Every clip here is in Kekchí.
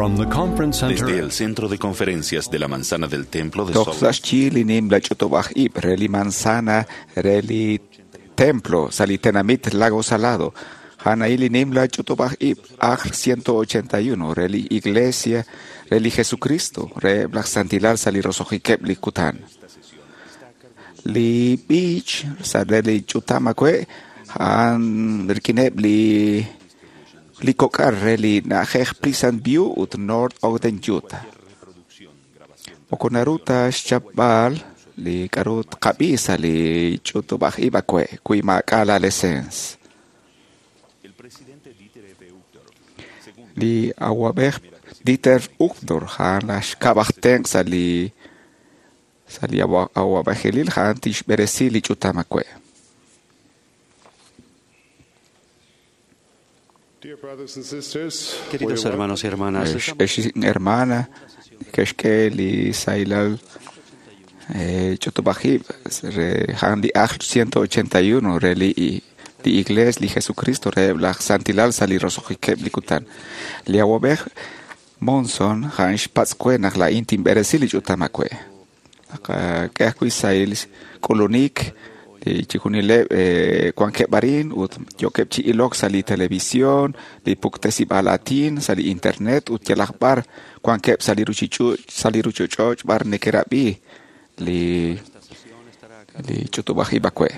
From the conference center Desde el Centro de Conferencias de la Manzana del Templo de Toj Salt sa xyi li nimla ch'utub'aj ib' re li manzana re li templo sa li tenamit Lago Salado. Janaí li nimla ch'utub'aj ib' ajl 181 re li iglesia re li Jesucristo re laj santilal sa li roso'jikeb' li kutan. Li b'ich sa re li ch'utam awe' a'an rik'ineb' li kok'al re li na'ajej Pleasant View ut North Ogden, Utah. Moko naru ta xchapb'al li k'a'ru tqab'i sa li ch'utub'aj ib' awe' wi maak'a' la lesens. Li awab'ej Dieter Uchtdorf a'an laj xkab' aj tenq' sa li awab'ejilil a'an tixb'eresi li ch'utam awe'. Dear brothers and sisters, Queridos we hermanos y hermanas, Ex hermana ke'xk'e li sahilal ch'utub'aj ib' re a'an li ajl 181 re li iglees li Jesucristo re laj santilal sa li roso'jikeb' li kutan. Li awab'ej Monson a'an xpatz' we naq laa'in tinb'eresi li ch'utam awe'. K'e ajwi' sahil k'ulunik li chixjunileb' wankeb' arin ut yookeb' chi ilok sa li televisión, li puktesib'aal aatin, sa li internet ut yalaq b'ar wankeb' sa li ruchich'och' b'ar neke'rab'i li ch'utub'aj ib' awe'.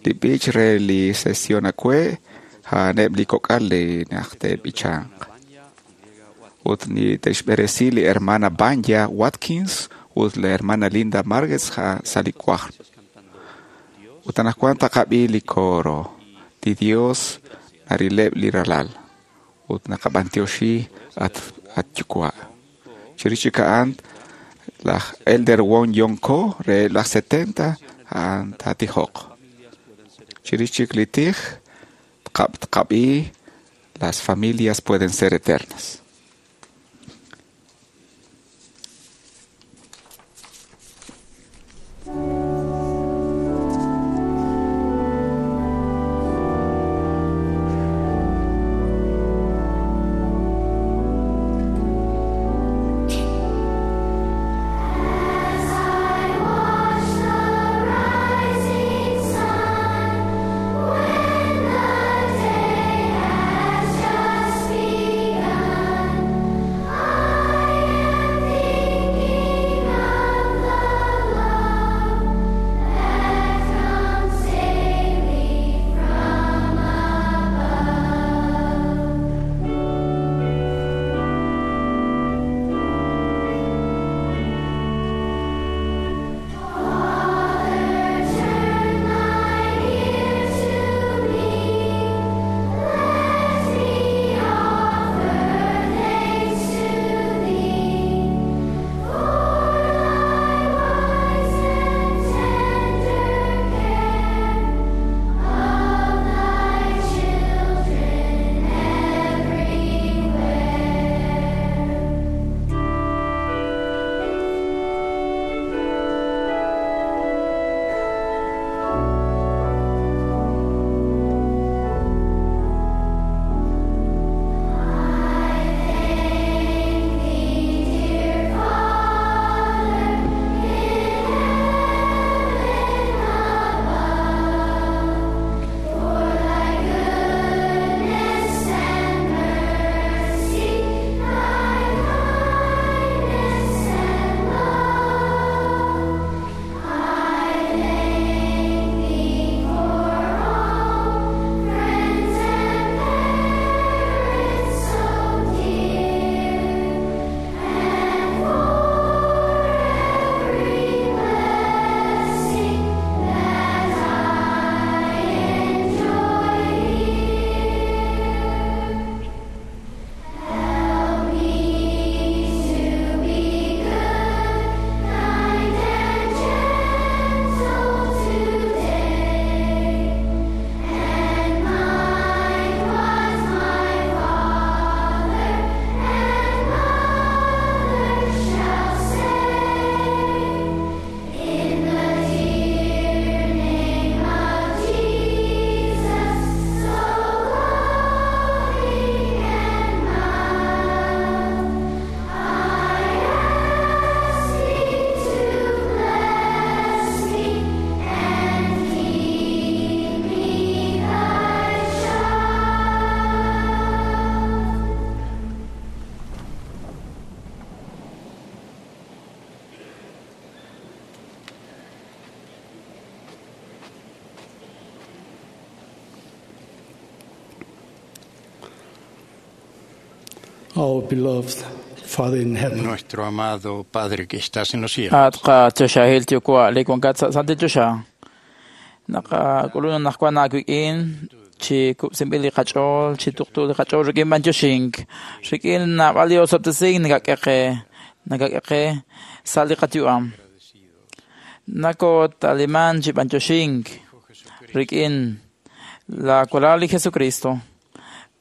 Li b'ich re li sesión awe' a'aneb' li kok'al li naq te'b'ichanq. Ut te'xb'eresi li hermana Banya Watkins ut li hermana Linda Marguez sa li wajb'. Ut anaqwan taqab'i li coro. Li Dios narileb' li ralal. Ut naqab'antioxi at yuwa'. Chirix chik a'an laj Elder Won Yong Ko re laj 70 a'an taatijoq. Chirix chik li tij tqab'i las familias pueden ser eternas. As I watch the rising sun, when the day has just begun. Our beloved Father in heaven, Nuestro amado Padre que estás en los cielos, At qachoxahil yuwa' li wankat sa' santil choxa. Naqak'ulun naq wan aawik'in chi kub'sinb'il li qach'ool, chi tuqtu li qach'ool rik'in b'antioxink, rik'in naab'al li osob'tesink nakak'e qe, nakak'e qe sa' li qayu'am. Nakotaliman chi b'antioxink rik'in la walal li Jesucristo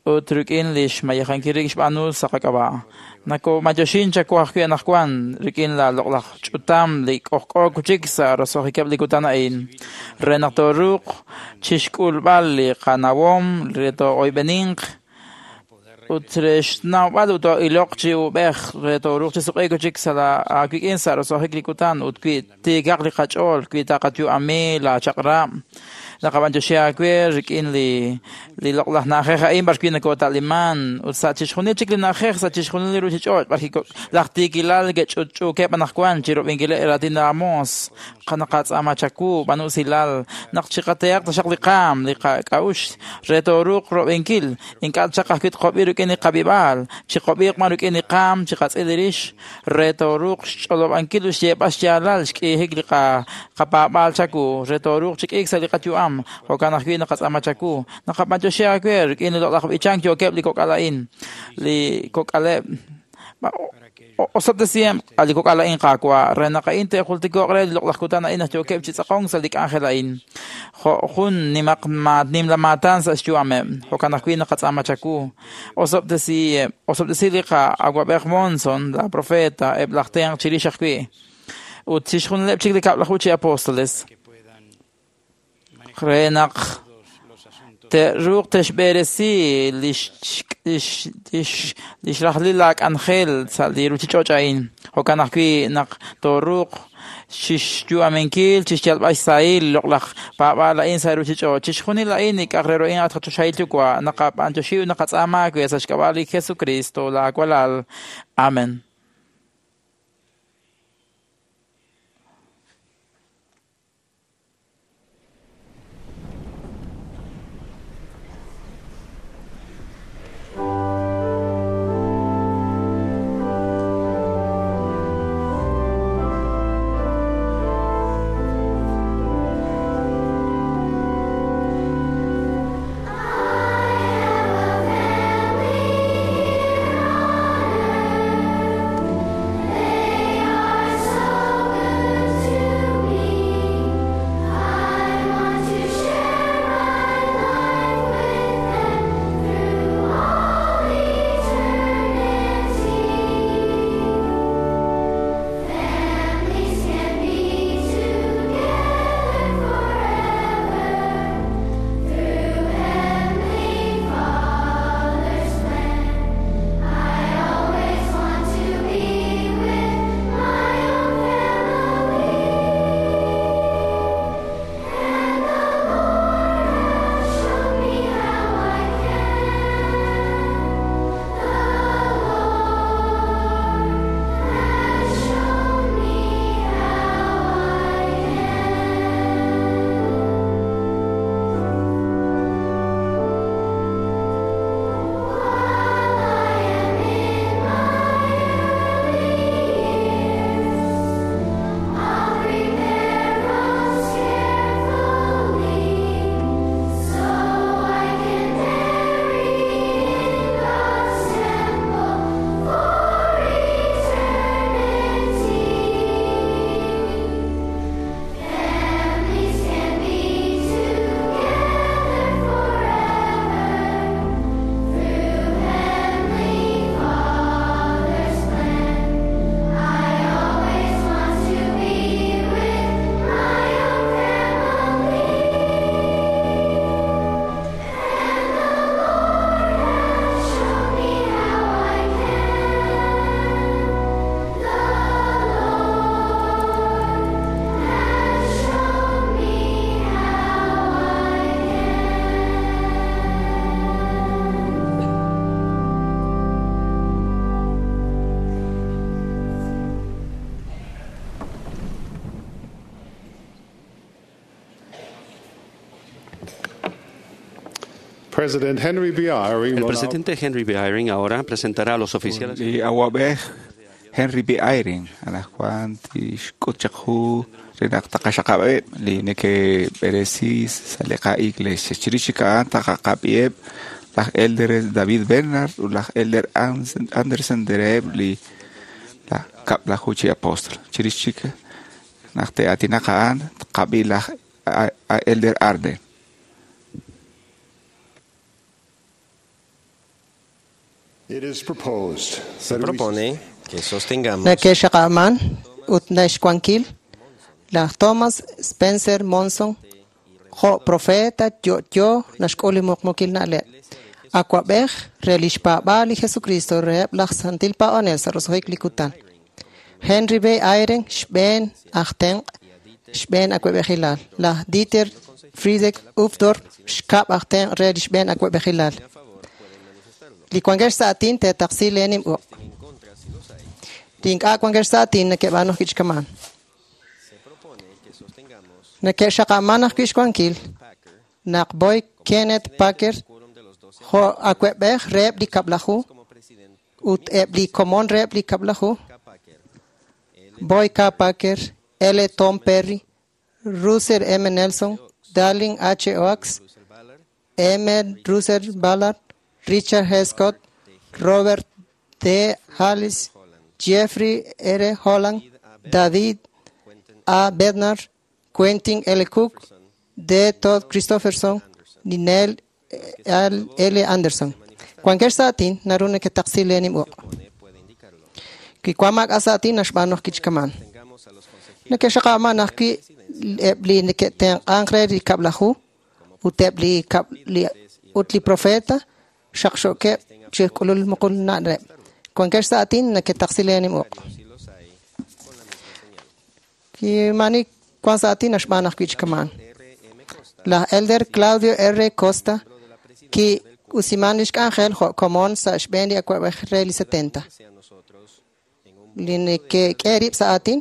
ut rik'in li xmayejankil rik xb'aanu sa' qak'ab'a'. Nakob'antioxin chaku ajwi' anaqwan rik'in la loq'laj ch'utam li k'ojk'o kuchik sa' roso'jikeb' li kutan a'in. Re naq tooruuq chixk'ulb'al li qanawom re too'oyb'eninq ut re xnawb'al ut too'iloq chi ub'ej re tooruuq chi suq'i kuchik sa' la aawik'in sa' roso'jik li kutan ut wi tiikaq li qach'ool wi taqayu'ami la chaq'rab' naqab'antioxi aawe rik'in li li loq'laj na'ajej a'in b'ar wi' nakota'liman ut sa' chixjunil chik li na'ajej sa' chixjunil li ruchich'och' b'ar wi' laj tiikilal ke'ch'utch'uukeb' anaqwan chi rob'inkileb' raatin aamos naqatz'aama chawu b'an usilal naq chiqatehaq taxaq li qaam li qak'a'uxl re tooruuq rob'inkil ink'a' chaq ajwi' tqob'i rik'in li qab'ib'aal chiqob'iiq b'an rik'in li qaam chiqatz'il li rix re tooruuq xch'olob'ankil ut xyeeb'al xyaalal xk'iijik li qapaab'aal chawu re tooruuq chi k'iik sa' li qayu'am jo'kan ajwi' naqatz'aama chawu naqab'antioxi aawe rik'in li loq'laj b'ichank yookeb' li kok'al a'in li kok'aleb' osob'tesiheb' li kok'al a'in qaawa' re naq a'in te'jultiko'q re li loq'laj kutan a'in naq yookeb' chi tz'aqonk sa' li k'anjel a'in jo' jun nimaq nimla maatan sa' xyu'ameb' jo'kan ajwi' naqatz'aama chawu osob'tesiheb' osob'tesi li qa'awab'ej Monson la profeta eb' laj tenq chirix ajwi' ut chixjunileb' chik li kab'laju chi apóstoles re naq te'ruuq te'xb'eresi lix rajlil la k'anjel sa' li ruchich'och' a'in. Jo'kan ajwi' naq tooruuq chixyu'aminkil, chixyalb'al xsahil loq'laj paab'aal a'in sa' ruchich'och'. Chixjunil a'in nik'aj re ro'in at qachoxahil yuwa' naqab'antioxi ut naqatz'aama aawe sa' xk'ab'a' li Jesucristo la walal. Amen. I have a family here on earth. President Henry B. Eyring El will now presidente Henry B. Eyring ahora presentará a los oficiales Li awab'ej Henry B. Eyring anaqwan tixk'ut chaq ju re naq taqaxaqab'eb' li neke'b'eresi sa' li qa'iglesia. Chirix chik a'an taqaqab'iheb' laj Elder David Bernard ut laj Elder Anderson reheb' li laj kab'laju chi apóstol. Chirix chik naq te'aatinaq a'an tqab'i laj Elder Arden. It is proposed Se that we propone que sostengamos Neke'xaqab'aman ut naxwankil laj Thomas Spencer Monson jo' profeta yo'yo naxk'ul li muqmuqil na'leb'. Awab'ej re lix paab'aal li Jesucristo reheb' laj santil paab'anel sa' roso'jik li kutan. Henry B. Eyring xb'een aj tenq' xb'een awab'ejilal. Laj Dieter Friedrich Uchtdorf xkab' aj tenq' re li xb'een awab'ejilal. Li wankex sa' aatin teetaqsi leenim uq'. Li ink'a' wankex sa' aatin neke'b'aanu ajwi' chikaman. Neke'xaqab'aman ajwi' xwankil naq Boy Kenneth Packer jo' awab'ej reheb' li kab'laju ut eb' li komon reheb' li kab'laju Boy K. Packer, L. Tom Perry, Russell M. Nelson, Darling H. Oaks, M. Russell Ballard, Richard H. Scott, Robert D. Hallis, Jeffrey R. Holland, David A. Bednar, Quentin L. Cook, D. Todd Christopherson, Ninel L. Anderson. Wankex sa' aatin naru neketaqsi leenim uq'. Kiwank sa' aatin naxb'aanu ajwi' chikaman. Neke'xaqab'aman ajwi' eb' li neke'tenq'ank re li kab'laju ut eb' li ut li profeta xaqxo'keb' chi k'ulul muqul na'leb'. Wankex sa' aatin neketaqsi leenim uq'. Kimani wank sa' aatin naxb'aanu ajwi' chikaman. Laj Elder Claudio R. Costa ki'usiman lix k'anjel jo' komon sa' xb'een li awab'ej re li 70. Li neke'k'e rib' sa' aatin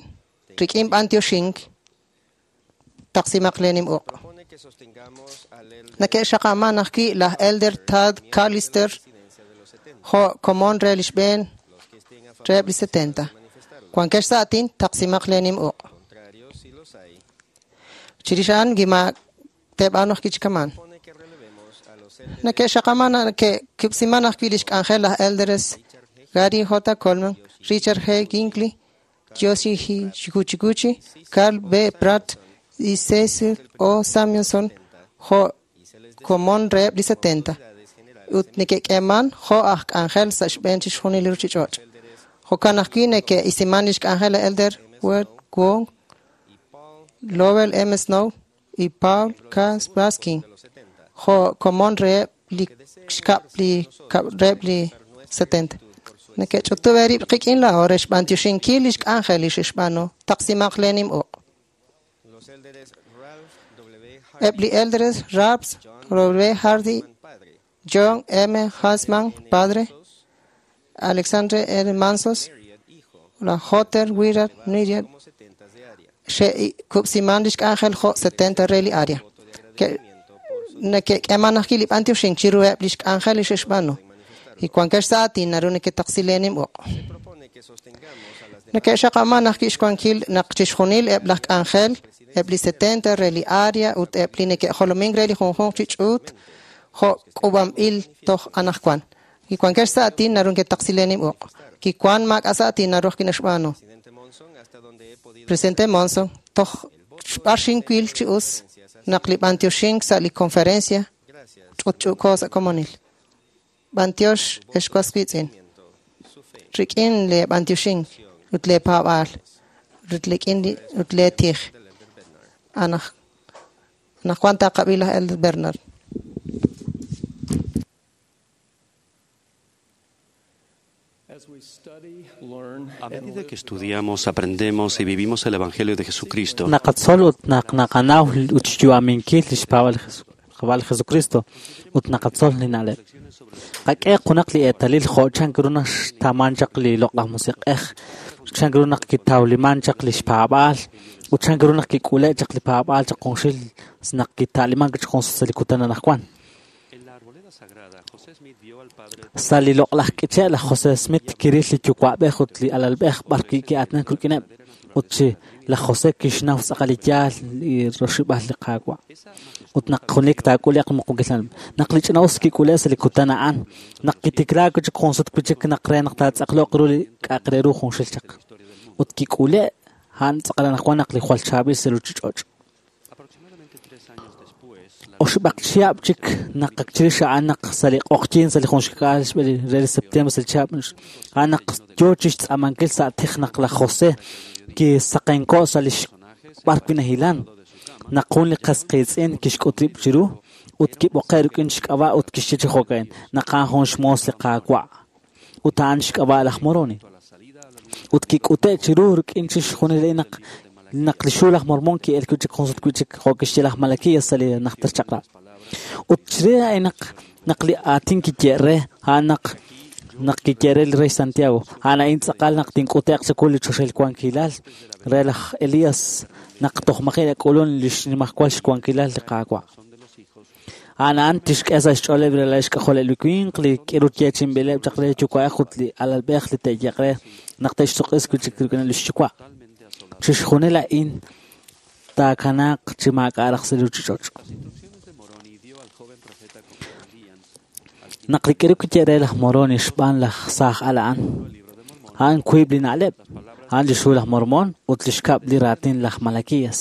rik'in b'antioxink taqsimaq leenim uq'. Neke'xaqab'aman ajwi' laj Elder Tad Callister jo' komon re li xb'een reheb' li 70. Wankex sa' aatin taqsimaq leenim uq'. Chirix a'an gima te'b'aanu ajwi' chikaman. Neke'xaqab'aman neke'kub'siman ajwi' lix k'anjel laj Elders Gary J. Coleman, Richard G. Ginkley, Yoshi Higuchi, Carl B. Pratt y Cecil O. Samuelson jo' komon reheb' li 70. Ut neke'k'eeman jo' aj k'anjel sa' xb'een chixjunil li ruchich'och'. Jo'kan ajwi' neke'isiman lix k'anjel laj Elder Wade Wong, Lowell M. Snow y Paul K. Baskin jo' komon reheb' li xkab' li reheb' li 70. Neke'ch'utub' eerib' qik'in laa'o re xb'antioxinkil lix k'anjel li xe'xb'aanu taqsimaq leenim uq'. Eb' li Elders Ralph W. Hardy, John M. Hansman, padre, Alexander R. Mansos, la J. Willard Niriel, xe'kub'siman lix k'anjel jo' 70 re li área. Neke'k'eeman ajwi' li b'antioxink chiruheb' lix k'anjel li xe'xb'aanu. Y wankex sa' aatin naru neketaqsi leenim uq'. Neke'xaqab'aman ajwi' xwankil naq chixjunil eb' laj k'anjel, eb' li 70 re li área ut eb' li neke'jolomink re li junjunq chi ch'uut jo' k'uub'anb'il toj anaqwan. Kiwankex sa' aatin naru neketaqsi leenim uq'. Kiwan maak'a' sa' aatin naru ajwi' naxb'aanu. Presidente Monson, toj xb'ar xinwil chi us naq li b'antioxink sa' li conferencia ch'utch'u'ko sa' komonil. B'antiox ex was wiitz'in. Rik'in le b'antioxink ut le paab'aal ut rik'in ut le tij. Anaqwan taqab'i laj Elder Bernard. A medida que estudiamos, aprendemos y vivimos el Evangelio de Jesucristo, Naqatzol ut naq naqanaw ut xyu'aminkil lix paab'aal li Jesucristo ut naqatzol li na'leb'. Qak'e junaq li eetalil jo' chan ru naq xtaman chaq li loq'laj musiq'ej, chan ru naq kitawliman chaq lix paab'aal ut chan ru naq kik'ule' chaq li paab'aal chaq junxil naq kita'liman chaq jun sa' li kutan anaqwan. Sa' li loq'laj k'iche' laj José Smith kiril li yuwa'b'ej ut li alalb'ej b'arwi' ki'aatinak rik'ineb' ut chi laj José kixnaw tz'aqal li yaal li roxib'al li Qaawa'. Ut naq junelik taak'ule'q muqukil naq li ch'ina'us kik'ule' sa' li kutan a'an, naq kitiklaak wi' chik jun sut wi' chik naq re naq taatz'aqloq ru li k'a'aq re ru junxil chaq. Ut kik'ule' a'an tz'aqal anaqwan naq li jwal chaab'il sa' ruuchich'och'. Oxib'aq chihab' chik naq ak chirix a'an naq sa' li q'oqyink sa' li jun xka'al xb'e re li septiembre sa' li chihab' a'an naq yoo chixtz'aamankil sa' tij naq laj José kisaqenko' sa' lix b'ar wi' nahilan naq jun li qas qiitz'in kixk'ut rib' chiru ut kib'oqe' rik'in xk'ab'a' ut kixye chi jo'ka'in naq a'an jun xmoos li Qaawa' ut a'an xk'ab'a' laj Moroni. Ut kik'ute' chiru rik'in chixjunil a'in naq naq li xhu laj Mormón ki'elk wi' chik jun sut wi' chik jo' kixye laj Malaquías sa' li najter chaq'rab'. Ut chirix a'in naq naq li aatin kiye' re a'an naq naq kiye' re li rey Santiago a'an a'in tz'aqal naq tink'ute'q chawu li choxahil wankilal re laj Elías naq toj maji' nak'ulun li xnimajwal xwankilal li Qaawa'. A'an a'an tixk'e sa' xch'ooleb' li ralal xk'ajoleb' li winq li k'iru yeechi'inb'ileb' chaq re yuwa'ej ut li alalb'ej li te'yeq re naq te'xsuq'is wi' chik rik'in li xyuwa'. Chixjunil a'in taakanaaq chi maak'a' raj sa' li ruuchich'och'. Naq li k'iru kiye' re laj Moroni xb'aan laj saaj al a'an, a'an wiib' li na'leb', a'an li xhu laj Mormón ut li xkab' li raatin laj Malaquías.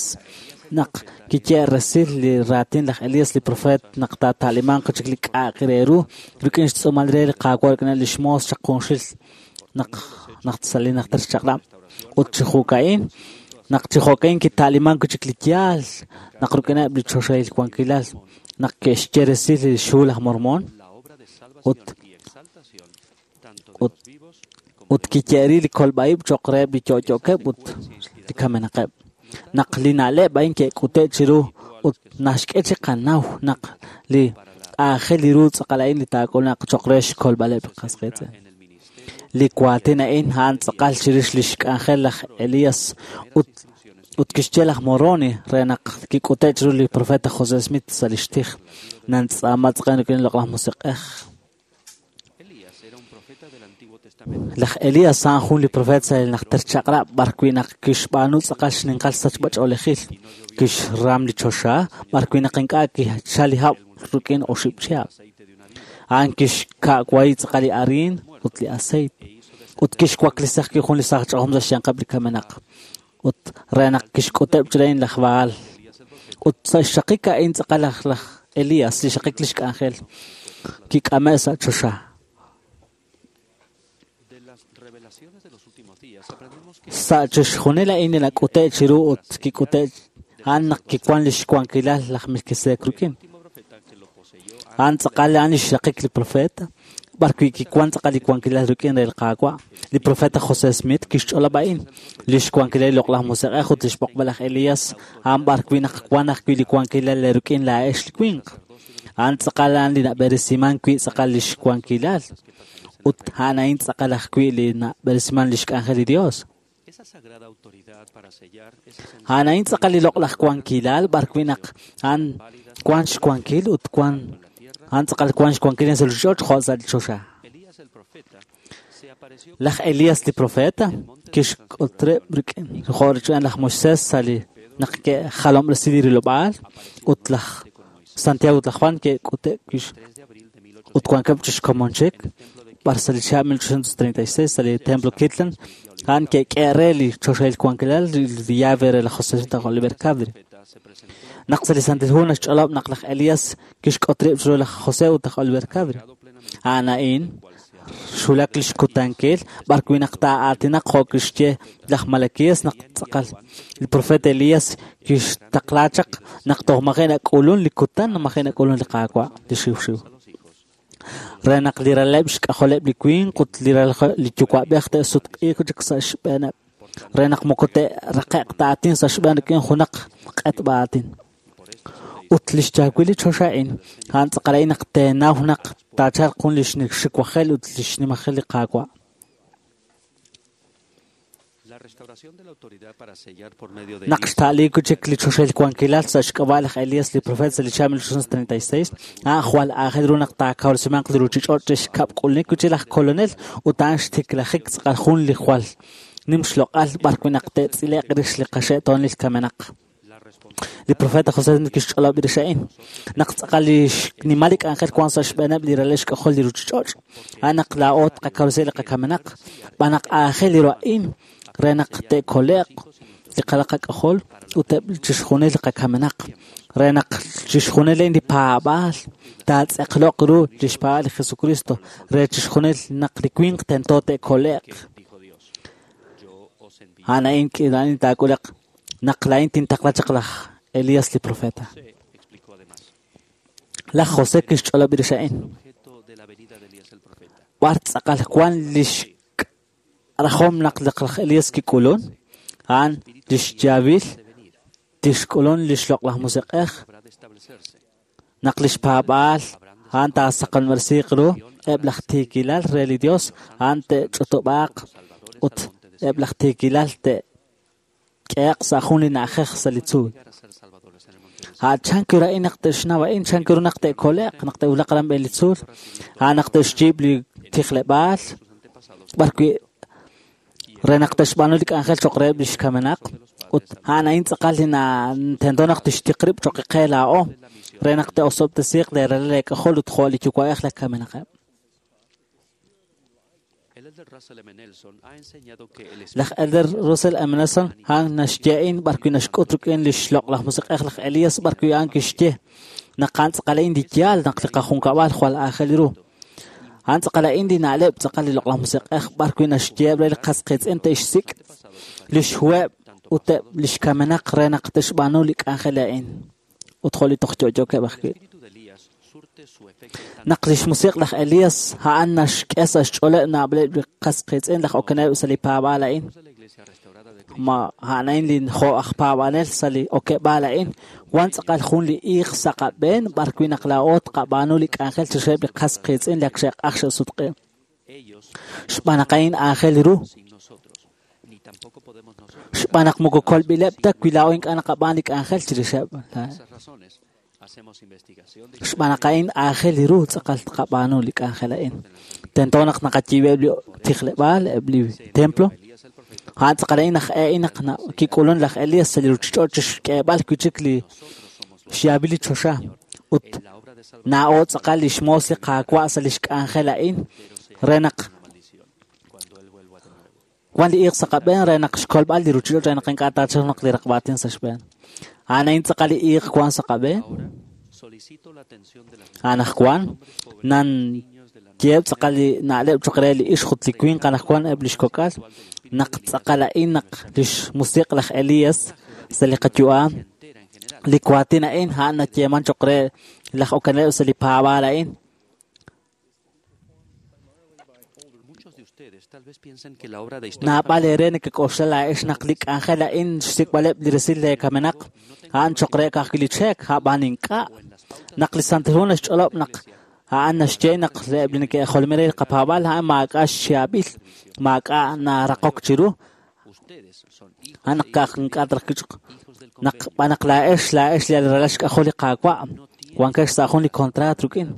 Naq kiye' resil li raatin laj Elías li profeet naq taata'limanq chik li k'a'aq re ru rik'in xtz'uumal re li Qaawa' rik'in li xmoos chaq junxil naq naq sa' li najter chaq'rab'. Ut chi jo'ka'in naq chi jo'ka'in kita'limank wi' chik li yaal naq rik'ineb' li choxahil wankilal naq ke'xye resil li xhu laj Mormón ut ut ut kiye'ri li kolb'a'ib' cho'q reheb' li yo'yo'keb' ut li kamenaqeb'. Naq li na'leb' a'in ke'k'ute' chiru ut naxk'e chi qanaw naq li aajel li ru tz'aqal a'in li taak'ulunaq cho'q re xkolb'aleb' li qas qiitz'in. Li waatin a'in a'an tz'aqal chirix li xk'anjel laj Elías ut ut kixye laj Moroni re naq kik'ute' chiru li profeta José Smith sa' lix tij nantz'aama tz'aqal rik'in li loq'laj musiq'ej. Laj Elías a'an jun li profeet sa' li najter chaq'rab' b'arwi' naq kixb'aanu tz'aqal xninqal sachb'ach'oolejil kixram li choxa b'arwi' naq ink'a' kichal li hab' rik'in oxib' chihab'. A'an kixka'wayi tz'aqal li ariin ut li aceite ut kixwaklisi ajwi' jun li saaj ch'ajom sa' xyanqeb' li kamenaq ut re naq kixk'uteb' chirix laj Baal. Ut sa' xxaqik a'in tz'aqal laj Elías li xaqik lix k'anjel kik'ame' sa' choxa. Sa' chixjunil a'in li nak'ute' chiru ut kik'ute' a'an naq kiwan lix wankilal laj Melquisedec rik'in. A'an tz'aqal a'an li xraqik li profeta b'arwi' kiwan tz'aqal li wankilal rik'in re li Qaawa'. Li profeta José Smith kixch'olob' a'in li xwankilal li loq'laj musiq'ej ut li xb'oqb'al laj Elías a'an b'arwi' naq wan ajwi' li wankilal rik'in laa'ex li winq. A'an tz'aqal a'an li nab'eresiman wi' tz'aqal li xwankilal ut a'an a'in tz'aqal ajwi' li nab'eresiman li xk'anjel li Dios. A'an a'in tz'aqal li loq'laj wankilal b'arwi' naq a'an wan xwankil ut wan a'an tz'aqal wan xwankil sa' li ruuchich'och' jo' sa' li choxa. Laj Elías li profeta kixk'ut rib' rik'in jo' rik'in laj Moisés sa' li naq ke'jalob'resi li rilob'aal ut laj Santiago ut laj Juan ke'k'ute' ut wankeb' chi xkomon chik b'ar sa' li chihab' 1836 sa' li Templo Kirtland a'an ke'k'e re li choxahil wankilal li llave re laj José Smith Oliver Cowdery. Naq sa' li Santil Hu naxch'olob' naq laj Elías kixk'ut rib' chiru laj José ut laj Oliver Cowdery. A'an a'in xwulak li xkutankil b'arwi' naq taa'aatinaq jo' kixye laj Malaquías naq tz'aqal li profeta Elías kixtaqla chaq naq toj maji' nak'ulun li kutan maji' nak'ulun li Qaawa' li xiwxiw. Re naq li raleb' xk'ajoleb' li winq ut li li yuwa'b'ej te'sutq'iiq chik sa' xb'eeneb' re naq moko te'raqe'q ta aatin sa' xb'een rik'in junaq q'etb'a aatin. Ut li xchaawil li choxa a'in a'an tz'aqal a'in naq teenaw naq taachalq jun li xiwajel ut li xnimajel li Qaawa'. Naq xta'liik chik li choxahil wankilal sa' xk'ab'a' laj Elias li profeet sa' li chihab' 1836, a'an jwal aajel ru naq taakawresimanq li ruuchich'och' re xkab' k'ulunik wi' chik laj Kolonel ut a'an xtiklajik tz'aqal jun li jwal nim xloq'al b'ar wi' naq te'tz'ile'q rix li qaxe'toonil kamenaq. Li profeta José Smith kixch'olob' rix a'in. Naq tz'aqal li xnimal li k'anjel wan sa' xb'eeneb' li ralal xk'ajol li ruuchich'och', a'an naq laa'o tqakawresi li qakamenaq, b'an naq aajel ru a'in re naq te'kole'q li qalal qak'ajol ut eb' chixjunil li qakamenaq, re naq chixjunil a'in li paab'aal taatz'eqloq ru li xpaab'aal li Jesucristo, re chixjunil naq li winq tento te'kole'q. A'an a'in a'in taak'uleq naq laa'in tintaqla chaq laj Elías li profeta. Laj José kixch'olob' rix a'in. B'ar tz'aqal wan lix rajom naq laj Elías kik'ulun, a'an lix yaab'il tixk'ulun lix loq'laj musiq'ej, naq lix paab'aal a'an taasaqanmersiiq ru eb' laj tiikilal re li Dios, a'an te'ch'utub'aaq ut eb' laj tiikilal te'k'ehe'q sa' jun li na'ajej sa' li tzuul. A'an chank ru a'in naq te'xnaw a'in, chank ru naq te'kole'q, naq te'wulaq aran b'een li tzuul, a'an naq te'xyiib' li tijleb'aal, b'ar wi' re naq te'xb'aanu li k'anjel cho'q reheb' li xkamenaq, ut a'an a'in tz'aqal li tento naq tixtiq rib' cho'q qe laa'o, re naq te'osob'tesiiq li ralal leek'ajol ut jo' li yuwa'ej laj kamenaqeb'. Laj Elder Russell M. Nelson a'an naxye a'in b'ar wi' naxk'ut rik'in li xloq'laj musiq'ej laj Elias b'ar wi' a'an kixye naq a'an tz'aqal a'in li yaal naq li qajunkab'al jwal aajel ru. A'an tz'aqal a'in li na'leb' tz'aqal li loq'laj musiq'ej b'ar wi' naxyeeb' re li qas qiitz'in te'xsik' li xhuheb' ut eb' li xkamenaq re naq te'xb'aanu li k'anjel a'in ut jo' li toj yo'yookeb' ajwi'. Naq lix musiq' laj Elias a'an naxk'e sa' xch'ooleb' naab'aleb' li qas qiitz'in laj okeneb' sa' li paab'aal a'in. Ma a'an a'in li jo' aj paab'anel sa' li okeb'aal a'in, wan tz'aqal jun li iiq sa' qab'een b'ar wi' naq laa'o tqab'aanu li k'anjel chixeb' li qas qiitz'in li ak xe'q'aj xe'sutq'i. Xb'aan naq a'in aajel ru. Xb'aan naq moko kolb'ileb' ta wi laa'o ink'a' naqab'aan li k'anjel chirixeb'. Xb'aan naq a'in aajel ru tz'aqal tqab'aanu li k'anjel a'in. Tento naq naqayiib'eb' li tijleb'aal, eb' li templo. A'an tz'aqal a'in naq a'in naq kik'ulun laj Elias sa' li ruuchich'och' chixk'eeb'al wi' chik li xyaab'il li choxa. Ut naa'o tz'aqal li xmoos li Qaawa' sa' lix k'anjel a'in re naq wan li iiq sa' qab'een re naq xkolb'al li ruuchich'och' re naq ink'a' taachalq naq li raqb'aatin sa' xb'een. A'an a'in tz'aqal li iiq wan sa' qab'een. Anaqwan nan yeeb' tz'aqal li na'leb' cho'q re li ixq ut li winq anaqwan eb' li xkok'al naq tz'aqal a'in naq lix musiq' laj Elias sa' li qayu'am li waatin a'in a'an nayeeman cho'q re laj okeneb' sa' li paab'aal a'in. Naab'al eere nekek'oxla laa'ex naq li k'anjel a'in xsik'b'aleb' li resil leekamenaq a'an cho'q re ka'ajwi' li cheek, a'b'an ink'a'. Naq li Santil Hu naxch'olob' naq a'an naxye naq eb' li neke'jolomin re li qapaab'aal a'an maak'a' xyaab'il, maak'a' naraqok chiru. A'an naq ka'aj ink'a' taraj naq b'an naq laa'ex laa'ex li ralal xk'ajol li Qaawa' wankex sa' jun li kontraat rik'in.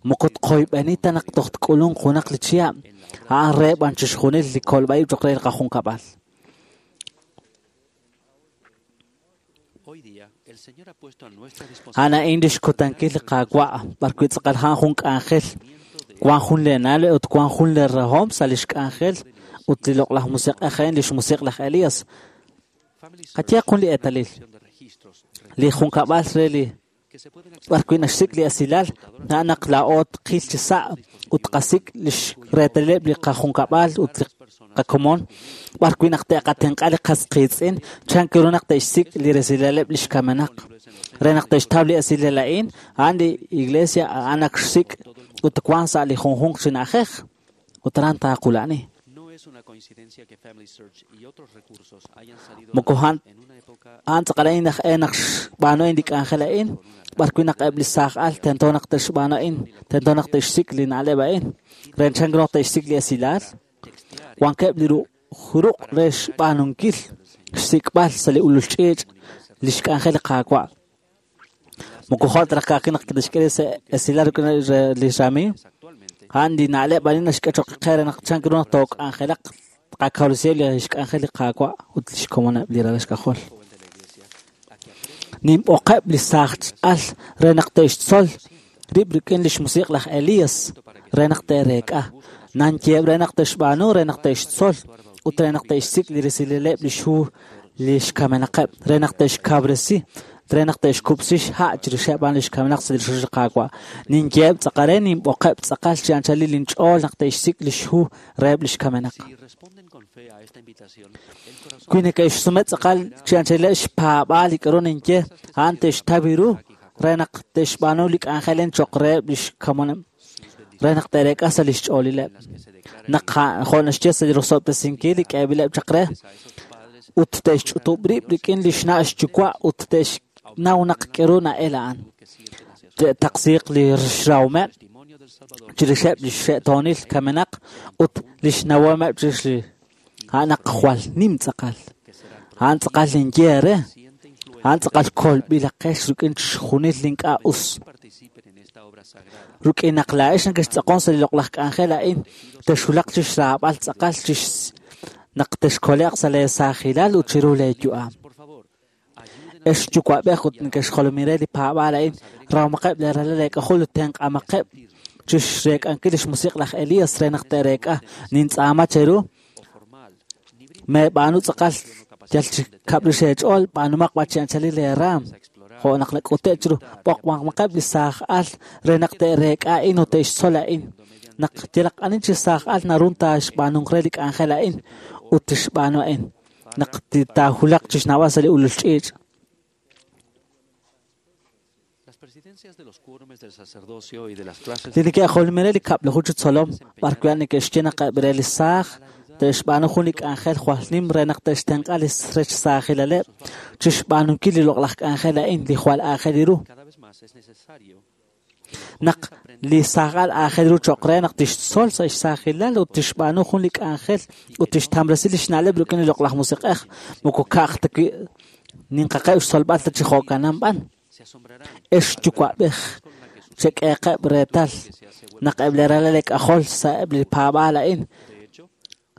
Moko tqoyb'eni ta naq toj tk'ulunq junaq li chihab', a'an re b'an chixjunil li kolb'a'ib' cho'q re li qajunkab'al. A'an a'in li xkutankil li Qaawa' b'ar wi' tz'aqal a'an jun k'anjel, wan jun leena'leb' ut wan jun leerahom sa' lix k'anjel ut li loq'laj musiq'ej a'in lix musiq' laj Elias. Qayehaq jun li eetalil. Li junkab'al re li b'ar wi' naxsik' li esilal, a'an naq laa'o tqil chi sa' ut tqasik' lix reetalileb' li qajunkab'al ut li qakomon, b'ar wi' naq te'qatenq'a li qas qiitz'in, chank ru naq te'xsik' li resilaleb' li xkamenaq. Re naq te'xtaw li esilal a'in, a'an li iglesia a'an ak xsik' ut wan sa' li junjunq chi na'ajej ut aran taaqula'ni. Moko a'an tz'aqal a'in naq naq xb'aanu a'in li k'anjel a'in, b'ar wi' naq eb' li saaj al tento naq te'xb'aanu a'in, tento naq te'xsik' li na'leb' a'in. Re chank ru naq te'xsik' li esilal, wankeb' li ruq' re xb'aanunkil xsik'b'al sa' li ulul ch'iich' li xk'anjel li Qaawa'. Moko jo' ta raj ka'ajwi' naq tixk'e sa' esilal rik'in li ramiiw, a'an li na'leb' a'in naxk'e cho'q qe re naq chan ru naq took'anjelaq tqakawresiheb' li xk'anjel li Qaawa' ut li xkomoneb' li ralal xk'ajol. Ninb'oqeb' li saaj al re naq te'xtzol rib' rik'in li xmusiq' laj Elías re naq te'reek'a. Nanyeheb' re naq te'xb'aanu re naq te'xtzol ut re naq te'xsik' li resilileb' li xhu li xkamenaqeb' re naq te'xkawresi re naq te'xkub'si xha' chirixeb' a'an li xkamenaq sa' li rochoch li Qaawa'. Ninyeheb' tz'aqal re ninb'oqeb' tz'aqal chi anchalil linch'ool naq te'xsik' li xhu reheb' li xkamenaq. Wi neke'xsume tz'aqal chi anchalileb' xpaab'aal li k'aru ninye, a'an te'xtaw ru re naq te'xb'aanu li k'anjel cho'q reheb' li xkomoneb', re naq te'reek'a sa' li xch'oolileb'. Naq jo' naxye sa' li rosob'tesinkil li k'eeb'ileb' chaq re, ut te'xch'utub' rib' rik'in li xna' xyuwa' ut te'xnaw naq k'aru na'el a'an. Te'taqsiiq li xrawomeb' chirixeb' li xxe'toonil kamenaq ut li xnawomeb' chirix li a'an naq jwal nim tz'aqal. A'an tz'aqal ninye re. A'an tz'aqal kolb'ilaqex rik'in chixjunil li ink'a' us. Rik'in naq laa'ex nekextz'aqon sa' li loq'laj k'anjel a'in, texwulaq chi xraab'al tz'aqal chix naq texkole'q sa' leesaajilal ut chiru leeyu'am. Ex yuwa'b'ej ut nekexjolomin re li paab'aal a'in, rawmaqeb' leeralal leek'ajol ut tenq'amaqeb' chi xreek'ankil li xmusiq' laj Elías re naq te'reek'a. Nintz'aama cheru, meeb'aanu tz'aqal yal chi kab'rix eech'ool, b'aanumaq b'an chi anchalil leeraam. Jo' naq nak'ute' chiru b'oqmaqeb' li saaj al re naq te'reek'a a'in ut te'xtzol a'in. Naq yalaq ani chi saaj al naru taaxb'aanunk re li k'anjel a'in ut tixb'aanu a'in. Naq taahulaq chi xnawb'al sa' li ulul ch'iich'. Li neke'jolomin re li kab'laju chi tzolom b'ar wi' neke'xye naq eb' re li saaj te'xb'aanu jun li k'anjel jwal nim re naq te'xtenq'a li rech saajilaleb' chi xb'aanunkil li loq'laj k'anjel a'in li jwal aajel ru. Naq li saaj al aajel ru cho'q re naq tixtzol sa' xsaajilal ut tixb'aanu jun li k'anjel ut tixtamresi li xna'leb' rik'in li loq'laj musiq'ej, moko ka'aj ta wi' ninqaqeb' xtzolb'al ta chi jo'kanan b'an. Ex yuwa'b'ej chek'eeqeb' reetal naq eb' li ralal leek'ajol sa'eb' li paab'aal a'in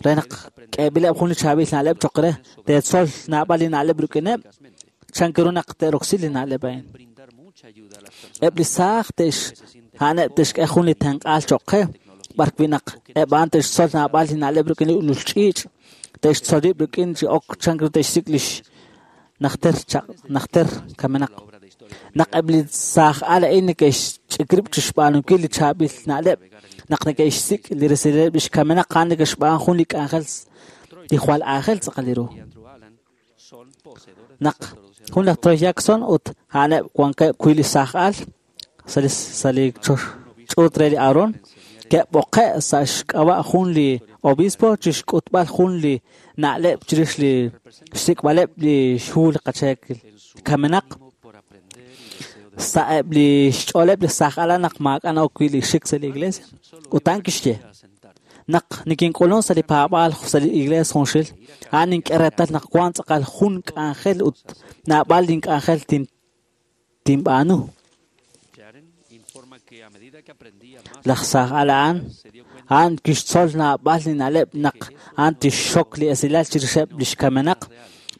re naq k'eeb'ileb' jun li chaab'il na'leb' cho'q re, teetzol naab'al li na'leb' rik'ineb', chan ru naq te'roksi li na'leb' a'in. Eb' li saaj a'aneb' te'xk'e jun li tenq'aal cho'q qe, b'ar wi' naq eb' a'an te'xtzol naab'al li na'leb' rik'in li ulul ch'iich', te'xtzol rib' rik'in chi ok chan ru te'xsik' li najter kamenaq. Naq eb' li saaj al a'in neke'xch'ik rib' chi xb'aanunkil li chaab'il na'leb', naq neke'xsik' li resileb' li xkamenaq a'an neke'xb'aan jun li k'anjel li jwal aajel tz'aqal ru. Naq jun laj Troy Jackson ut a'aneb' wankeb' wi' li saaj al sa' li ch'uut re li Aaron, ke'b'oqe' sa' xk'ab'a' jun li obispo chi xk'utb'al jun li na'leb' chirix li xsik'b'aleb' li xhu li qacheekil kamenaq. Sa'eb' li xch'ooleb' li saaj al naq maak'a' na'ok wi' li xik sa' li iglesia. Ut a'an kixye, naq nikink'ulun sa' li paab'aal sa' li iglesia junxil, a'an nink'e reetal naq wan tz'aqal jun k'anjel ut naab'al link'anjel tinb'aanu. Laj saaj al a'an kixtzol naab'al li na'leb' naq a'an tixxok li esilal chirixeb' li xkamenaq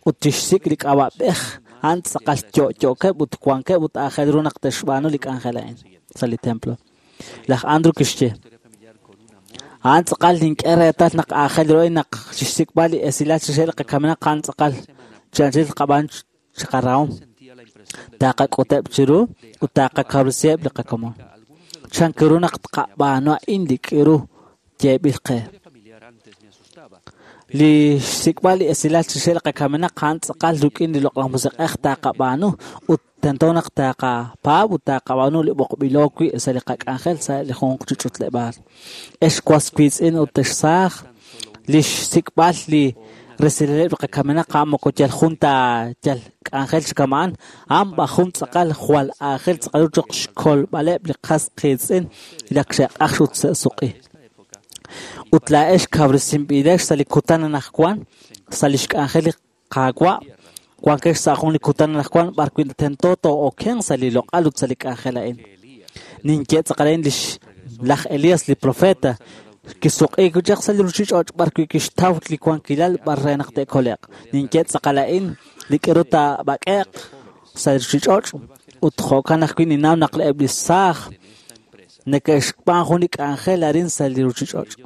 ut tixsik' li k'ab'a'b'ej a'an tz'aqal yo'yo'keb' ut wankeb' ut aajel ru naq te'xb'aanu li k'anjel a'in sa' li templo. Laj Andrew kixye, a'an tz'aqal nink'e reetal naq aajel ru naq chixsik'b'al li esilal chirixeb' li qakamenaq a'an tz'aqal chi anchal qab'aan chi qarahom. Taqak'uteb' chiru ut taqakawresiheb' li qakomon. Chan ru naq tqab'aanu a'in li k'iru yeeb'il qe. Li xsik'b'al li esilal chirixeb' li qakamenaq a'an tz'aqal rik'in li loq'laj musiq'ej taqab'aanu ut tento naq taqapaab' ut taqab'aanu li b'oqb'ilo wi' sa' li qak'anjel sa' li junq chi ch'utleb'aal. Ex was wiitz'in ut ex saaj, li xsik'b'al li resilileb' li qakamenaq a'an moko yal jun ta yal k'anjel chi kama'an, a'an b'aj jun tz'aqal jwal aajel tz'aqal ru cho'q xkolb'aleb' li qas qiitz'in li ak xe'q'aj ut se'suq'i. Ut laa'ex kawresinb'ilex sa' li kutan anaqwan sa' lix k'anjel li Qaawa', wankex sa' jun li kutan anaqwan b'ar wi' tento too'okenq sa' li loq'al ut sa' li k'anjel a'in. Ninye tz'aqal a'in lix laj Elías li profeta kisuq'iik chaq sa' li ruuchich'och' b'ar wi' kixtaw li wankilal b'ar re naq te'kole'q. Ninye tz'aqal a'in li k'aru taab'ak'e'q sa' li ruuchich'och' ut jo'kan ajwi' ninnaw naq eb' li saaj neke'xb'aan jun li k'anjel arin sa' li ruuchich'och'.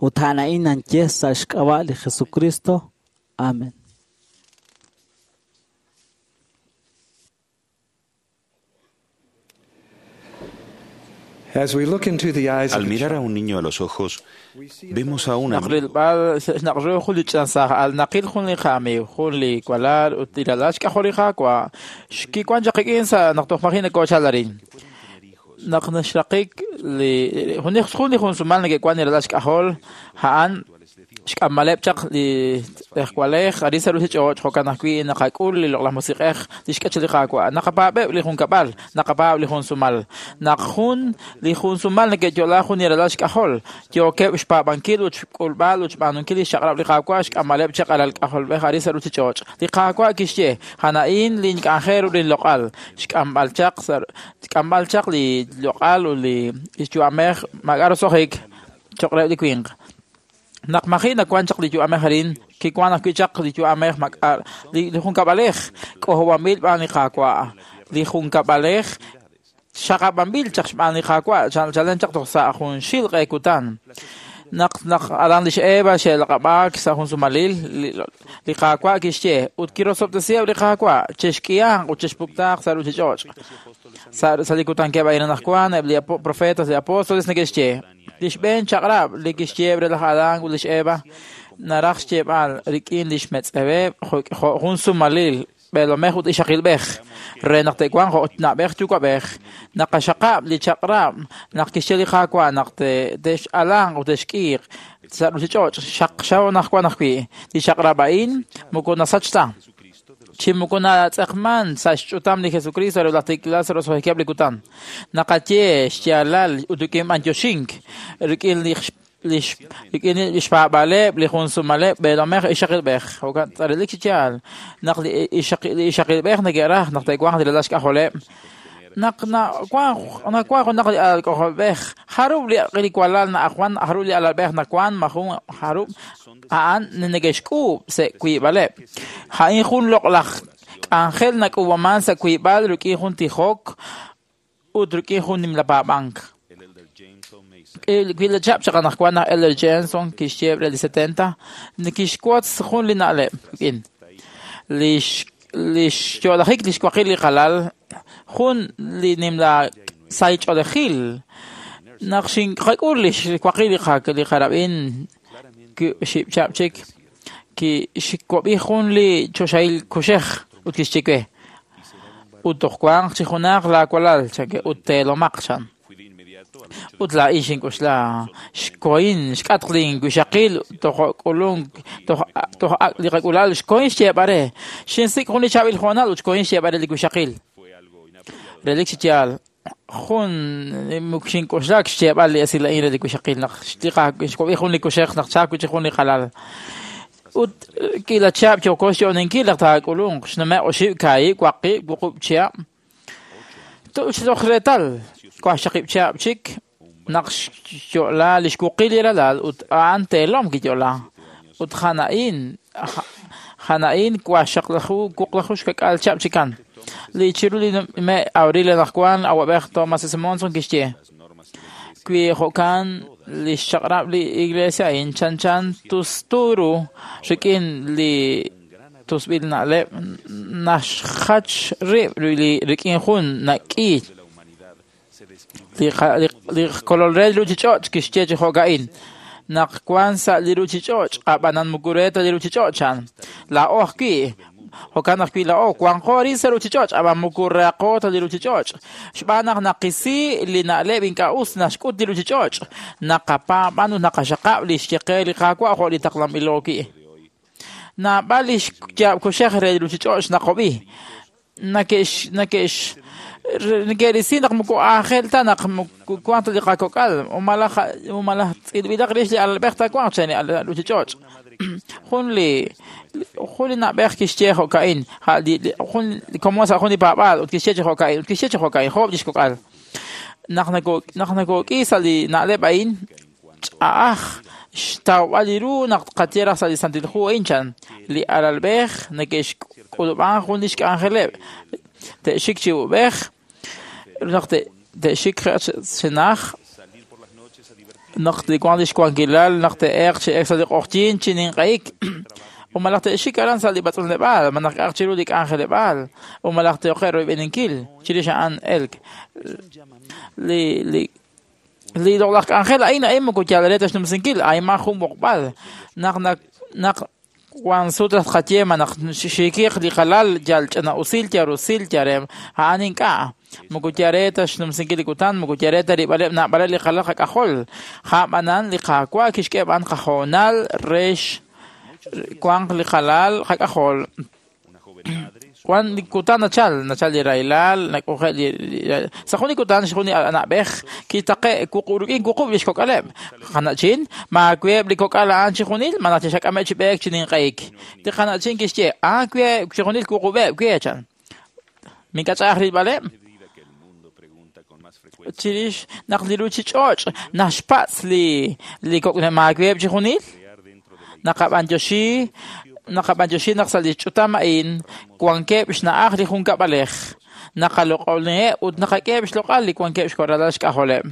Ut a'an a'in nanye sa' xk'ab'a' li Jesucristo. Amen. As we look into the eyes of Al mirar a un niño a los ojos, vemos a un Naq amigo rilb'al naq ru jun li ch'ansaaj al naqil jun li qamiiw, jun li walal ut li ralal xk'ajol li Qaawa' xkiwan chaq qik'in sa' naq toj maji' nakoochal arin. Naq naxraqik li jun li jun sumal neke'wan li ralal xk'ajol a'an xk'amaleb' chaq li tz'ejwalej arin sa' ruuchich'och' jo'kan ajwi' naqak'ul li loq'laj musiq'ej li xk'ach li Qaawa'. Naqapaab'eb' li junkab'al, naqapaab' li jun sumal. Naq jun li jun sumal neke'yo'la jun li ralal xk'ajol, yookeb' xpaab'ankil ut xk'ulb'al ut xb'aanunkil li xchaq'rab' li Qaawa' xk'amaleb' chaq alal k'ajolb'ej arin sa' ruuchich'och'. Li Qaawa' kixye, "A'an lin k'anjel ut lin loq'al, xk'amb'al chaq sa' xk'amb'al chaq li loq'al ut li xyu'amej maak'a' roso'jik cho'q reheb' li winq." Naq maji' nawan chaq li yu'amej arin, kiwan ajwi' chaq li yu'amej maak'a' li junkab'alej k'ojob'anb'il b'aan li Qaawa'. Li junkab'alej xaqab'anb'il chaq xb'aan li Qaawa' chalen chaq toj sa' junxil q'e kutan. Naq naq aran lix Eva xe'laq'ab'aak sa' jun sumalil, li Qaawa' kixye ut kirosob'tesiheb' li Qaawa' chexk'ihanq ut chexpuktaaq sa' ruuchich'och'. Sa' li kutankeb' a'in anaqwan eb' li profetas, li apóstoles neke'xye li xb'een chaq'rab' li kixye re laj Adán ut lix Eva naraj xyeeb'al rik'in lix metz'eweb' jo' jun sumalil b'eelomej ut ixaqilb'ej re naq te'wanq jo' na'b'ej yuwa'b'ej. Naqaxaqab' li chaq'rab' naq kixye li Qaawa' naq te'x'alanq ut te'xk'iiq sa' ruuchich'och' xaqxaw anaqwan ajwi'. Li chaq'rab' a'in moko nasach ta chi moko natz'eqman sa' xch'utam li Jesucristo re laj tiklal sa' roso'jikeb' li kutan. Naqaye xyaalal ut rik'in b'antioxink rik'in li xpaab'aleb' li jun sumaleb' b'eelomej ixaqilb'ej. Jo'kan relik chi yaal naq li ixaqilb'ej neke'raj naq te'wanq li ralal xk'ajoleb'. Naq nawanq junaq li alal k'ajolb'ej, jarub' li walal na'ajwan, jarub' li alalb'ej nawan, majun jarub' a'an neke'xk'uub' sa' wiib'aleb'. A'in jun loq'laj k'anjel nak'uub'aman sa' wiib'al rik'in jun tijok ut rik'in jun nimla paab'ank. Wi li chap chaq anaqwan laj Elder Jenson kixye re li 70 kixwotz jun li na'leb' rik'in li xyo'lajik li xwaqil li qalal jun li nimla saych'oolejil naq xinqak'ul li xwaqil li qarab'in xib'chab' chik kixwab'i jun li choxahil kuxej ut kixye we ut toj wanq chi junaq laawalal chanke ut teelomaq chan. Ut laa'in xink'oxla xkohin xk'atq linwixaqil toj k'ulunk toj ak' li qak'ulal xkohin xyeeb'al re xinsik' jun li chaab'il hoonal ut xkohin xyeeb'al re li wixaqil. Relik chi yaal jun xink'oxla xyeeb'al li esil a'in re li wixaqil naq xwab'i jun li kuxej naq chaak wi' chik jun li qalal. Ut k'iila chihab' yooko xyo'oninkil naq taak'ulunq xnume' oxib' kaahib' waqib' wuqub' chihab'. Toj reetal wajxaqib' chihab' chik naq xyo'la li xwuqil li ralal ut a'an teelom kiyo'la. Ut a'an a'in wajxaqlaju wuqlaju xka'k'aal chihab' chikan. Li chiru li me' abril anaqwan awab'ej Thomas S. Monson kixye wi jo'kan li xchaq'rab' li iglesia a'in chanchan tustu ru rik'in li tusb'il na'leb' naxjach rib' rik'in jun nak'i li kolol re li ruuchich'och' kixye chi jo'ka'in naq wan sa' li ruuchich'och' ab'anan moko re ta li ruuchich'och' chan. Laa'o ajwi' jo'kan ajwi' laa'o wanqo arin sa' ruuchich'och' ab'an moko reaqo ta li ruuchich'och' xb'aan naq naqisi li na'leb' ink'a' us naxk'ut li ruuchich'och' naqapaab'an ut naqaxaqab' li xye qe li Qaawa' jo' li taqlanb'ilo wi'. Naab'al li xyaab' kuxej re li ruuchich'och' naqob'i. Neke'risi naq moko aajel ta naq wanq ta li qakok'al malaj tz'ilb'ilaq rix li alalb'ej taawanq chan li ruuchich'och'. Jun li na'b'ej kixye jo'ka'in, jun li komon sa' jun li paab'aal ut kixye chi jo'ka'in, ut kixye chi jo'ka'in, joob' li xkok'al. Naq nakok'i sa' li na'leb' a'in, ch'a'aj xtawb'al li ru naq tqaye raj sa' li Santil Hu a'in chan, li alalb'ej neke'xk'ulub'an jun li xk'anjeleb', te'xik chi ub'ej, naq te'xik chenaj, naq li wank li xwankilal, naq te'eeq chi ek sa' li q'oqyink chi ninq'ehik, o malaj te'xik aran sa' li b'atz'unleb'aal, malaj k'a'aq chiru li k'anjeleb'aal, o malaj te'oqe' royb'eninkil, chirix a'an elk. Li loq'laj k'anjel a'in a'in moko yal re ta xnumsinkil, a'in ma jun b'oqb'al. Naq wan sut raj tqaye ma naq xiikiq li qalal yal ch'ina'usil, yal rusil, yal re a'an ink'a'. Moko yal re ta xnumsinkil li kutan, moko yal re ta rib'aleb' naab'aleb' li qalal qak'ajol. A'b'anan li Qaawa' kixk'e b'an qahoonal re wanq li qalal qak'ajol. Wan li kutan nachal, nachal li rahilal, nak'oje' li sa' jun li kutan jun li na'b'ej kitaqe' rik'in wuqub' li xkok'aleb'. Qana'chin, maaweeb' li kok'al a'an chi junil, malaj chixak'ameb' chi b'eek chi ninq'ehik. Li qana'chin kixye, aaweeb' chi junil wuqub'eb' we chan. Mink'ach'a'aj rilb'aleb'. Chirix naq li ruuchich'och' naxpatz' li maaweeb' chi junil, naqab'anyoxi naq sa' li ch'utam a'in wankeb' xna'aj li junkab'alej, naqaloq'oniheb' ut naqak'eheb' xloq'al li wankeb' xkoralal xk'ajoleb'.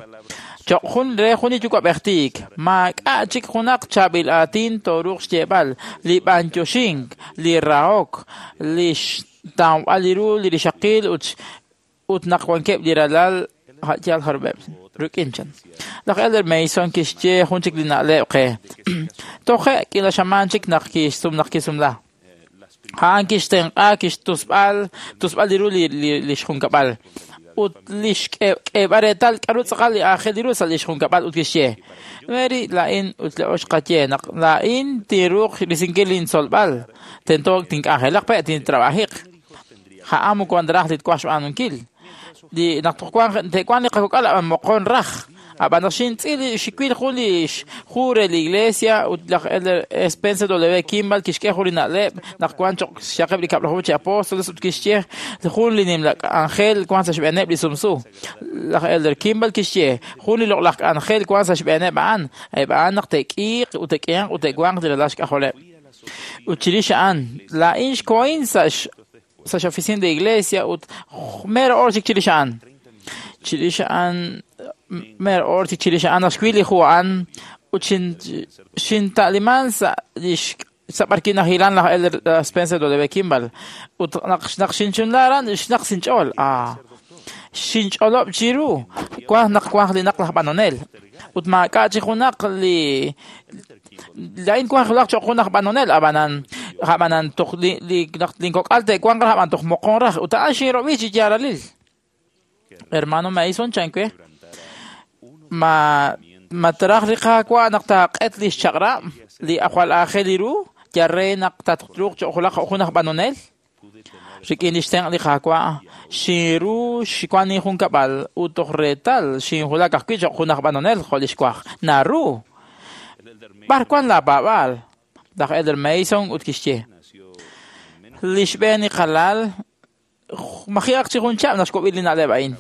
Choq' jun re jun li yuwa'b'ej tiik, maak'a' chik junaq chaab'il aatin tooruuq xyeeb'al, li b'anyoxink, li rahok, li xtawb'al li ru li rixaqil ut naq wankeb' li ralal yal jarub'eb' rik'in chan. Laj Elder Mason kixye jun chik li na'leb' qe. Toje' k'iila xamaan chik naq kisumla. A'an kixtenq'a kixtusb'al tusb'al li ru li xjunkab'al. Ut li xk'eeb'al reetal k'aru tz'aqal li aajel li ru sa' li xjunkab'al ut kixye. Mary laa'in ut li ox qaye naq laa'in tinruuq risinkil lintzolb'al. Tento tink'anjelaq pe' tintrabajiq. A'an moko raj li twaj xb'aanunkil. Li naq te'wanq li qakok'al ab'an moqon raj. Ab'an naq xintz'il xiwil jun li hu re li iglesia ut laj Elder Spencer W. Kimball kixk'e jun li na'leb' naq wan choq' xyaqeb' li kab'laju chi apóstoles ut kixye jun li nimla k'anjel wan sa' xb'eeneb' li sumsu. Laj Elder Kimball kixye jun li loq'laj k'anjel wan sa' xb'eeneb' a'an, eb' a'an naq te'k'iiq ut te'k'ihanq ut te'wanq li ralal xk'ajoleb'. Ut chirix a'an laa'in xkohin sa' x'oficina de iglesia ut mero or chik chirix a'an. Chirix a'an mer or chik chirix a'an naq xwil li hu a'an ut xinta'liman sa' sa' b'arki nahilan laj Elder Spencer W. Kimball ut naq xinchunla aran xnaq sinch'ool. Xinch'olob' chiru wanq naq wanq li naq laj b'anonel ut maak'a' chi junaq li laa'in wanq laj choq' jun aj b'anonel ab'anan toj li naq linkok'al te'wanq raj ab'an toj moqon raj ut a'an xinrob'i chi yaalalil. Hermano Mason chan we ma traj li Qaawa' naq taaq'et li xchaq'rab' li jwal aajel li ru yal re naq tatruuq choq' jun aj b'anonel. Rik'in li xtenq' li Qaawa' xinru xwan injunkab'al ut toj reetal xinwulak ajwi' choq' jun aj b'anonel jo' li xwaj. Naru b'ar wan laapaab'aal. Laj Elder Mason ut kixye li xb'een li qalal maji'aq chi jun chab' naq xk'ub'il li na'leb' a'in.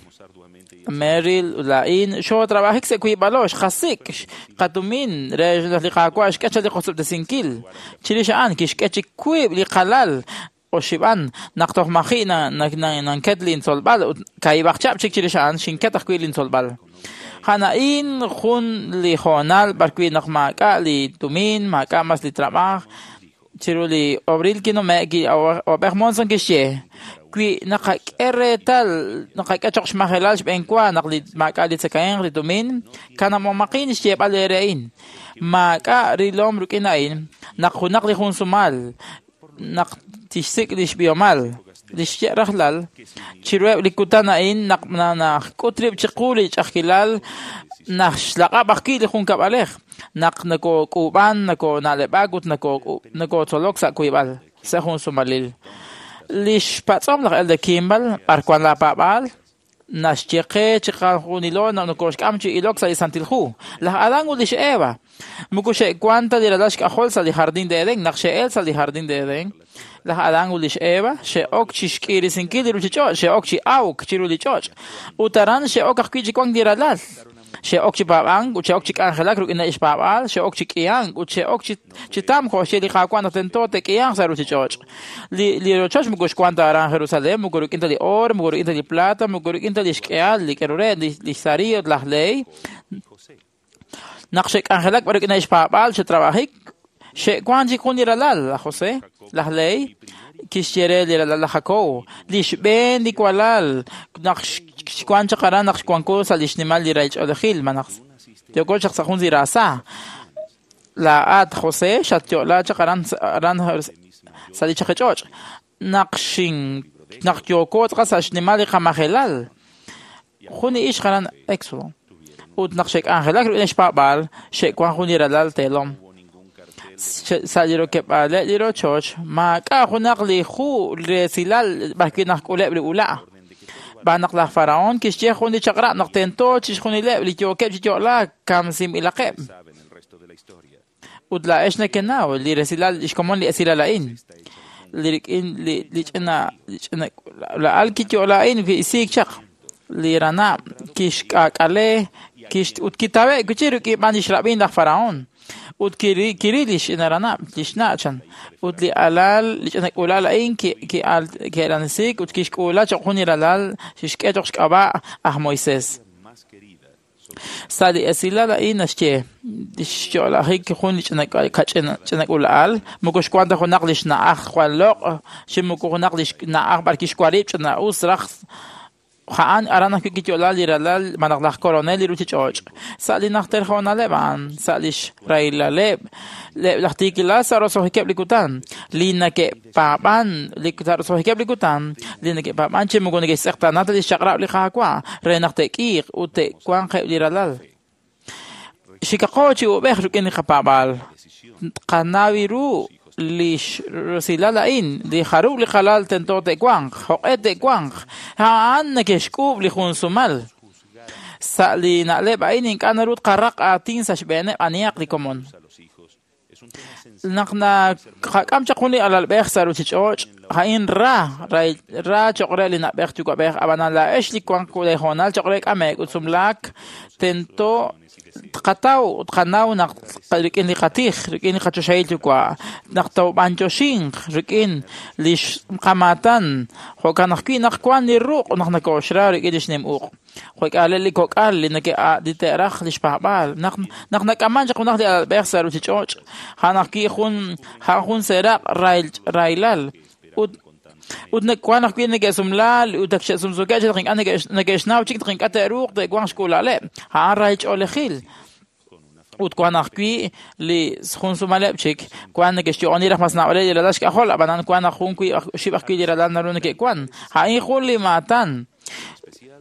Meryl ut laa'in xootrabajik sa' wiib'alo xqasik' qatumin re li Qaawa' xk'e chal li qosob'tesinkil. Chirix a'an kixk'e chik wiib' li qalal oxib'an naq toj maji' nanket lintzolb'al ut kaib'aq chab' chik chirix a'an xinket ajwi' lintzolb'al. A'an a'in jun li hoonal b'arwi' naq maak'a' li tumin, maak'a' mas li trab'aj. Chiru li abril kinume' Awab'ej Monson kixye wi naqak'e reetal naqak'e choq' xmajelal xb'een wa naq li maak'a' li tzakahemq li tumin kanab'omaqin xyeeb'al eere a'in. Maak'a' rilom rik'in a'in naq junaq li jun sumal naq tixsik' li xb'ihomal li xye rajlal chiruheb' li kutan a'in naq nak'ut rib' chiqu li ch'a'ajkilal naq xlaq'ab' ajwi' li junkab'alej naq nakok'uub'an nakona'leb'ak ut nakotzolok sa' wiib'al sa' jun sumalil. Lix patz'om laj Elder Kimball, b'ar wan laapaab'aal, naxye qe chiqajunilo naq nokoxk'am chi ilok sa' li Santil Hu. Laj Adán ut lix Eva moko xe'wan ta li ralal xk'ajol sa' li Jardín de Edén, naq xe'el sa' li Jardín de Edén. Laj Adán ut lix Eva xe'ok chi xk'iirisinkil li ruuchich'och', xe'ok chi awk chiru li ch'och'. Ut aran xe'ok ajwi' chi wank li ralal. Xe'ok chi paab'ank ut xe'ok chi k'anjelak rik'in xpaab'aal, xe'ok chi k'ihank ut xe'ok chi tamk jo' xye li Qaawa' naq tento te'k'ihanq sa' ruuchich'och'. Li rochoch moko xwank ta aran Jerusalén, moko rik'in ta li oor, moko rik'in ta li plata, moko rik'in ta li xk'ehal li k'aru re li xsari ut laj Lehi. Naq xe'k'anjelak b'ar rik'in xpaab'aal xe'trab'ajik, xe'wank chik jun li ralal, laj José, laj Lehi, kixye re li ralal laj Jacob, li xb'een li walal, naq xwank chaq aran naq xwanko sa' li xnimal li rahil ch'oolejil, malaj yooko chaq sa' jun li raasa. Laa'at, José, xatyo'la chaq aran sa' li chaqich'och'. Naq yooko tz'aqal sa' xnimal li qamajelal, jun li ixq aran Éxodo. Ut naq xe'k'anjelak rik'in xpaab'aal, xe'wank jun li ralal teelom. Sa' li rokeb'aaleb' li rochoch, maak'a' junaq li hu resilal b'arwi' naq k'uleb' li ula'. B'an naq laj Faraón kixye jun li chaq'rab' naq tento chixjunileb' li yookeb' chi yo'laak kamsinb'ilaqeb'. Ut laa'ex nekenaw li resilal xkomon li esilal a'in. Li rik'in li ch'ina la'al kiyo'la a'in ki'isiik chaq. Li ranab' kixk'aak'ale ut kitawe' wi' chik rik'in b'an lix rab'in laj Faraón. Ut kiril li xch'ina ranab', li xna' chan. Ut li alal, li ch'ina k'uula'al a'in ki'elanisiik ut kixk'uula cho'q jun li ralal xixk'e cho'q xk'ab'a' aj Moisés. Sa' li esilal a'in naxye li xyo'lajik jun li ch'ina k'uula'al, moko xwank ta junaq li xna'aj jwal loq', chi moko junaq li xna'aj b'ar kixwarib' ch'ina'us raj. A'an aran ajwi' kiyo'la li ralal malaj laj koronel li ruuchich'och'. Sa' li najter hoonaleb' a'an, sa' li xrahilaleb' laj tiikilal sa' roso'jikeb' li kutan, li neke'paab'an sa' roso'jikeb' li kutan, li neke'paab'an chi moko neke'xtz'eqtaana ta li xchaq'rab' li Qaawa' re naq te'k'iiq ut te'wanq eb' li ralal. Xikaqo chi ub'ej rik'in li qapaab'aal. Qanaw ru li rosilal a'in, li jarub' li qalal tento te'wanq, joq'e te'wanq, a'an neke'xk'uub' li jun sumal. Sa' li na'leb' a'in ink'a' naru tqaraq aatin sa' xb'eeneb' anihaq li komon. Naq naqak'am chaq jun li alalb'ej sa' ruuchich'och', a'in ra cho'q re li na'b'ej yuwa'b'ej, ab'anan laa'ex li wank leehoonal cho'q re k'ame'k ut sumlaak tento tqataw tqanaw naq rik'in li qatij, rik'in li qachoxahil yuwa', naq toob'anyoxinq rik'in li qamaatan, jo'kan ajwi' naq wank li ruq' naq nakooxra rik'in li xnim uq'. Jo'k'aaleb' li kok'al li te'raj li xpaab'aal. Naq nak'aman chaq junaq li alalb'ej sa' ruuchich'och', a'an ajwi' jun seeraq' rahilal. Ut wank ajwi' neke'sumlaal ut ak xe'sumsuukeb' chik naq ink'a' neke'xnaw chik naq ink'a' te'ruuq te'wanq xk'uula'aleb'. A'an rahil ch'oolejil. Ut wank ajwi' li jun sumaleb' chik, wank neke'xyo'oni raj mas naab'aleb' li ralal xk'ajol, ab'anan wank naq jun oxib' ajwi' li ralal naru neke'wank. A'in jun li maatan.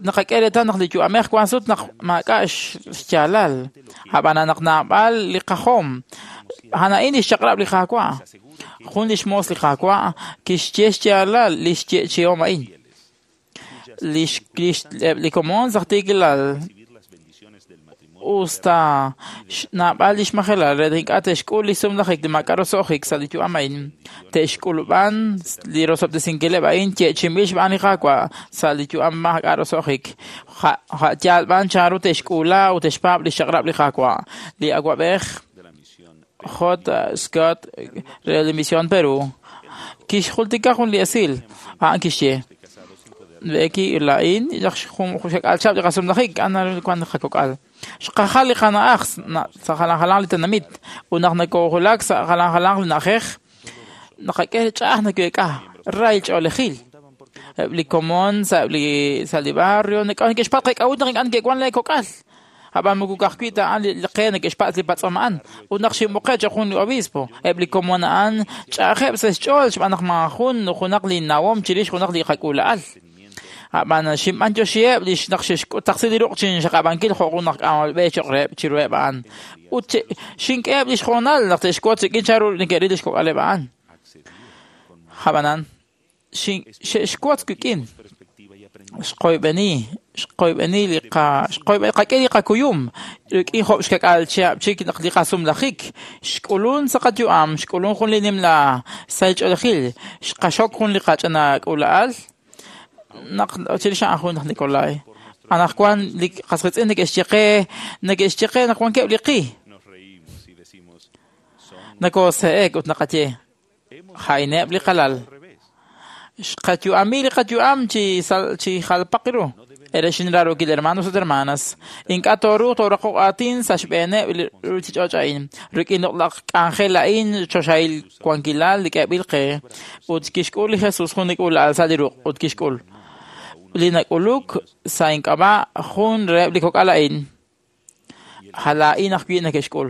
Naqak'e reetal naq li yu'amej wank sut naq maak'a' xyaalal. Ab'anan naq naab'al li qajom. A'an a'in li xchaq'rab' li Qaawa'. Jun li xmoos li Qaawa' kixye xyaalal li xyeechi'om a'in. Li komon sa' tiikilal usta naab'al li xmajelal re ink'a' te'xk'ul li sumlajik li maak'a' roso'jik sa' li yu'am a'in, te'xk'ulub'an li rosob'tesinkileb' a'in yeechi'inb'il xb'aan li Qaawa' sa' li yu'am maak'a' roso'jik. Yaal b'an chanru te'xk'uula ut te'xpaab' li xchaq'rab' li Qaawa'. Li awa'b'ej J. Scott re li Misión Perú kixjultika jun li esil, a'an kixye: Becky laa'in xak'al chab' li qasumlajik a'an wank qakok'al. Xqajal li qana'aj sa' jalan jalanq li tenamit ut naq nakoohulak sa' jalan jalanq li na'ajej naqak'e ch'a'aj nake'k'a rahil ch'oolejil. Eb' li komon sa' li barrio neke'xpatz' qek'a'ut naq ink'a' neke'wank leekok'al. Ab'an moko ka'ajwi' ta a'an li qe neke'xpatz' li patz'om a'an. Ut naq xinb'oqe' cho'q jun li obispo, eb' li komon a'an ch'a'ajeb' sa' xch'ool xb'aan naq maajun junaq li nawom chirix junaq li qak'uula'al. Ab'an xinb'anyoxiheb' li naq xe'xtaqsi li ruq' chinxaqab'ankil jo' jun aj k'amol b'e cho'q reheb' chiruheb' a'an. Ut xink'eheb' li xhoonal naq te'xwotz rik'in chanru neke'ril li xkok'aleb' a'an. Ab'anan, Xe'xwotz wik'in. Xqoyb'eni, xqoyb'eni li qak'e li qakuyum rik'in job' xkak'al chihab' chik naq li qasumlajik. Xk'ulun sa' qayu'am, xk'ulun jun li nimla sahil ch'oolejil, xqaxok jun li qach'ina k'uula'al naq chirix a'an jun laj Nikolai. Anaqwan li qas qiitz'in neke'xye qe, neke'xye qe naq wankeb' li qi. Nakoose'ek ut naqaye, ja'ineb' li qalal. Xqayu'ami li qayu'am chi jalpaq ru. Erex inraarokil hermanos ut hermanas. Ink'a' tooruuq tooraqoq aatin sa' xb'eeneb' li ruuchich'och' a'in. Rik'in loq'laj k'anjel a'in choxahil wankilal li k'eeb'il qe. Ut kixk'ul li Jesus jun li k'uula'al sa' li ruq' ut kixk'ul. Li nak'uluk sa' ink'ab'a' jun reheb' li kok'al a'in. Laa'in ajwi' neke'xk'ul.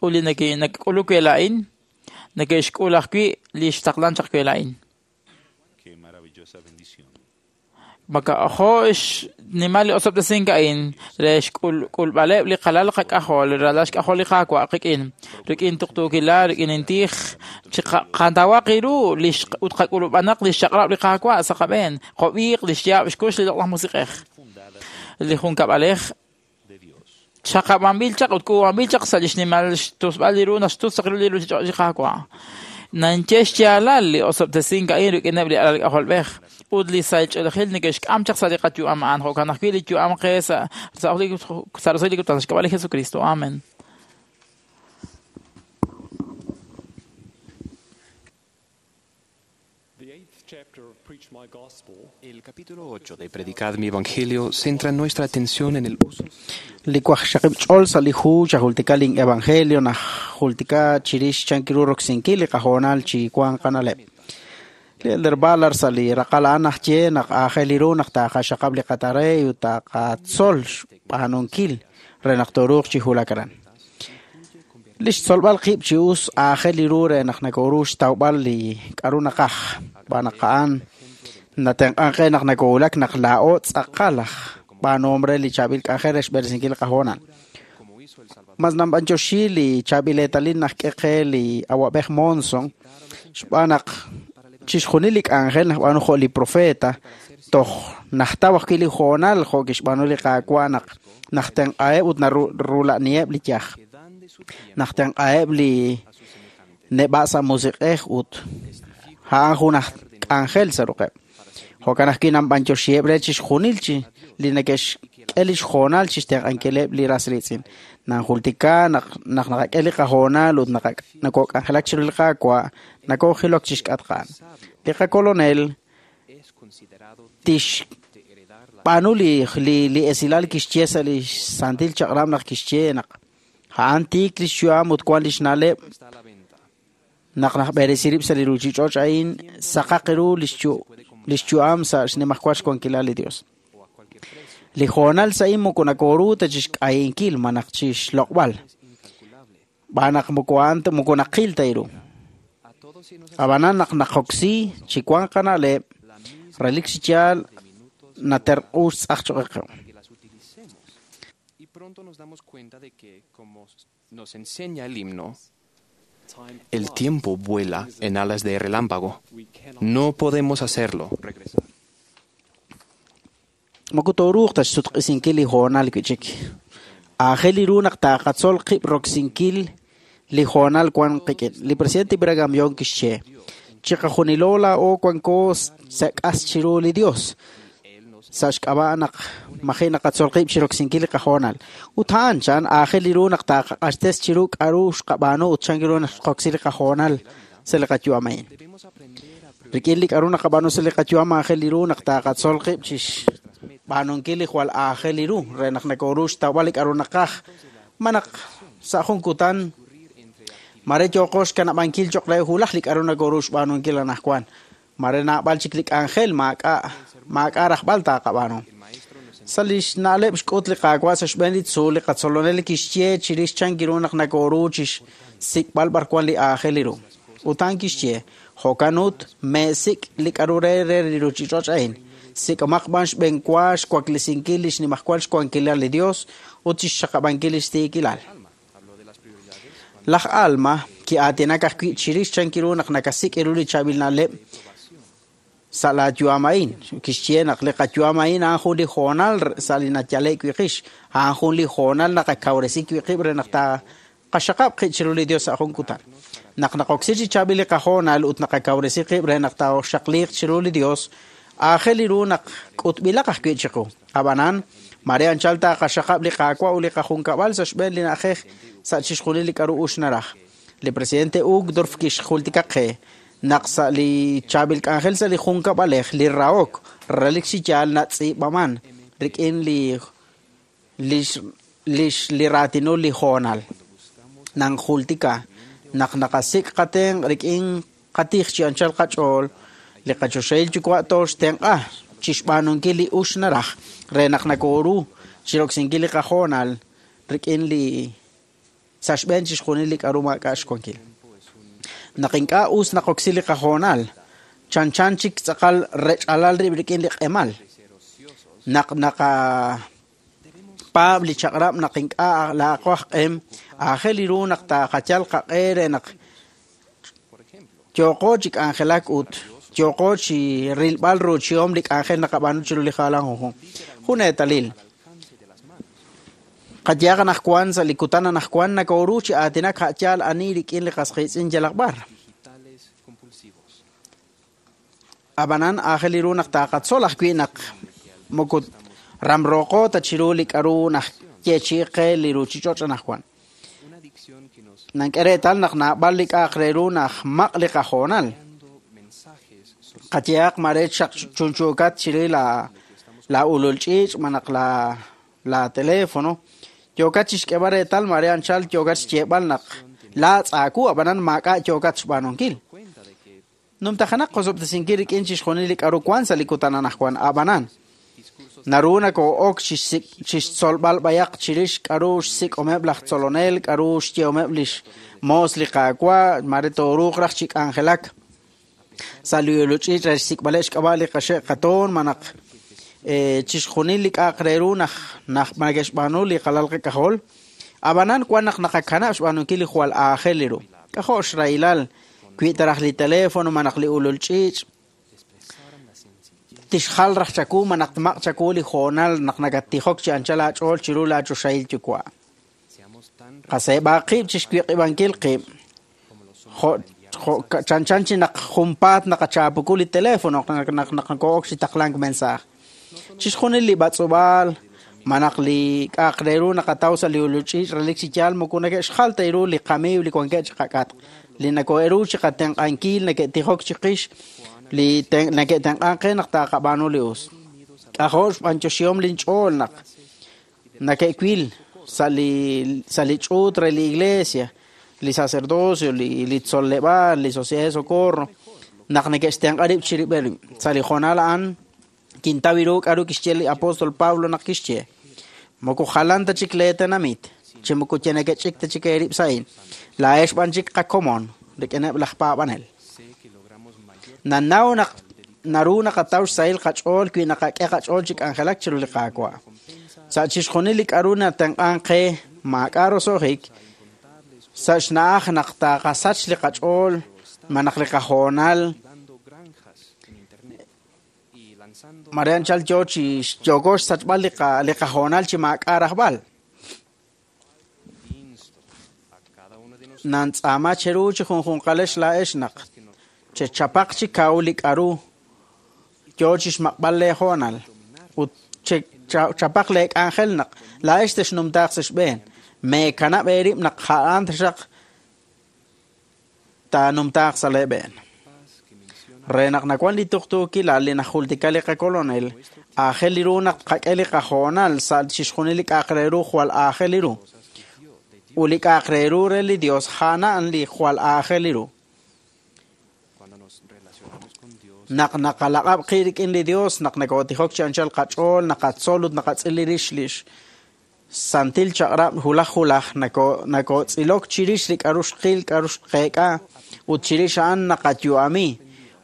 Ut li nak'uluk we laa'in, neke'xk'ul ajwi' li xtaqlan chaq we laa'in. Maka'jo xnimal li osob'tesink a'in re xk'ulb'aleb' li qalal qak'ajol, ralal xk'ajol li Qaawa' qik'in, rik'in tuqtuukilal, rik'in intij, chiqantawaq ru ut qak'ulub'anaq li xchaq'rab' li Qaawa' sa' qab'een, qob'iiq li xyaab' xkux li loq'laj musiq'ej. Li junkab'alej xaqab'anb'il chaq ut k'uub'anb'il chaq sa' li xnimal xtusb'al li ru naxtus chaq ru li ruuchich'och' li Qaawa'. Nanche xyaalal li osob'tesink a'in rik'ineb' li alal k'ajolb'ej ut li sahil ch'oolejil neke'xk'am chaq sa' li qayu'am a'an jo'kan ajwi' li yu'am qe sa' roso'jik li kutan xk'ab'a' li Jesucristo. Amen. El capítulo 8 de Predicad mi Evangelio centra nuestra atención en el uso. Li wajxaqib' ch'ol sa' li hu xajultika lin evangelio najultika chirix chank ru roksinkil li qahoonal chi wank qana'leb'. Li Elder Ballard sa' li raqal a'an naxye naq aajel ru naq taaqaxaqab' li qatarey ut taqatzol xb'aanunkil re naq tooruuq chi wulak aran. Li xtzolb'al qib' chi us aajel ru re naq nakooru xtawb'al li k'aru naqaj xb'aan naq a'an natenq'an qe naq nakowulak naq laa'o tz'aqal aj b'aanuhom re li chaab'il k'anjel re xb'eresinkil li qahoonal. Mas namb'anyoxi li chaab'il eetalil naxk'e qe li awab'ej Monson xb'aan naq chixjunil li k'anjel najb'aanu jo' li profeta toj najtaw ajwi' li hoonal jo' kixb'aanu li Qaawa' naq najtenq'aheb' ut narula'niheb' li yaj. Najtenq'aheb' li neb'a' sa' musiq'ej ut a'an jun aj k'anjel sa' ruq'eb'. Jo'kan ajwi' namb'anyoxiheb' re chixjunil chi li neke'xk'e li xhoonal chixtenq'ankileb' li ras riitz'in. Nanjultika naq naqak'e li qahoonal ut nakok'anjelak chiru li Qaawa' nakoojilok chixk'atq a'an. Li qakolonel tixb'aanu li esilal kixye sa' li santil chaq'rab' naq kixye naq a'an tiik li xyu'am ut wan li xna'leb' naq najb'eresi rib' sa' li ruuchich'och' a'in saqaq ru li xyu'am sa' xnimajwal xwankilal li Dios. Li hoonal sa' moko nakooru ta chixk'ayinkil malaj chixloq'b'al. Xb'aan naq moko naqil ta ru. Ab'anan naq naqoksi chi wank qana'leb', relik chi yaal naterq'u xtz'aj choq' qe. Y pronto nos damos cuenta de que, como nos enseña el himno, el tiempo vuela en alas de relámpago. No podemos hacerlo regresar. Moko tooruuq ta xsutq'isinkil li hoonal wi' chik. Aajel ru naq taaqatzol qib' roksinkil li hoonal wan qik'in. Li presidente Brigham Young kixye, chiqajunilo laa'o wanko sa' k'as chiru li Dios. Sa' xk'ab'a' naq maji' naqatzol qib' chi roksinkil li qahoonal. Ut a'an chan aajel ru naq taaqaq'axtes chiru k'aru xqab'aanu ut chan ru naq xqoksi li qahoonal sa' li qayu'am a'in. Rik'in li k'aru naqab'aanu sa' li qayu'am aajel ru naq taaqatzol qib' chi xb'aanunkil li jwal aajel ru re naq nakooru xtawb'al li k'aru naqaj. Ma naq sa' jun kutan mare yooqo xkanab'ankil cho'q re wulaj li k'aru nakooru xb'aanunkil anaqwan. Mare naab'al chik li k'anjel maak'a' rajb'al taaqab'aanu. Sa' li xna'leb' xk'ut li Qaawa' sa' xb'een li tzuul li qatzolonel kixye chirix chan ru naq nakooru chi xsik'b'al b'ar wan li aajel ru. Ut a'an kixye, jo'kan ut meesik' li k'aru re re li ruuchich'och' a'in. Sik'omaq b'an xb'eenwa xwaklesinkil li xnimajwal xwankilal li Dios ut chixxaqab'ankil li xtiikilal. Laj Alma ki'aatinak ajwi' chirix chan ru naq nakasik' ru li chaab'il na'leb' sa' laayu'am a'in. Kixye naq li qayu'am a'in a'an jun li hoonal sa' li nayale'k wi' qix, a'an jun li hoonal naqakawresi wi' qib' re naq taqaxaqab' qib' chiru li Dios sa' jun kutan. Naq naqoksi chi chaab'il li qahoonal ut naqakawresi qib' re naq tooxaqliiq chiru li Dios, aajel ru naq k'utb'ilaq ajwi' chiqu. Ab'anan, mare anchal taqaxaqab' li Qaawa' ut li qajunkab'al sa' xb'een li na'ajej sa' chixjunil li k'aru ux naraj. Li presidente Uchtdorf kixjultika qe naq sa' li chaab'il k'anjel sa' li junkab'alej li rahok relik chi yaal natz'iib'aman rik'in li lix lix li raatinul li hoonal. Nanjultika naq naqasik' qatenq' rik'in qatij chi anchal qach'ool, li qachoxahil yuwa' tooxtenq'a chixb'aanunkil li ux naraj re naq nakooru chiroksinkil li qahoonal rik'in li sa' xb'een chixjunil li k'aru maak'a' xwankil. Naq ink'a' us naqoksi li qahoonal, chanchan chik tz'aqal rech'alal rib' rik'in li q'emal. Naq naqapaab' li chaq'rab' naq ink'a' laaqo aj q'em, aajel ru naq taqayal qaq'e re naq yooqo chi k'anjelak ut yooqo chi rilb'al ruuchihom li k'anjel naqab'aanu chiru li jalan junjunq. Jun eetalil, qayehaq anaqwan sa' li kutan anaqwan nakooru chi aatinak a' yaal ani rik'in li qas qiitz'in yalaq b'ar. Ab'anan aajel ru naq taqatzol ajwi' naq moko ramrooqo ta chiru li k'aru naxyeechi'i qe li ruuchich'och' anaqwan. Nank'e reetal naq naab'al li k'a'aq re ru najmaq' li qahoonal. Qayehaq mare xaq chunchuukat chiri la la ulul ch'iich' malaj la la teléfono, yookat chixk'eeb'al reetal mare anchal yookat xyeeb'al naq laatz' aawu ab'anan maak'a' yookat xb'aanunkil. Numtajenaq qosob'tesinkil rik'in chixjunil li k'aru wank sa' li kutan anaqwan, ab'anan naru nakoo'ok chixtzolb'al b'ayaq chirix k'aru xsik'omeb' laj tzolonel, k'aru xyehomeb' lix moos li Qaawa', mare tooruuq raj chi k'anjelak sa' li ulul ch'iich' re xsik'b'aleb' xk'ab'a' li qaxe' qatoon malaj chixjunil li k'a'aq re ru naj nake'xb'aanu li qalal qak'ajol. Ab'anan wan naq naqakanab' xb'aanunkil li jwal aajel ru. K'ajo' xrahilal wi ta raj li teléfono malaj li ulul ch'iich' tixjal raj chawu malaj tmaq' chawu li hoonal naq nakattijok chi anchal aach'ool chiru laachoxahil yuwa'. Qaseeb'aq qib' chixwiq'ib'ankil qib' jo' jo' chanchan chi naq junpaat naqachaapuku li teléfono naq naq nakoo'ok chi taqlank mensaaj. Chixjunil li b'atz'ub'aal malaj li k'a'aq re ru naqataw sa' li ulul ch'iich' relik chi yaal moko neke'xjal ta ru li qamiiw li wankeb' chi qak'atq, li nakoo'e'ru chi qatenq'ankil, neke'tijok chiqix, li neke'tenq'ank qe naq taqab'aanu li us. K'ajo' xb'anyoxihom linch'ool naq nake'wil sa' li sa' li ch'uut re li iglesia, li sacerdocio, li li tzoleb'aal, li Sociedad de Socorro, naq neke'xtenq'a rib' chirib'il rib'. Sa' li hoonal a'an kintaw ru k'aru kixye li apóstol Pablo naq kixye: Moko jalan ta chik lee tenamit, chi moko ye neke'ch'ik ta chik eerib' sa'in. Laa'ex b'an chik qakomon rik'ineb' laj paab'anel. Nanaw naq naru naqataw xsahil qach'ool wi naqak'e qach'ool chi k'anjelak chiru li Qaawa'. Sa' chixjunil li k'aru natenq'ank qe maak'a' roso'jik, sa' xna'aj naq taqasach li qach'ool malaj li qahoonal, mare anchal yo chi yooko xsachb'al li qa li qahoonal chi maak'a' rajb'al. Nantz'aama cheru chi junjunqalex laa'ex naq chechapaq chi kaw li k'aru yo chixmaq'b'al lee hoonal ut chechapaq lee k'anjel naq laa'ex texnumtaaq sa' xb'een. Meekanab' eerib' naq a'an taxaq taanumtaaq sa' lee b'een. Re naq nawan li tuqtuukilal li najultika li qakolonel, aajel ru naq tqak'e li qahoonal sa' chixjunil li k'a'aq re ru jwal aajel ru. Ut li k'a'aq re ru re li Dios a'an li jwal aajel ru. Naq naqalaq'ab' qib' rik'in li Dios, naq nakootijok chi anchal qach'ool, naqatzol ut naqatz'il rix lix santil chaq'rab' hulaj hulaj, nakootz'ilok chirix li k'aru xqil, k'aru xqeek'a, ut chirix a'an naqayu'ami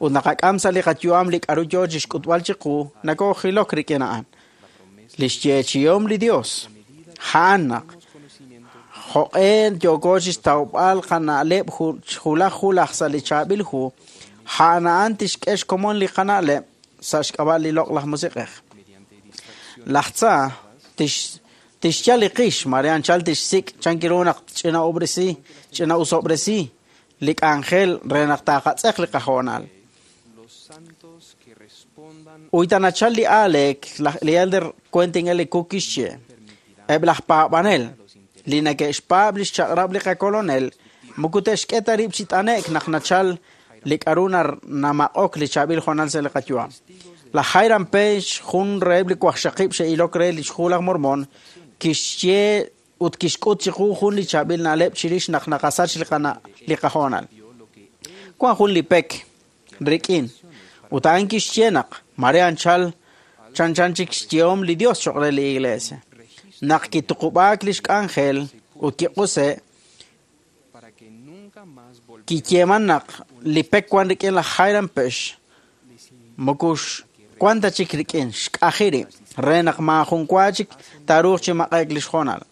ut naqak'am sa' li qayu'am li k'aru yo chixk'utb'al chiqu, nakoojilok rik'in a'an. Li xyeechihom li Dios, a'an naq jo'q'e yooko chixtawb'al qana'leb' hulaj hulaj sa' li chaab'il hu, A'an a'an tixk'e xkomon li qana'leb' sa' xk'ab'a' li loq'laj musiq'ej. Laj tza tixyal li qix, mare anchal tixsik' chankiru naq ch'ina'ubresi, ch'ina'usob'resi li k'anjel re naq taaqatz'eq li qahoonal. Uyta nachal li aaleek, li elder Quentin L. Cook kixye, eb' laj paab'anel li neke'xpaab' li xchaq'rab' li qakolonel moko te'xk'e ta rib' chi t'ane'k naq nachal li k'aru namaq'ok li chaab'il hoonal sa' li qayu'am. Laj Hiram Page, jun reheb' li waqxaqib' xe'ilok re li xhu laj Mormon, kixye ut kixk'ut chiqu jun li chaab'il na'leb' chirix naq naqasach li qahoonal. Wan jun li pek rik'in, ut a'an kixye naq mare anchal chanchan chik xyehom li Dios choq' re li iglesia. Naq kituqub'aak lix k'anjel ut kiq'use', kiyeeman naq li pek wan rik'in laj Hiram Page, moko wan ta chik rik'in xk'aji rib' re naq maajun wa chik taaruuq chi maq'e'k lix hoonal.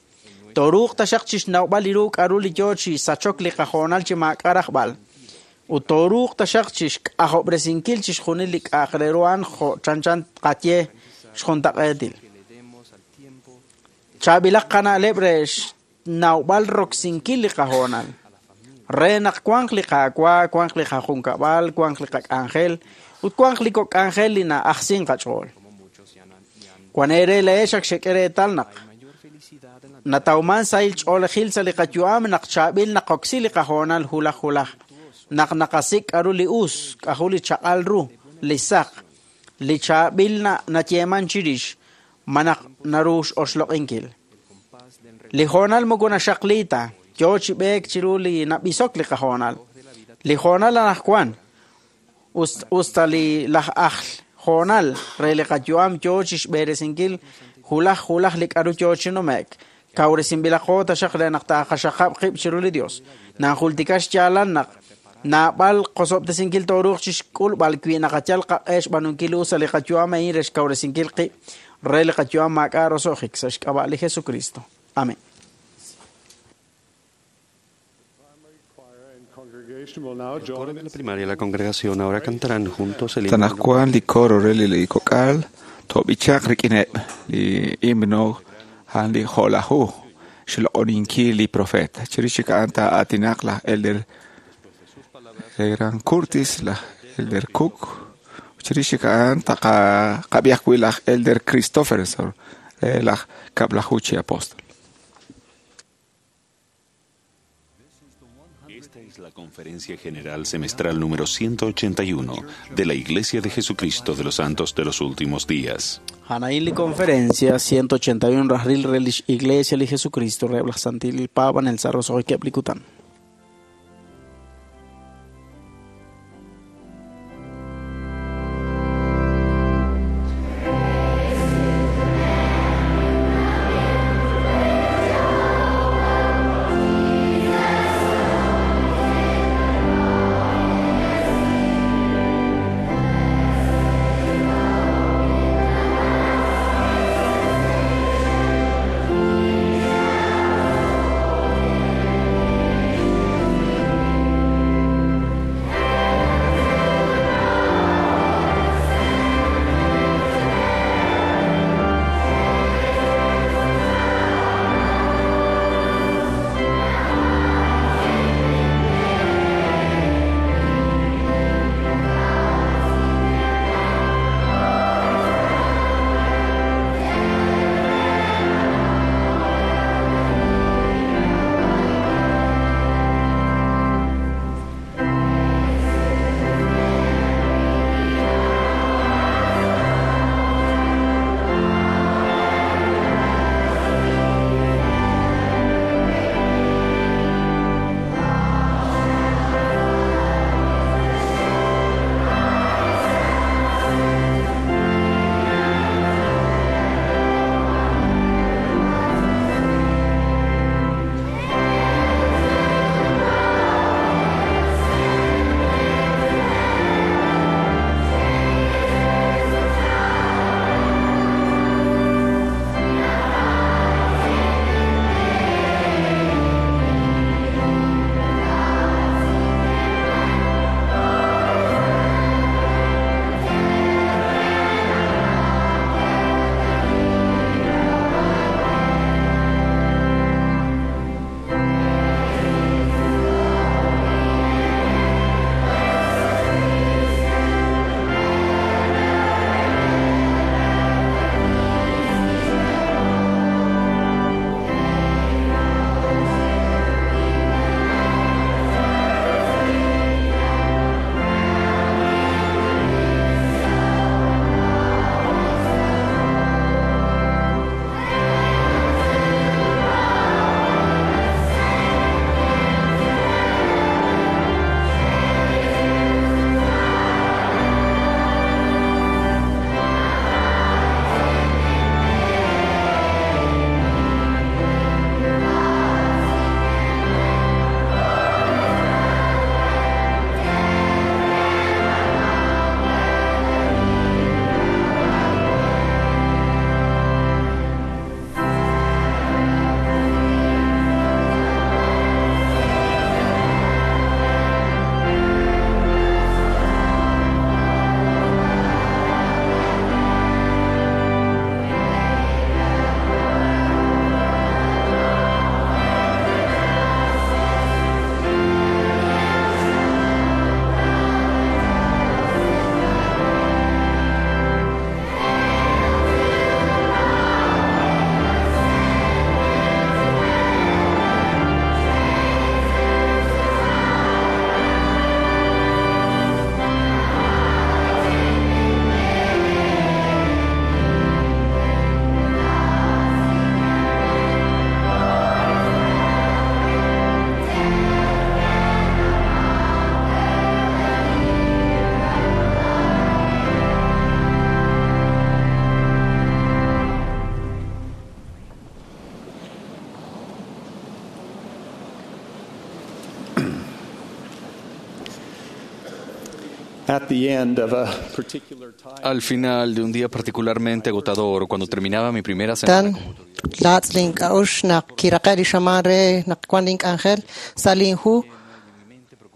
Tooruuq taxaq chixnawb'al li ru k'aru li yoo chi sachok li qahoonal chi maak'a' rajb'al. Ut tooruuq taxaq chixk'ajob'resinkil chixjunil li k'a'aq re ru a'an jo' chanchan qaye xjuntaq'eetil. Chaab'ilaq qana'leb' re xnawb'al roksinkil li qahoonal. Re naq wanq li Qaawa', wanq li qajunkab'al, wanq li qak'anjel, ut wanq li kok' k'anjel li na'ajsin qach'ool. Wan eere leex ak xek'e reetal naq natawman sahil ch'oolejil sa' li qayu'am naq chaab'il naqoksi li qahoonal hulaj hulaj, naq naqasik' k'aru li us, k'aru li chaq'al ru, li saq, li chaab'il nayeeman chirix, ma naq naru x'oxloq'inkil. Li hoonal moko naxaqli ta, yoo chi b'eek chiru li nab'isok li qahoonal. Li hoonal anaqwan, usta li laj ajl hoonal re li qayu'am yoo chi xb'eresinkil hulaj hulaj li k'aru yoo chi nume'k. Kawresinb'ilaqo taxaq re naq taaqaxaqab' qib' chiru li Dios. Nanjultika xyaalal naq naab'al qosob'tesinkil tooruuq chi xk'ulb'al wi naqayal qaq'e xb'aanunkil us sa' li qayu'am a'in re xkawresinkil qib' re li qayu'am maak'a' roso'jik sa' xk'ab'a' li Jesucristo. Amén. El coro de la primaria y la congregación ahora cantarán juntos el himno. Tanajwan li coro re li kok'al to'b'ichaq rik'ineb' li himno a'an li jo'laju xloq'oninkil li profeta. Chirix chik a'an taa'aatinaq laj Elder Gran Curtis, laj Elder Cook. Chirix chik a'an taqab'i ajwi' laj Elder Christopherson re laj Kab'laju chi apóstol. Esta es la Conferencia General Semestral número 181 de la Iglesia de Jesucristo de los Santos de los Últimos Días. Anaín li conferencia 181 rajril relish Iglesia li Jesucristo rebla santil paban el sarro soy keplikután. Al final de un día particularmente agotador, cuando terminaba mi primera semana Tan laatz' link'a'uxl naq kiraqe' li xamaan re naq wan link'anjel sa' linhu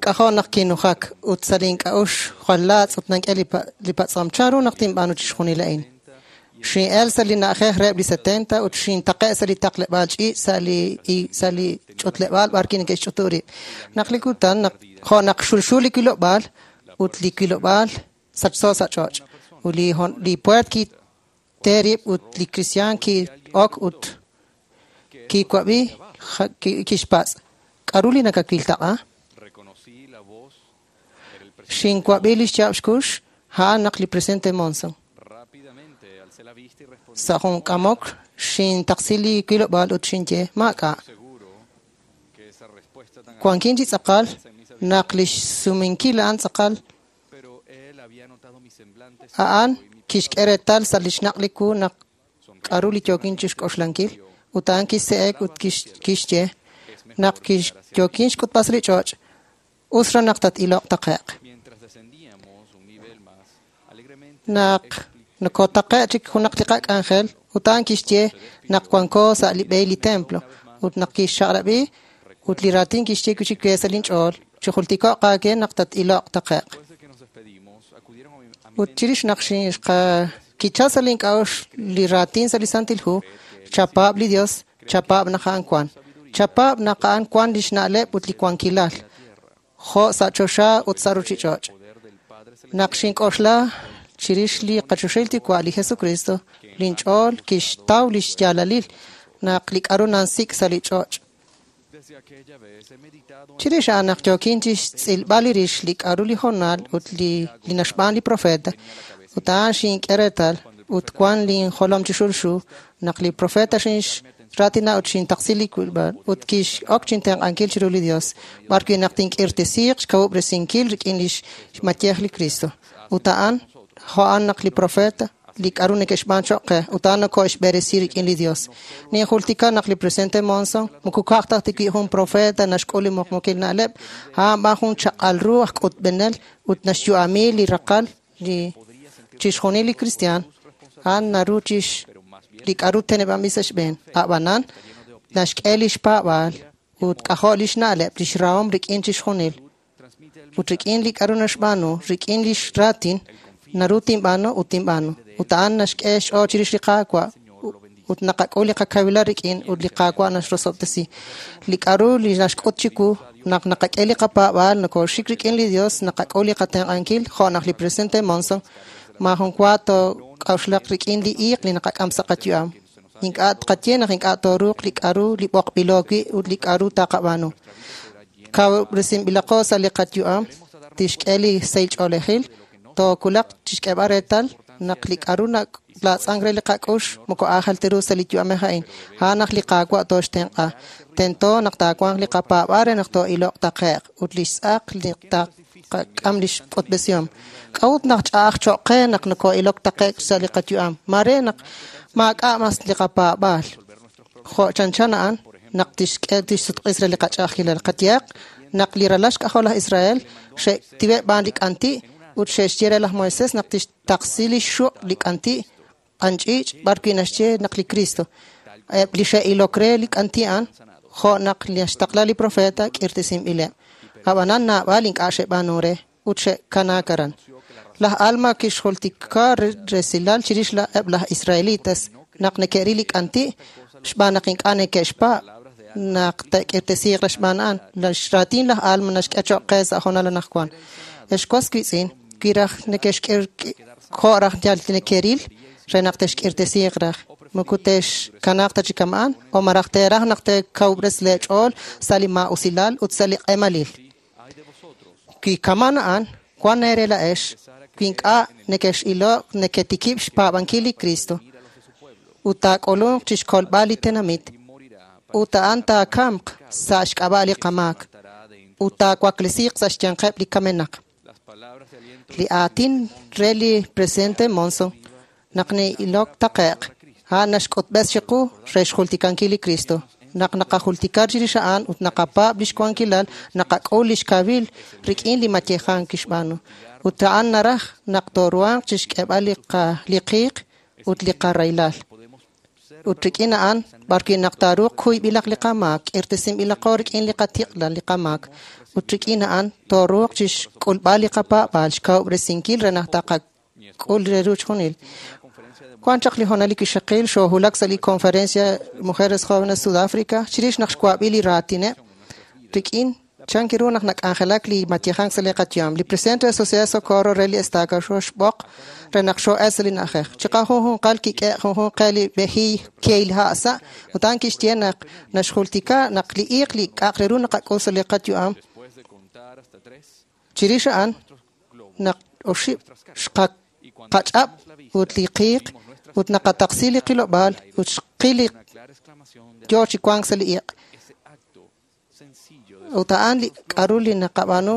k'ajo' naq kinujak ut sa' link'a'uxl jwal laatz' ut nank'e li patz'om chanru naq tinb'aanu chixjunil a'in. Xin'el sa' li na'ajej reheb' li 70 ut xintaqe' sa' li taqleb'aal ch'iich' sa' li ch'utleb'aal b'ar neke'xch'utu rib'. Naq li kutan naq jo' naq xulxu li wilob'aal ut li wilob'aal sachso sa' ch'och'. Ut li puert kite rib' ut li kristiaan ki'ok ut kiwab'i kixpatz'. K'aru li nakawil taq'a? Xinwab'i li xyaab' xkux a'an naq li presidente Monson. Sa' jun k'amok xintaqsi li wilob'aal ut xinye maak'a'. Wankin chi tz'aqal naq li xsumenkil a'an tz'aqal a'an kixk'e reetal sa' li xnaq' li wu naq k'aru li yookin chixk'oxlankil ut a'an kise'ek ut kixye naq yookin xk'utb'al sa' li ch'och' us raj naq tat-iloq taqe'q. Naq nokotaqe' chik junaq li qak'anjel ut a'an kixye naq wanko sa' li b'e li templo ut naq kixxaq'rab'i ut li raatin kixye wi' chik we sa' linch'ool chijultiko'q aawe naq tat-iloq taqe'q. Ut chirix naq kichal sa' link'a'uxl li raatin sa' li Santil Hu, chapaab' li Dios, chapaab' naq a'an wan. Chapaab' naq a'an wan lix na'leb' ut li wankilal, jo' sa' choxa ut sa' ruchich'och'. Naq xink'oxla chirix li qachoxahil Yuwa' li Jesucristo, linch'ool kixtaw lix yaalalil naq li k'aru nansik' sa' li ch'och'. Chirix a'an naq yookin chixtz'ilb'al li rix li k'aru li hoonal ut li naxb'aan li profeta, ut a'an xink'e reetal ut wan linjolom chi xulxu naq li profeta xinraatina ut xintaqsi li wilb'al ut kix'ok chintenq'ankil chiru li Dios, b'ar wi' naq tink'irtesiiq xkawub'resinkil rik'in lix mayej li Cristo. Ut a'an jo'an naq li profeta li k'aru neke'xb'aan choq' qe ut a'an noko'xb'eresi rik'in li Dios. Ninjultika naq li presidente Monson moko ka'aj ta wi' jun profeta naxk'ul li muqmukil na'leb', a'an b'an jun chaq'al ru aj k'utb'enel ut naxyu'ami li raqal li chixjunil li kristiaan a'an naru chix li k'aru teneb'anb'il sa' xb'een. A'b'anan naxk'e lix paab'aal ut k'ajo' lix na'leb' lix rahom rik'in chixjunil. Ut rik'in li k'aru naxb'aanu, rik'in lix raatin, naru tinb'aanu ut tinb'aanu. Ut a'an naxk'e xch'ool chirix li Qaawa' ut naqak'ul li qakawilal rik'in ut li Qaawa' naxrosob'tesi. Li k'aru li naxk'ut chiwu naq naqak'e li qapaab'aal nokooxik rik'in li Dios naqak'ul li qatenq'ankil jo' naq li presidente Monson maajun wa took'a'uxlaq rik'in li iiq li naqak'am sa' qayu'am. Ink'a' tqaye naq ink'a' tooruuq li k'aru li b'oqb'ilo wi' ut li k'aru taqab'aanu. Kawub'resinb'ilaqo sa' li qayu'am tixk'e li sahil ch'oolejil tookulaq chixk'eeb'al reetal naq li k'aru laatz'ank re li qak'ux moko aajel ta ru sa' li yu'amej a'in. A'an naq li Qaawa' tooxtenq'a. Tento naq taawanq li qapaab'aal re naq too'iloq taqe'q ut li xtz'aq li taqak'am li xk'utb'esihom. K'a'ut naq ch'a'aj choq' qe naq noko'ilok taqe'q sa' li qayu'am? Mare naq maak'a' mas li qapaab'aal. Jo' chanchan a'an naq tixk'e tixsutq'is re li qach'a'ajkilal. Qayehaq naq li ralal xk'ajol laj Israel xe'tiwe' b'aan li k'anti' ut xe'xye re laj Moisés naq tixtaqsi li xuq' li k'anti' q'anch'iich' b'ar wi' naxye naq li Cristo. Eb' li xe'ilok re li k'anti' a'an jo' naq naxtaqla li profeta k'irtesinb'ileb'. Ab'anan naab'al ink'a' xe'b'aanu re ut xe'kanaak aran. Laj Alma kixjultika resilal chirix eb' laj Israelitas naq neke'ril li k'anti' xb'aan naq ink'a' neke'xpaab' naq te'k'irtesiiq re xb'aan a'an. Xraatin laj Alma naxk'e choq' qe sa' hoonal anaqwan. Ex was wiitz'in, wi raj jo' raj yal neke'ril re naq te'xk'irtesiiq raj. Moko te'xkanaaq ta chi kama'an o maraj teeraj naq te'kawub'res leech'ool sa' li maa'usilal ut sa' li q'emalil. Wi kaman a'an, wan eere la'ex, wi ink'a' nekex'iloq neketikib' xpaab'ankil li Cristo ut taak'ulunq chixkolb'al li tenamit ut a'an taakamq sa' xk'ab'a' li qamaak ut taawaklesiiq sa' xyanqeb' li kamenaq. Li aatin re li presidente Monson naq ne'ilok taqe'q, a'an naxk'utb'es chiqu re xjultikankil li Cristo. Naq naqajultika chirix a'an ut naqapaab' lix wankilal, naqak'ul lix kawil rik'in li mayejank kixb'aanu. Ut a'an naraj naq tooruhanq chixk'eeb'al li qiiq ut li qarahilal. Ut rik'in a'an, b'arwi' naq taaruuq kuyb'ilaq li qamaak, k'irtesinb'ilaqo rik'in li qatiq'lal li qamaak. Ut rik'in a'an, tooruuq chixk'ulb'al li qapaab'aal, xkawub'resinkil re naq taqak'ul re ru chijunil. Wan chaq li hoonal li kixaqil xoohulak sa' li Conferencia Mujeres Jóvenes Sudáfrica chirix naq xwab'i li raatineb' rik'in chan ru naq nak'anjelak li mayejank sa' li qayu'am. Li presidente de Sociedad Socorro re li Estaca xooxb'oq re naq xoo'el sa' li na'ajej. Chiqajunjunqal kik'e' junjunq qe li b'ejiiy kehil ha' sa' ut a'an kixye naq naxjultika naq li iiq li k'a'aq re ru naqak'ul sa' li qayu'am. Chirix a'an naq oxib' xqach'ab' ut li qiiq ut naqataqsi li qilob'aal ut xqil li yo chi wank sa' li iq'. Ut a'an li k'a'ru li naqab'aanu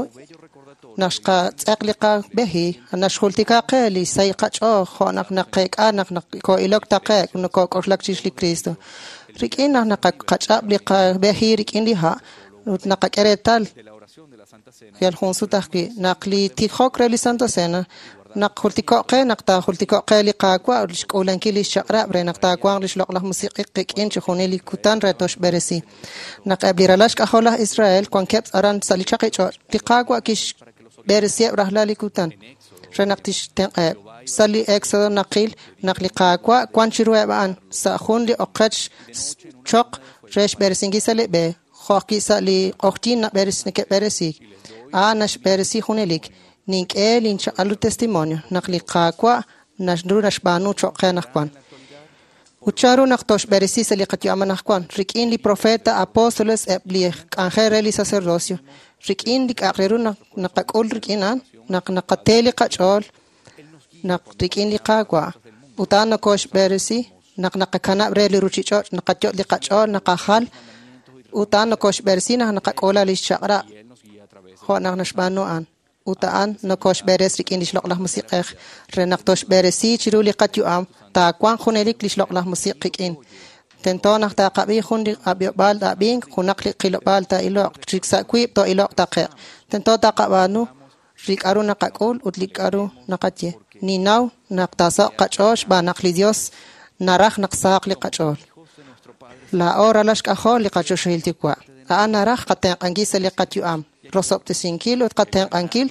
naq xqatz'eq li qab'eji, naxjultika qe li sahil qach'ool jo' naq naqeek'a naq nokoo'ilok taqe'q nokok'oxlak chirix li Cristo. Rik'in naq naqach'ab' li qab'eji rik'in li ha' ut naqak'e reetal yal jun sut ajwi' naq li tijok re li Santa Cena naq jultiko'q qe naq taajultiko'q qe li Qaawa' ut xk'uulankil lix chaq'rab' re naq taawanq lix loq'laj musiq'ik qik'in chijunil li kutan re toxb'eresi. Naq eb' li ralal xk'ajol laj Israel wankeb' aran sa' li chaqi ch'och', li Qaawa' kixb'eresiheb' rajlal li kutan re naq tixtenq'aheb'. Sa' li Éxodo naqil naq li Qaawa' wan chiruheb' a'an sa' jun li oqech choq re xb'eresinkil sa' li b'e, jo' ajwi' sa' li q'oqyink neke'b'eresiik. A'an naxb'eresi junelik. Nink'e linchaq'al ru testimonio naq li Qaawa' naru naxb'aanu cho'q qe anaqwan. Ut chanru naq toxb'eresi sa' li qayu'am anaqwan rik'in li profeta, apóstoles, eb' li k'anjel re li sacerdocio, rik'in li k'a'aq re ru naqak'ul rik'in a'an, naq naqate li qach'ool naq rik'in li Qaawa'. Ut a'an nokoxb'eresi naq naqakanab' re li ruchich'och', naqayot' li qach'ool, naqajal, ut a'an nokoxb'eresi naq naqak'uula lix chaq'rab' jo' naq naxb'aanu a'an. Ut a'an nokoxb'eres rik'in lix loq'laj musiq'ej re naq toxb'eresi chiru li qayu'am taawanq junelik lix loq'laj musiq' qik'in. Tento naq taqab'i jun li ab'iob'aal ab'ink, junaq li qilob'aal taa'iloq, chik sa' wiib' too'iloq taqe'q. Tento taqab'aanu li k'a'ru naqak'ul ut li k'a'ru naqaye. Ninnaw naq taasaho'q qach'ool xb'aan naq li Dios naraj naq sahaq li qach'ool. Laa'o ralal xk'ajol li qachoxahil Yuwa'. A'an naraj qatenq'ankil sa' li qayu'am, rosob'tesinkil ut qatenq'ankil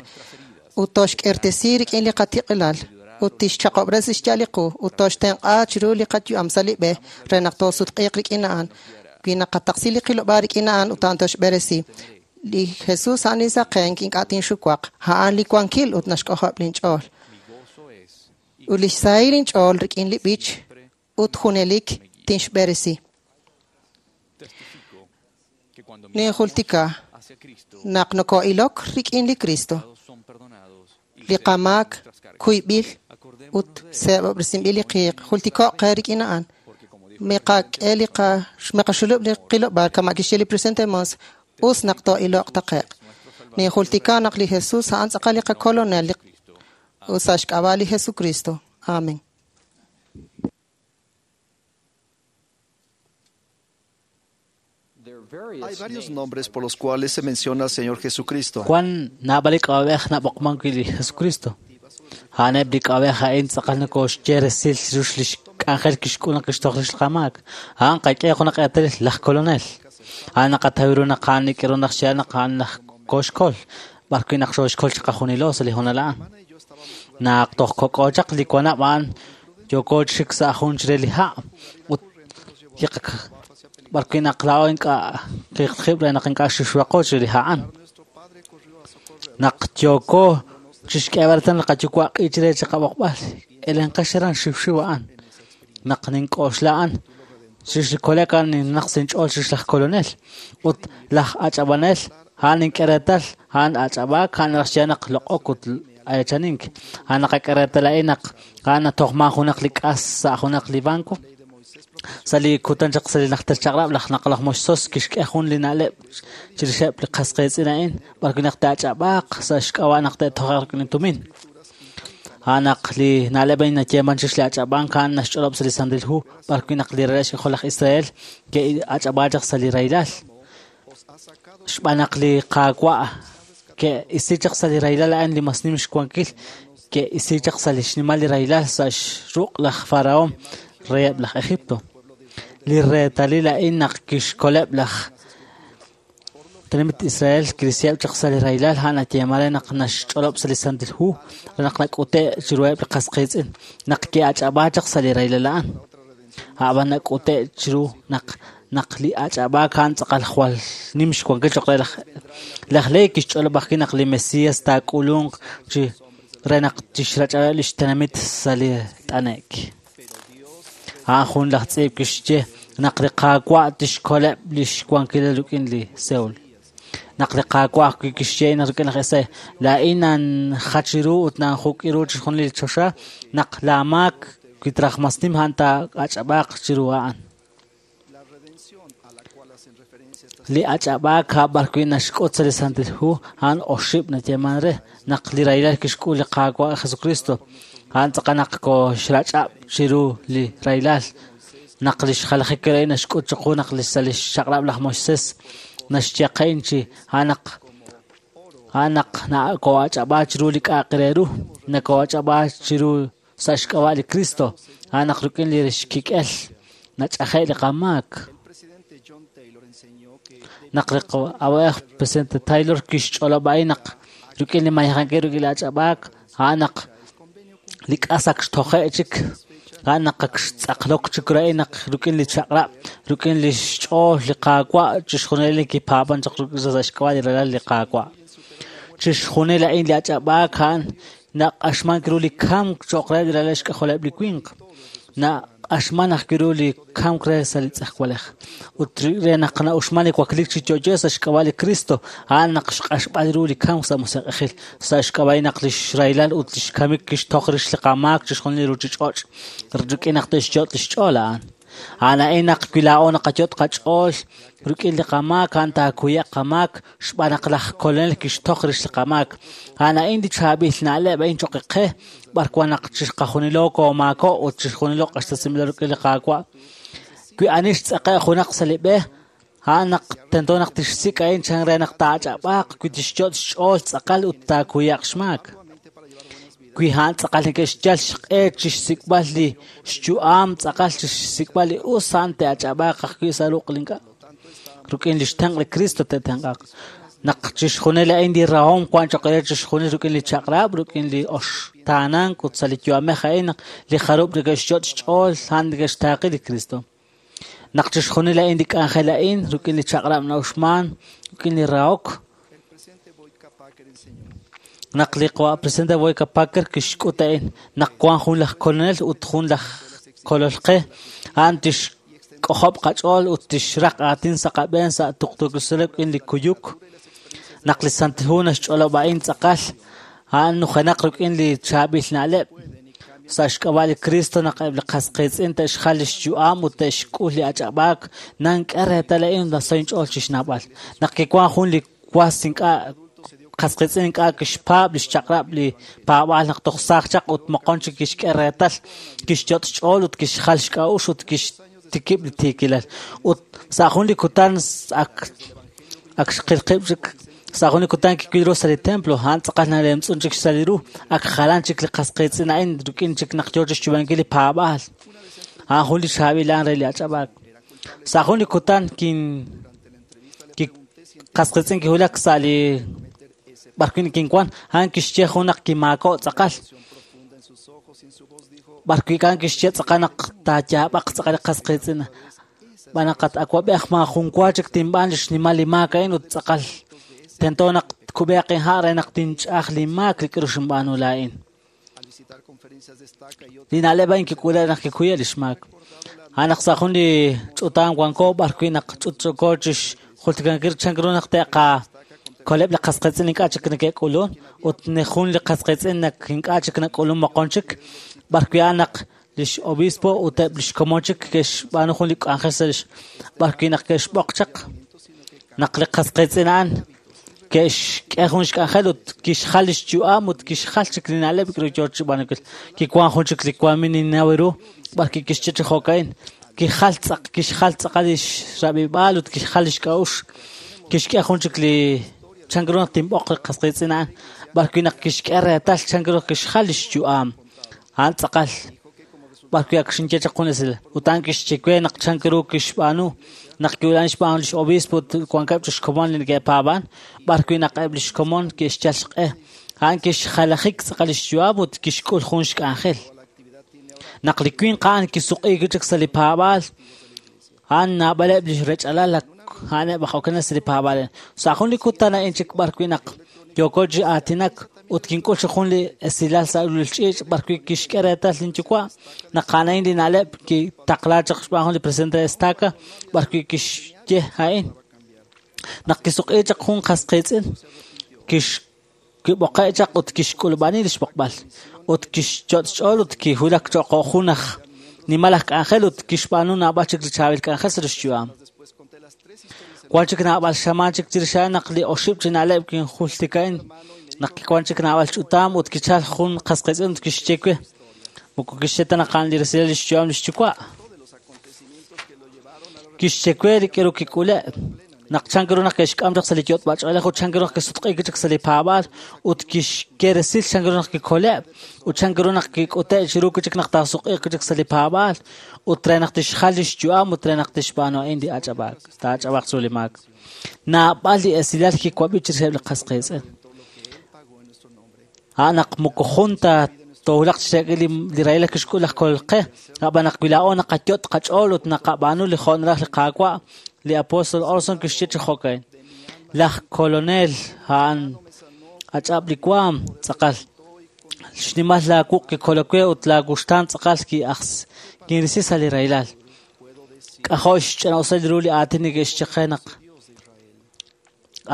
ut toxk'irtesi rik'in li qatiq'ilal ut tixchaqob'resi xya'al li qu ut toxtenq'a chiru li qayu'am sa' li b'e re naq toosutq'iiq rik'in a'an. Wi naqataqsi li qilob'aal rik'in a'an ut a'an toxb'eresi. Li Jesús a'an li saqenk ink'a' tinxuwaq, a'an li wankil ut naxk'ojob' linch'ool. Ut lix sahil inch'ool rik'in li b'ich ut junelik tinxb'eresi. Ninjultika naq noko'ilok rik'in li Cristo, li qamaak kuyb'il ut seeb'ob'resinb'il li qiiq. Jultiko'q qe rik'in a'an. Miqak'e li miqaxulub' li qilob'aal kama' kixye li presidente Monson, us naq too'iloq taqe'q. Ninjultika naq li Jesús a'an tz'aqal li qakolonel ut sa' xk'ab'a' li Jesucristo. Amén. Hay varios nombres por los cuales se menciona al Señor Jesucristo. Wan naab'al li k'ab'a'ej nab'oqman wi' li Jesucristo. A'aneb' li k'ab'a'ej a'in tz'aqal nokoxye resil chirix lix k'anjel kixk'ul naq kixtoj rix li qamaak. A'an qak'e junaq eetalil laj kolonel. A'an naqataw ru naq a'an nik'eru naq xyal naq a'an laj koxkol, b'arwi' naq xooxkol chiqajunilo sa' li hoonal a'an. Naq toj kok'o chaq li wanab' a'an yooko chik sa' jun chire li ha' ut li b'arwi' naq laa'o ink'a' qiiqib' re naq ink'a' xixwaqo chire li ha' a'an. Naq yooko chixk'eeb'al reetal li qayuwa' q'i chire chiqab'oqb'al, elenqex aran xiwxiw a'an. Naq nink'oxla a'an, chirix li kole'k a'an ninnaq sa' inch'ool chirix laj kolonel ut laj ach'ab'anel a'an nink'e reetal a'an ach'ab'aak a'an naraj xye naq loq'ok ut eechanink. A'an naqak'e reetal a'in naq a'an natojman junaq li k'as sa' junaq li banco. Sa' li kutan chaq sa' li najter chaq'rab' laj naq laj Moisés kixk'e jun li na'leb' chirixeb' li qas qiitz'in a'in b'arwi' naq te'ach'ab'aaq sa' xk'ab'a' naq te'toje'q rik'in li tumin. A'an naq li na'leb' a'in nayeeman chirix li ach'ab'ank a'an naxch'olob' sa' li Santil Hu b'ar wi' naq li ralal xk'ajol laj Israel ke'ach'ab'aak chaq sa' li rahilal. Xb'aan naq li Qaawa' ke'isi chaq sa' li rahilal a'an li mas nim xwankil, ke'isi chaq sa' li xnimal li rahilal sa' xruq' laj Faraón reheb' laj Egipto. Li reetalil a'in naq kixkoleb' laj tenamit Israel kirisiheb' chaq sa' li rahilal a'an nayeeman re naq naxch'olob' sa' li Santil Hu re naq nak'ute' chiruheb' li qas qiitz'in naq ke'ach'ab'aak chaq sa' li rahilal a'an. A'b'an nak'ute' chiru naq naq li ach'ab'aak a'an tz'aqal jwal nim xwankil cho'q re laj Lehi kixch'olob' ajwi' naq li Mesías taak'ulunq chi re naq tixrach'ab'eb' li xtenamit sa' li t'ane'k. A'an jun laj tz'iib' kixye naq li Qaawa' tixkoleb' li xwankilal rik'in li Seol. Naq li Qaawa' ajwi' kixye naq rik'in laj Esai, laa'in nanjach ru ut nanjuk'i ru chixjunil li choxa, naq laa maak wi traj mas nim a'an taa'ach'ab'aaq chiru a'an. Li ach'ab'aak b'ar wi' naxk'ut sa' li Santil Hu a'an oxib' nayeeman re naq li rahilal kixk'ul li Qaawa' Jesucristo a'an tz'aqal naq koxrach'ab' chiru li rahilal naq li xjalajik re naxk'ut chiqu naq li sa' li xchaq'rab' laj Moisés naxye qe'in chi a'an naq nako'ach'ab'aak chiru li k'a'aq re ru nako'ach'ab'aak chiru sa' xk'ab'a' li Cristo a'an naq rik'in li xkik'el nach'aje' li qamaak. Naq li awa'b'ej presidente Taylor kixch'olob' a'in naq rik'in li mayejankil rik'in li ach'ab'aak a'an naq li k'as ak xtoje' chik a'an naq ak xtz'aqlok chik re naq rik'in li chaq'rab' rik'in li xch'ool li Qaawa' chixjunil li kipaab'an chaq sa' xk'ab'a' li ralal li Qaawa'. Chixjunil a'in li ach'ab'aak a'an naq'axmank ru li kamk cho'q re li ralal xk'ajoleb' li winq. Naq'axman ajwi' ru li kamk re sa' li tz'ejwalej. Ut re naq na'uxman li wakliik chi yo'yo sa' xk'ab'a' li Cristo, a'an naq xq'axb'al ru li kamk sa' musiq'ejil, sa' xk'ab'a' naq li xrahilal ut li xkamik kixtoj rix li qamaak chixjunil li ruuchich'och' rik'in naq te'xyot' li xch'ool a'an. A'an a'in naq wi laa'o naqayot' qach'ool rik'in li qamaak, a'an taakuye'q qamaak xb'aan naq laj Kolonel kixtoj rix li qamaak. A'an a'in li chaab'il na'leb' a'in cho'q qe b'ar wan naq chixqajunilo koomaako' ut chixjunilo q'axtesinb'ilo rik'in li Qaawa'. Wi ani xtz'aqe' junaq sa' li b'e, a'an naq tento naq tixsik' a'in chan re naq taach'ab'aaq wi tixyot' xch'ool tz'aqal ut taakuye'q xmaak. Wi a'an tz'aqal neke'xyal xq'e chixsik'b'al li xyu'am tz'aqal chixsik'b'al li us a'an te'ach'ab'aaq ajwi' sa' ruq' li ink'a'. Rik'in li xtenq' li Cristo te'tenq'aq. Naq chixjunil a'in li rahom wan cho'q re chixjunil rik'in li chaq'rab', rik'in li oxtaanank ut sa' li yu'amej a'in naq li jarub' neke'xyot' xch'ool a'an neke'xtaaqi li Cristo. Naq chixjunil a'in li k'anjel a'in rik'in li chaq'rab' na'uxman, rik'in li rahok. Naq li presidente Boyd K. Packer kixk'ut a'in naq wan jun laj kolonel ut jun laj kolol qe, a'an tixk'ojob' qach'ool ut tixraq aatin sa' qab'een sa' tuqtuukil rik'in li kuyuk. Naq li Santil Hu naxch'olob' a'in tz'aqal, a'an nujenaq rik'in li chaab'il na'leb'. Sa' xk'ab'a' li Cristo naq eb' li qas qiitz'in te'xjal li xyu'am ut te'xk'ul li ach'ab'aak, nank'e reetal a'in naso inch'ool chixnawb'al. Naq kiwan jun li was ink'a' qas qiitz'in ink'a' kixpaab' li xchaq'rab' li paab'aal naq toj saaj chaq ut moqon chik kixk'e reetal, kixyot' xch'ool ut kixjal xk'a'uxl ut kixtikib' li tiikilal. Ut sa' jun li kutan ak xqil qib' chik sa' jun li kutan kiwil ru sa' li templo, a'an tz'aqal nalemtz'un chik sa' li ru, ak jalan chik li qas qiitz'in a'in rik'in chik naq yoo chixyu'ankil li paab'aal. A'an jun li chaab'il a'an re li ach'ab'aak. Sa' jun li kutan qas qiitz'in kiwulak sa' li b'ar wi' kinwan, a'an kixye jun naq kimaako' tz'aqal. B'ar wi' a'an kixye tz'aqal naq taayaab'aq tz'aqal li qas qiitz'in. B'an naq awab'ej maajun wa chik tinb'aan li xnimal li maak a'in ut tz'aqal tento naq tkub'eeq inha' re naq tinch'aj li maak li k'aru xinb'aanu laa'in. Li na'leb' a'in kik'ule' naq kikuye' li xmaak. A'an naq sa' jun li ch'utam wanko b'ar wi' naq ch'utch'uko chixjultikankil chan ru naq te'qakoleb' li qas qiitz'in ink'a' chik neke'k'ulun ut jun li qas qiitz'in naq ink'a' chik nak'ulun moqon chik b'ar wi' a'an naq lix obispo ut eb' lix komon chik ke'xb'aanu jun li k'anjel sa' lix b'ar wi' naq ke'xb'oq chaq naq li qas qiitz'in a'an. Ke'xk'e jun xk'anjel ut kixjal lix yu'am ut kixjal chik li na'leb' k'aru yoo chi xb'aanunkil. Kiwan jun chik li wanmin ninnaw ru b'ar kixye chi jo'ka'in. Kijal tz'aq kixjal tz'aqal lix rab'ib'aal ut kixjal lix k'a'uxl. Kixk'e jun chik li chan ru naq tinb'oq li qas qiitz'in a'an b'ar wi' naq kixk'e reetal chan ru kixjal lix yu'am. A'an tz'aqal b'ar wi' ak xinye chaq jun esil ut a'an kixye we naq chan ru kixb'aanu naq kiwulak xb'aan lix obispo ut wankeb' chi xkomon li neke'paab'an b'ar wi' naq eb' lix komon ke'xyal xq'e. A'an kixjalajik tz'aqal lix yu'am ut kixk'ul jun xk'anjel. Naq li winq a'an kisuq'iik chik sa' li paab'aal, a'an naab'aleb' lix rech'alal a'aneb' aj okenel sa' li paab'aal. Sa' jun li kutan a'in chik b'ar wi' naq yooko chi aatinak ut kink'ul chi jun li esilal sa' ulul ch'iich' b'ar wi' kixk'e reetal linyuwa' naq a'an a'in li na'leb' kitaqla chaq xb'aan jun li presidente de estaca b'ar wi' kixye a'in. Naq kisuq'i chaq jun qas qiitz'in, kib'oqe' chaq ut kixk'ulub'ani lix b'oqb'al ut kixyot' xch'ool ut kiwulak cho'q jun aj nimal aj k'anjel ut kixb'aanu naab'al chik li chaab'il k'anjel sa' lix yu'am. Wan chik naab'al xamaan chik chirix a'an naq li oxib' chi na'leb' kinjultika'in naq kiwan chik naab'al ch'utam ut kichal jun qas qiitz'in ut kixye we moko kixye ta naq a'an li resilal lix yu'am lix yuwa'. Kixye we li k'aru kik'ule' naq chan ru naq ke'xk'am chaq sa' li yot'b'ach'oolej ut chan ru naq kisutq'iik chik sa' li paab'aal ut kixye resil chan ru naq kikole' ut chan ru naq kik'ute' chiru chik naq taasuq'iiq chik sa' li paab'aal ut re naq tixjal lix yu'am ut re naq tixb'aanu a'in li ach'ab'aak taach'ab'aaq chiru li maak. Naab'al li esilal kiwab'i chirixeb' li qas qiitz'in. A'an naq moko jun ta toowulaq chi xe'k'il li rahilal kixk'ul laj Kolol qe, ab'an naq wi laa'o naqayot' qach'ool ut naqab'aanu li jo' naraj li Qaawa', li apóstol Orson kixye chi jo'ka'in. Laj kolonel a'an ach'ab' li waam tz'aqal. Xnimal laawuq' kikolok we ut laawuxtaan tz'aqal kinrisi sa' li rahilal. K'ajo' xch'ina'usal ru li aatin neke'xye qe naq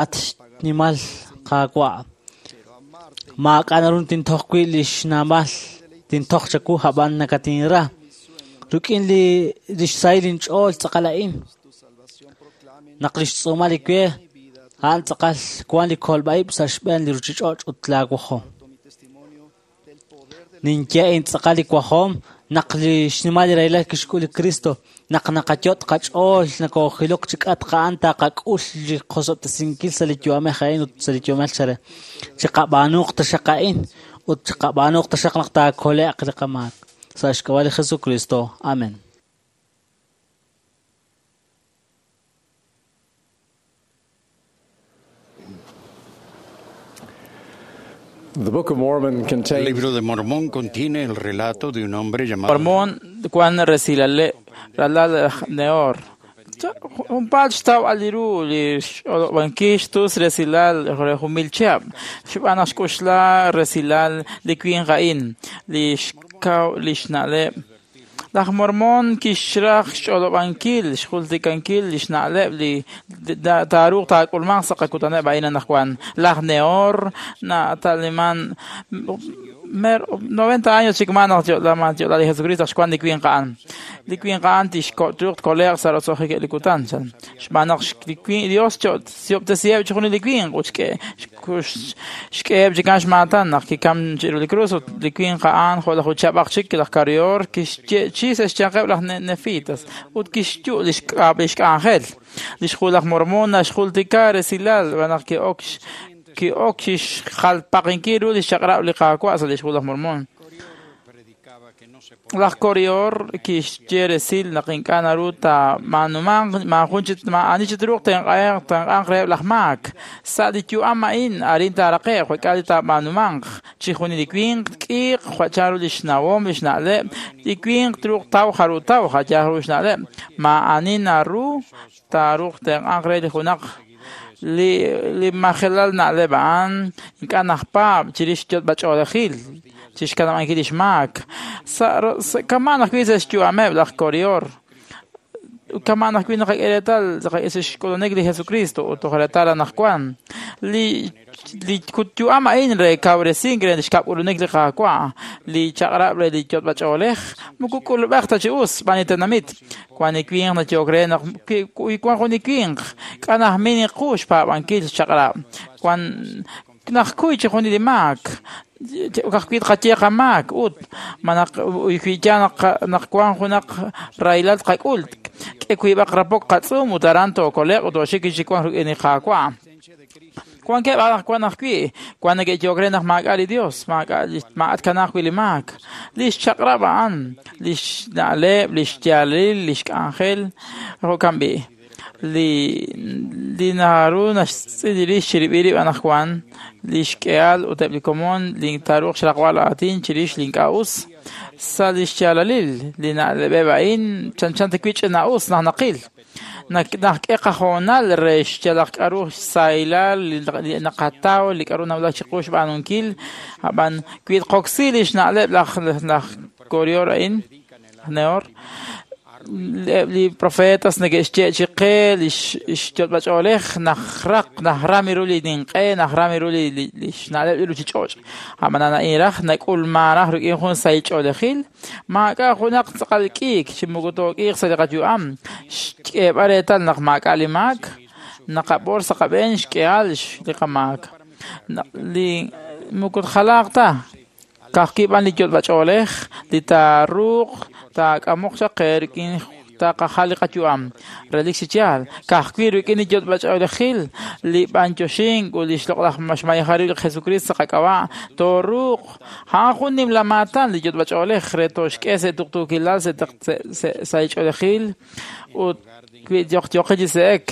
at xnimal Qaawa'. Maak'a' naru tintoj wi' li xnaamal tintoj chawu ab'an nakatinra. Rik'in li xsahil inch'ool tz'aqal a'in. Naq li xtz'uumal li we a'an tz'aqal wan li kolb'a'ib' sa' xb'een li ruuchich'och' ut laawajom. Ninye in tz'aqal li wajom naq li xnimal li rahilal kixk'ul li Kristo naq naqayot' qach'ool nakoojilok chi k'atq a'an taqak'ul li qosob'tesinkil sa' li yu'amej a'in ut sa' li yu'amej chare. Chiqab'aanuuq taxaq a'in ut chiqab'aanuuq taxaq naq taakole'q li qamaak. Sa' xk'ab'a' li Jesucristo. Amen. The Book of Mormon El contains libro de Mormón contiene el relato de un hombre llamado Mormón wan resilale ralal laj Nehor. Junpaat xtaw li ru li x'olob'ankil xtus resilal re jun mil chihab'. Xb'aan naq xk'uxla resilal li winq a'in, li xkaw li xna'leb'. Laj Mormón kixraj xch'olob'ankil, xjultikankil li xna'leb' li taaruuq taak'ulmanq sa' qakutaneb' a'in anaqwan. Laj Nehor nataliman 90 años chik ma naq yo'la li Jesucristo xwan li winq a'an. Li winq a'an tixko'tuq tkole'q sa' roso'jik li kutan. Xb'aan naq li winq Dios xyob'tesiheb' chi junil li winq ut xk'eheb' chikan xmaatan naq kikam chiru li krus ut li winq a'an jo' laj uchab'aq chik laj Karior kixye chi sa' xyanqeb' laj Nefitas ut kixyu' li xk'anjel. Li xjul laj Mormón naxjultika resilal naq ki'ok ki'ok xjalpaqinkil ru li xchaq'rab' li Qaawa' sa' li xjul laj Mormón. Laj Korior kixye resil naq ink'a' naru taamaanumanq maajun chi maa'ani chi truuq tenq'anq tenq'anq reheb' laj maak. Sa' li yu'am a'in arin taaraqe'q jo'k'a li taab'aanumanq. Chi junil li winq tk'iiq jo' chanru li xnawom li xna'leb', li winq truuq taw jaru taw jo' ru xna'leb'. Maa'ani naru taaruuq tenq'anq re li junaq li majelal na'leb' a'an ink'a' najpaab' chirix yot'b'ach'oolejil chixkanab'ankil lix maak. Sa' kama'an ajwi' sa' xyu'ameb' laj Korior. Kama'an ajwi' naqak'e reetal sa' xk'ulunik li Jesucristo ut toj reetal anaqwan. Li yu'am a'in re kawresink re xkab'k'ulunik li Qaawa', li chaq'rab' re li yot'b'ach'oolej moko k'ulub'ej ta chi us xb'aan li tenamit. Wan li winq nayok re naq wan jun li winq Ink'a' najmin qu xpaab'ankil xchaq'rab'. Wan najkuy chixjunil li maak. Ka'ajwi' tqaye qamaak ut ma naq wi yaal naq wank junaq rahilal tqak'ul, k'e wiib'aq rapok qatz'uum ut aran tookole'q ut tooxik chi wank rik'in li Qaawa'. Wankeb' anaqwan ajwi' wan neke'yehok re naq maak'a' li Dios, maak'a' tkanaaq wi' li maak. Li xchaq'rab' a'an, li xna'leb', li xyaalalil, li xk'anjel, jo'kan b'i'. Li naru naxtz'il rix chirib'il rib' anaqwan, li xk'ehal ut eb' li komon li taaruuq xraqb'al aatin chirix li ink'a' us. Sa' li xyaalalil li na'leb'eb' a'in chanchan ta wi' ch'ina'us naq naqil. Nak'e qahoonal re xyalaq k'aru xsahilal li naqataw, li k'aru nawulak chiqu xb'aanunkil. Ab'an wi tqoksi li xna'leb' laj Korior a'in, laj Nehor, eb' li profetas neke'xye chi qe li xyotb'ach'oolej najraq najram ru li ninq'e, najram ru li xna'leb' li ruuchich'och'. Ab'anan a'in raj nak'ulman raj rik'in jun sahil ch'oolejil, maak'a' junaq tz'aqal k'iik chi moko took'iiq sa' li qayu'am. Xk'eeb'al reetal naq maak'a' li maak, naqab'or sa' qab'een xk'ehal li qamaak. Li moko tjalaaq ta, ka'ajwi' b'an li yotb'ach'oolej li taaruuq taak'amoq chaq qe rik'in taqajal li qayu'am. Relik chi yaal, ka'ajwi' rik'in li yotb'ach'oolejil, li b'anyoxink ut li xloq'laj xmayeja rib' li Jesucristo sa' qak'ab'a' tooruuq. A'an jun nimla maatan li yotb'ach'oolej re tooxk'e sa' tuqtuukilal, sa' ch'oolejil ut wi yoqyoqil chi se'ek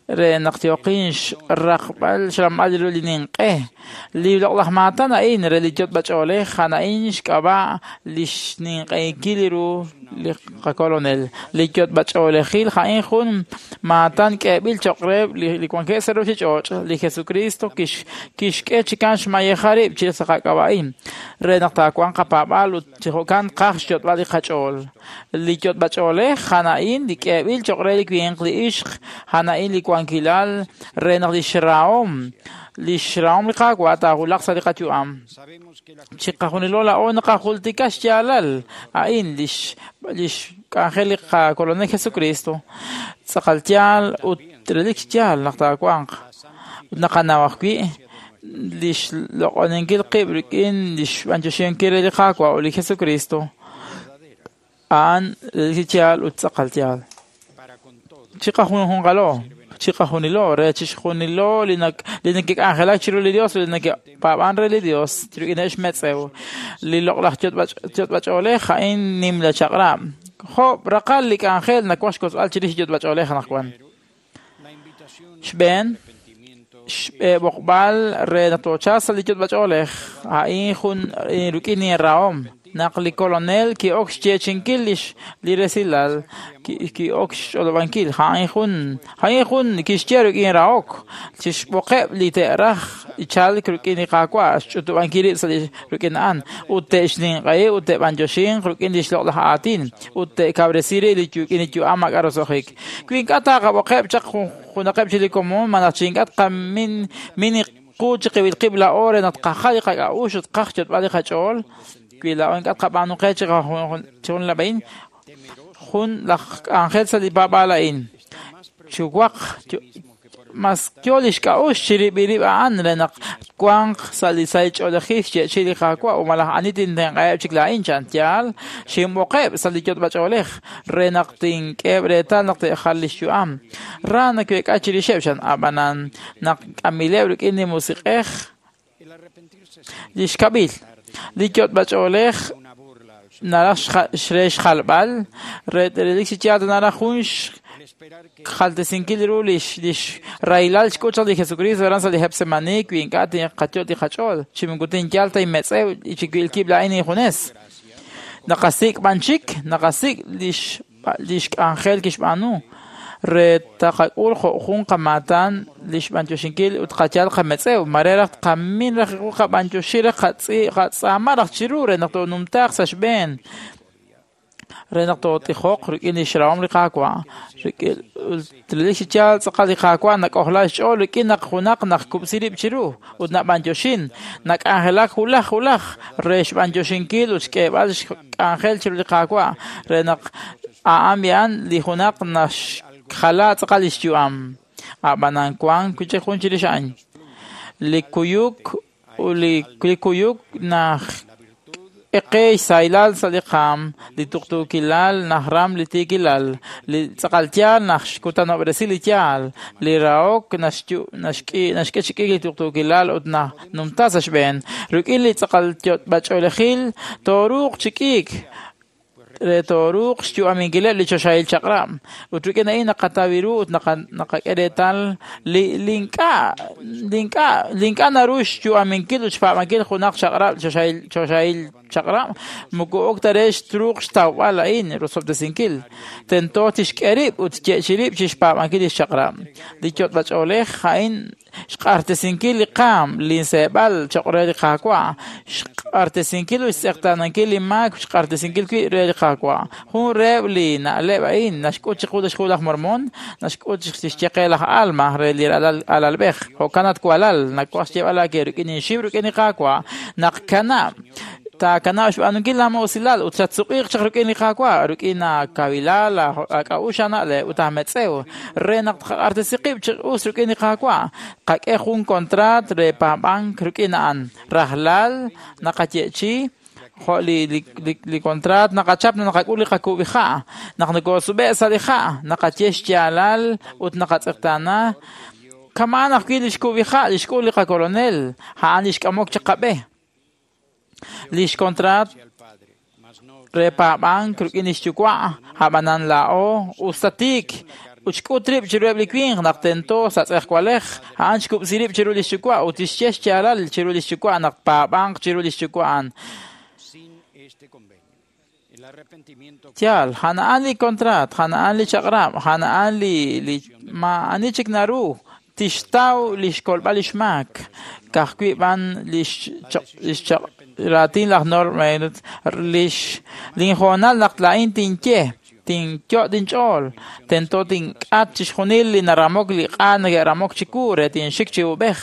re naq yoqin xraqb'al xramb'al ru li ninq'e. Li loq'laj maatan a'in re li yotb'ach'oolej a'an a'in xk'ab'a' li xninq'ehinkil ru li qakolonel. Li yotb'ach'oolejil a'in jun maatan k'eeb'il cho'q reheb' li wankeb' sa' ruuchich'och'. Li Jesucristo kixk'e chi kan xmayeja rib' chi sa' qak'ab'a'in re naq taawanq qapaab'aal ut chi jo'kan tqaj xyotb'al li qach'ool. Li yotb'ach'oolej a'an a'in li k'eeb'il cho'q re li winq li ixq, a'an a'in li wankilal re naq li xrahom li Qaawa' taawulaq sa' li qayu'am. Chiqajunilo laa'o naqajultika xyaalal a'in li xk'anjel li qakolonel Jesucristo. Tz'aqal yaal ut relik yaal naq taawanq. Ut naqanaw ajwi' li xloq'oninkil qib' rik'in li xb'anyoxinkil re li Qaawa' ut li Jesucristo. A'an relik yaal ut tz'aqal yaal. Chiqajunjunqalo, chiqajunilo re chixjunilo li neke'k'anjelak chiru li Dios, li neke'paab'an re li Dios, rik'ineb' xmetz'ew. Li loq'laj yotb'ach'oolej a'in nimla chaq'rab'. Jo' raqal li k'anjel nawaj xkotzb'al chirix yotb'ach'oolej anaqwan. Xb'een, xb'oqb'al re naq toochal sa' li yotb'ach'oolej a'in jun rik'in inrahom. Naq li kolonel ki'ok xyeechinkil li resilal, ki'ok xch'olob'ankil, a'in jun kixye rik'in rahok, chixb'oqeb' li te'raj chalk rik'in li Qaawa', xch'utub'ankil rib' sa' rik'in a'an, ut te'xninq'ehi ut te'b'anyoxinq rik'in li xloq'laj aatin, ut te'kawresi rib' rik'in li yu'am maak'a' roso'jik. Wi ink'a' taqab'oqeb' chaq junaqeb' chi li komon, malaj chi ink'a' tqamin qu chiqib'il qib' laa'o re naq tqajal li qak'a'uxl ut tqaj xyotb'al li qach'ool, wi laa'o ink'a' tqab'aanu qe chi jun lab'ain, jun laj k'anjel sa' li paab'aal a'in. Chuwaq mas yo li xk'a'uxl chirib'il rib' a'an re naq twanq sa' li sahil ch'oolejil xye'chi li Qaawa' ut malaj ani tintenq'aheb' chik laa'in chan yaal xinb'oqeb' sa' li yotb'ach'oolej re naq tink'eheb' reetal naq te'jal li xyu'am. Ra naweek'a chirixeb' chan ab'anan naq k'amileb' rik'in li musiq'ej li xkab'il. Li yotb'ach'oolej naraj re xjalb'al re relik chi yaal naraj jun xjaltesinkil ru li xrahilal xk'ut chaq li Jesucristo aran sa' li Getsemaní wi ink'a' tinqayot' li qach'ool chi moko tinyal ta inmetz'ew chi wilkib' laa'in injunes. Naqasik' b'an chik, naqasik' li xk'anjel kixb'aanu re taqak'ul jo' jun qamaatan li xb'anyoxinkil ut qayal qametz'ew. Mare raj tqamin raj qab'anyoxi raj qatz'aama raj chiru re naq toonumtaaq sa' xb'een re naq tootijoq rik'in li xrahom li Qaawa'. Relik chi yaal tz'aqal li Qaawa' nak'ojla xch'ool rik'in naq junaq naqkub'si rib' chiru ut nab'anyoxin, nak'anjelak wulaj wulaj re xb'anyoxinkil ut xk'eeb'al xk'anjel chiru li Qaawa' re naq a'an b'i'an li junaq naxjala tz'aqal li xyu'am. Ab'anan wank wi' chik jun chirix a'in. Li kuyuk ut li kuyuk naxk'e qe xsahilal sa' li qaam, li tuqtuukilal naxram li tiikilal, li tz'aqal yaal naxkutanob'resi li yaal, li rahok naxk'e chi k'iik li tuqtuukilal ut nanumta sa' xb'een. Rik'in li tz'aqal yot'b'ach'oolejil tooruuq chi k'iik re tooruuq xyu'aminkileb' li choxahil chaq'rab'. Ut rik'in a'in naqataw ru ut naqak'e reetal li ink'a' naru xyu'aminkil ut xpaab'ankil junaq chaq'rab' choxahil chaq'rab' moko ok ta re truuq xtawb'al a'in rosob'tesinkil. Tento tixk'e rib' ut tye'chi rib' chi xpaab'ankil li xchaq'rab'. Li yot'b'ach'oolej a'in xq'axtesinkil li qaam, li seeb'al cho'q re li Qaawa', xq'axtesinkil ut xtz'eqtaanankil li maak, xq'axtesinkil wi' re li Qaawa'. Jun reheb' li na'leb' a'in naxk'ut chiqu lix Hu laj Mormon, naxk'ut lix ye qe laj Alma re li alalb'ej. Jo'kan at walal, nawaj xyeeb'al aawe rik'in inxiw rik'in li Qaawa' naq kanab' taakanab' xb'aanunkil laamusilal ut xatsuq'iiq chaq rik'in li Qaawa' rik'in aakawilal, aak'a'uxl aana'leb' ut aametz'ew re naq tqaq'axtesi qib' chi us rik'in li Qaawa'. Qak'e jun kontraat re paab'ank rik'in a'an. Rajlal naqaye'chi jo' li kontraat naqachap naq naqak'ul li qakub'iha'. Naq nokoosub'e' sa' li ha', naqaye xyaalal ut naqatz'eqtaana. Kama'an ajwi' li xkub'iha' li xk'ul li qakolonel, a'an li xk'amok chaq qab'e. Lix kontraat re paab'ank rik'in lix yuwa', ab'anan laa'o us ta tiik ut xk'ut rib' chiruheb' li winq naq tento sa' tz'ejwalej, a'an xkub'si rib' chiru lix yuwa' ut tixye xyaalal chiru lix yuwa' naq paab'anq chiru lix yuwa' a'an. Yaal, a'an li kontraat, a'an li chaq'rab', a'an li maa'ani chik naru tixtaw li xkolb'al lix maak. Ka'ajwi' b'an lix raatin laj Norman, linhoonal naq laa'in tinye, tinyot' inch'ool, tento tink'at chixjunil li naramok li q'a neke'ramok chiwu re tinxik chi ub'ej.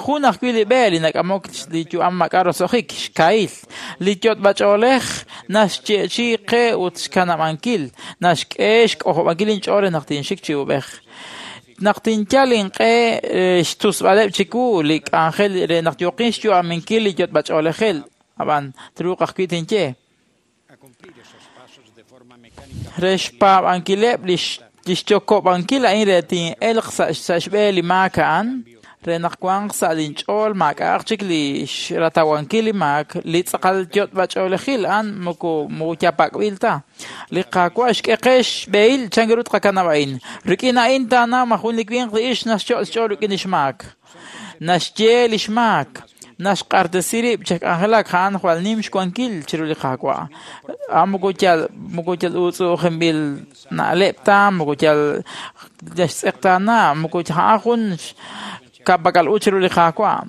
Jun ajwi' li b'e li nak'amok li yu'am maak'a' roso'jik, xkahil. Li yot'b'ach'oolej naxye'chi qe ut xkanab'ankil, naxk'e xk'ojob'ankil inch'ool re naq tinxik chi ub'ej. Naq tinyal inq'e xtusb'aleb' chiwu li k'anjel re naq yooqin xyu'aminkil li yot'b'ach'oolejil, ab'an truuq ajwi' tinye. Re xpaab'ankileb' lix yokob'ankil a'in re tin'elq sa' xb'e li maak a'an, re naq wanq sa' linch'ool maak'a'aq chik li xratawankil li maak, li tz'aqal yot'b'ach'oolejil a'an moko yapak'b'il ta. Li Qaawa' xk'e qe xb'ehil chan ru tqakanab' a'in. Rik'in a'in taanaw ma jun li winq li ixq naxyot' xch'ool rik'in lix maak. Naxye lix maak, naxq'axtesi rib' chi k'anjelak a'an jwal nim xwankil chiru li Qaawa'. A'an moko yal uutz'u'ujinb'il na'leb' ta, moko yal xtz'eqtaana, moko a'an jun ka'pak'al u chiru li Qaawa'.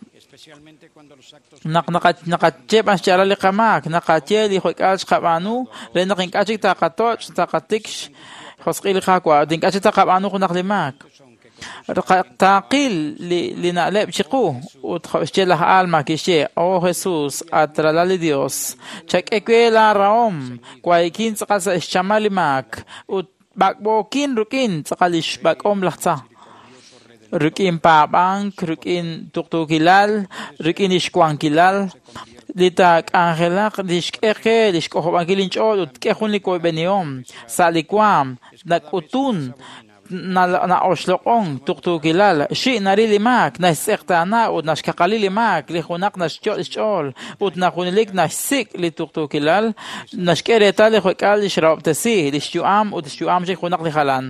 Naq naqaye b'an xyaalal li qamaak, naqaye li jo'k'aal xqab'aanu re naq ink'a' chik taqatoch' taqatik xjosq'il li Qaawa' ut ink'a' chik taqab'aanu junaq li maak. Taaqil li na'leb' chiqu ut xye laj Alma kixye, "Oh Jesús, at ralal li Dios, chak'e we laarahom, waykin tz'aqal sa' xchamal li maak ut b'ak'b'ookin rik'in tz'aqal li xb'ak'om laj tza." Rik'in paab'ank, rik'in tuqtuukilal, rik'in lix wankilal, li taak'anjelaq li xk'e qe li xk'ojob'ankil inch'ool ut k'e jun li woyb'enihom sa' li waam nak'utun na'oxloq'on tuqtuukilal, xi' naril li maak, naxtz'eqtaana ut naxkaqali li maak, li junaq naxyot' xch'ool ut najunelik naxsik' li tuqtuukilal, naxk'e reetal li jo'k'aal li xrahob'tesi, li xyu'am ut xyu'am chik junaq li jalan.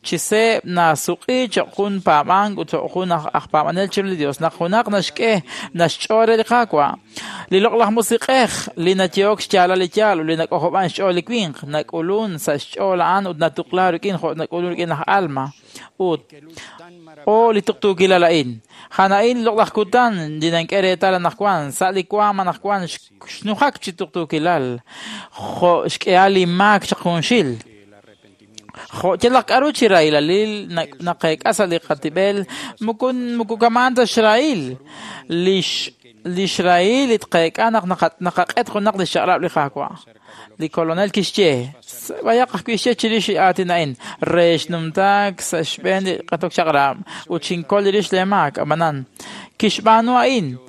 Chi seeb' nasuq'i cho'q jun paab'ank ut cho'q jun aj paab'anel chiru li Dios, naq junaq naxk'e naxch'ool re li Qaawa'. Li loq'laj musiq'ej li nayehok xyaalal li yaal ut li nak'ojob'an xch'ool li winq, nak'ulun sa' xch'ool a'an ut natuqla rik'in jo' nak'ulun rik'in laj Alma. Ut o li tuqtuukilal a'in. A'an a'in loq'laj kutan li nank'e reetal anaqwan, sa' li waam anaqwan xnujak chi tuqtuukilal, jo' xk'ehal li maak chaq junxil. Jo' yalaq k'aru chi rahilalil naqeek'a sa' li qatib'el, moko kama'an ta xrahil lix Lix rahil li tqeek'a naq naqaq'et junaq li xchaq'rab' li Qaawa'. Li kolonel kixye, b'ayaq ajwi' xye chirix li aatin a'in, re xnumtaak sa' xb'een li q'etok chaq'rab' ut xinkol rix leemaak, ab'anan kixb'aanu a'in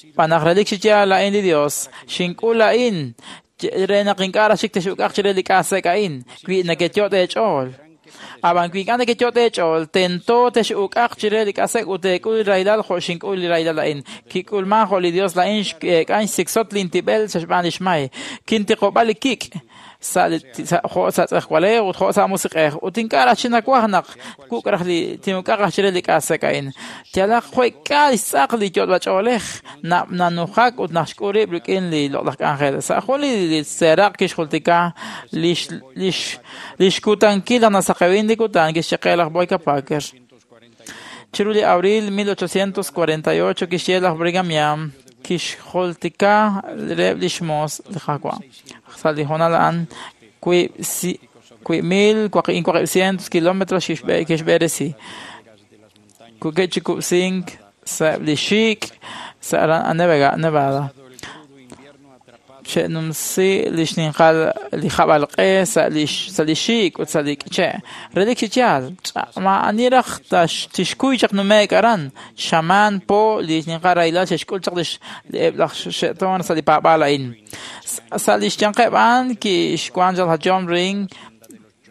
xb'aan naq relik chi yaal a'in li Dios, xink'ul a'in re naq ink'a' raj chik tex'uk'aq chire li k'asek a'in, wi nekeyot' eech'ool. Ab'an wi ink'a' nekeyot' eech'ool, tento tex'uk'aq chire li k'asek ut teek'ul li rahilal jo' xink'ul li rahilal a'in. Kik'ulman jo' li Dios la'in x'eek'an xsiksot lintib'el sa' xb'aan lix may. Kintiqob'a li kik' sa' jo' sa' tz'ejwalej ut jo' sa' musiq'ej. Ut ink'a' raj chinawaj naq wuk' raj li tinuk'aq raj chire li k'asek a'in. Yalaq juek'a li xtz'aq li yot'b'ach'oolej nanujak ut naxk'ul rib' rik'in li loq'laj k'anjel. Sa' jun li seeraq kixjultika lix kutankil naq nasaqewin li kutan kixye qe laj Boyka Packer. Chiru li abril 1848 kixye laj Brigham Young kixjultika reheb' lix moos li Qaawa'. Sa' li hoonal a'an 1,400 kilómetros kixb'eresi. Kuk'e chi kub'sink sa'eb' li xik' sa' Nevada. Xe'numsi li xninqal li jab'alq'e sa' li xik' ut sa' li k'iche'. Relik chi yaal, maa'ani raj tixkuy chaq nume'k aran. Xamaan po li xninqal rahilal xe'xk'ul chaq eb' laj xe'toon sa' li paab'aal a'in. Sa' li xyanqeb' a'an kixwan chaq laj John Ring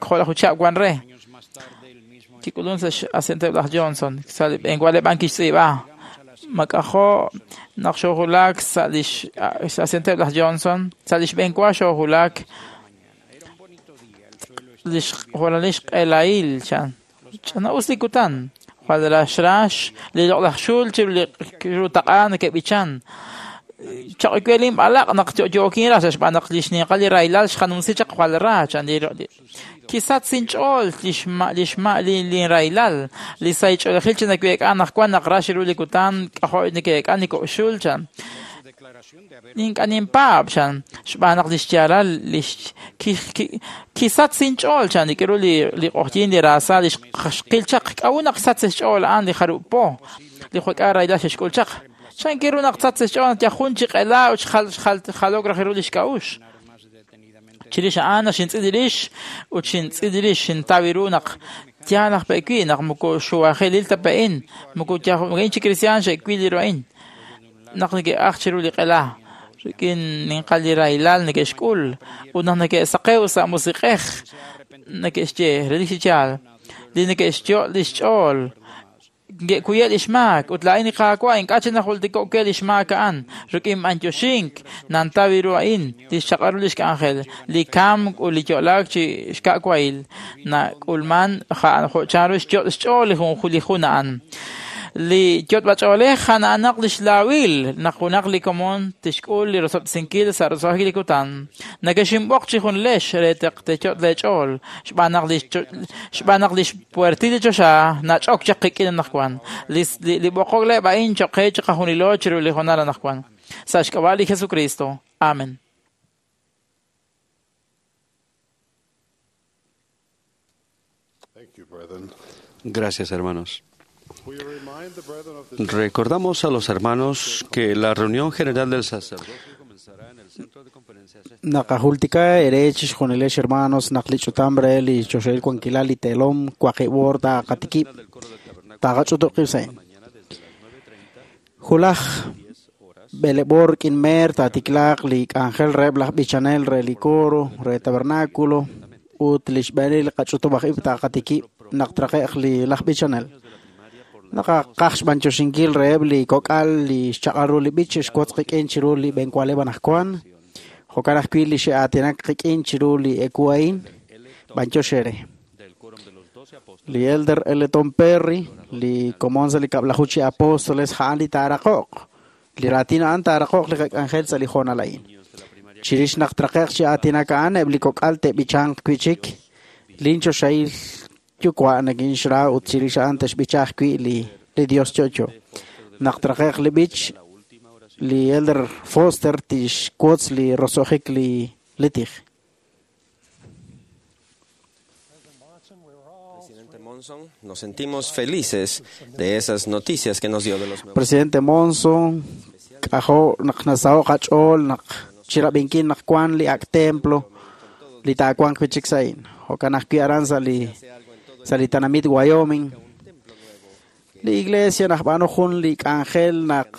jo' laj uchab' wan re. Kik'ulun sa' x'asienteb' laj Johnson. Sa' li b'enwaleb' a'an kixtz'iib'a. Mak'ajo' naq xoojulak sa' lix asienteb' laj Johnson, sa' lix b'enwa xoojulak lix jwal xq'elahil chan. Ch'ana'us li kutan, jwal raxrax li loq'laj xul chiru li taq'a neke'b'ichan. Chaq'welin b'alaq naq yo'yo'kin raj xb'aan naq lix ninqal li rahilal xqanumsi chaq jwal ra chan li kisat sinch'ool lix linrahilal li saych'oolejil chi naweek'a naq wan naq ra chiru li kutan k'ajo' neke'ek'a niko'xul chan. Ink'a' ninpaab' chan xb'aan naq lix yaalal lix kisat sinch'ool chan rik'in li q'oqyin li raasa li xqil chaq k'a'ut naq sat sa' xch'ool a'an li jarub' po li jwek'a rahilal xe'xk'ul chaq. Chan kiru naq sat sa' xch'ool naq yajun chi q'ela ut xjalok raj ru lix k'a'ux. Chirix a'an xintz'il rix ut xintz'il rix xintaw ru naq yaal aj pe'wi naq moko xuwajelil ta pe'in moko yajun chi kristiaan xe'wil li ru a'in naq neke'aj chiru li q'ela rik'in ninqal li rahilal neke'xk'ul ut naq neke'saqew sa' musiq'ej neke'xye relik chi yaal li neke'xyo' lix ch'ool nge'kuye' lix maak ut la'in li Qaawa' ink'a' chi najultiko'ke lix maak a'an rik'in b'antioxink nantaw ru a'in lix chaq'al ru lix k'anjel li kamk ut li yo'laak chi xka'wahil nak'ulman jo' chanru xyo' xch'ool li jun a'an. Li yot'b'ach'oolej a'anaq lix laawil naq junaq li komon tixk'ul li rosob'tesinkil sa' roso'jik li kutan. Nakexinb'oq chi junlex re te'yot' leech'ool xb'aan naq lix puertil li choxa nach'ok chaq qik'in anaqwan. Li b'oqok leb' a'in choq qe chiqajunilo chiru li hoonal anaqwan. Sa' xk'ab'a' li Jesucristo. Amen. Gracias, hermanos. Recordamos a los hermanos que la reunión general del sacerdocio comenzará en el centro de conferencias. Naqajultika ere chixjunilex hermanos naq li ch'utam re li choxahil wankilal li teelom waqib' taqatikib' taqach'utuqib' sa'in. Julaj b'eleb'or rik'in meer taatiklaaq li k'anjel reheb' laj b'ichanel re li coro re tabernáculo ut li xb'eenil li qach'utub' aj ib' taqatikib' naq traqe'q li laj b'ichanel. Naqaqaj xb'antioxinkil reheb' li kok'al li xchaq'al ru li b'ich xwotz qik'in chiru li b'enwaleb' anaqwan. Jo'kan ajwi' li xe'aatinak qik'in chiru li eku a'in b'antiox ere. Li Elder L. Tom Perry, li komon sa' li kab'laju chi apóstoles ja'an li taaraqo'q. Li raatin a'an taaraqo'q li qak'anjel sa' li hoonal a'in. Chirix naq traqe'q chi aatinak a'an eb' li kok'al te'b'ichanq wi'chik linchoxahil yuwa' nakinxra ut chirix a'an te'xb'icha ajwi' li Dios yo'yo. Naq traqe'q li b'ich, li Elder Foster tixwotz li roso'jik li tij. Monson, nos sentimos felices de esas noticias que nos dio de los nuevos. Presidente Monson, k'ajo' naq nasaho' qach'ool naq chirab'inkil naq wan li ak' templo li taawanq wi' chik sa' a'in. Jo'kan ajwi' aran sa' li tenamit Wyoming. Li iglesia najb'aanu jun li k'anjel naq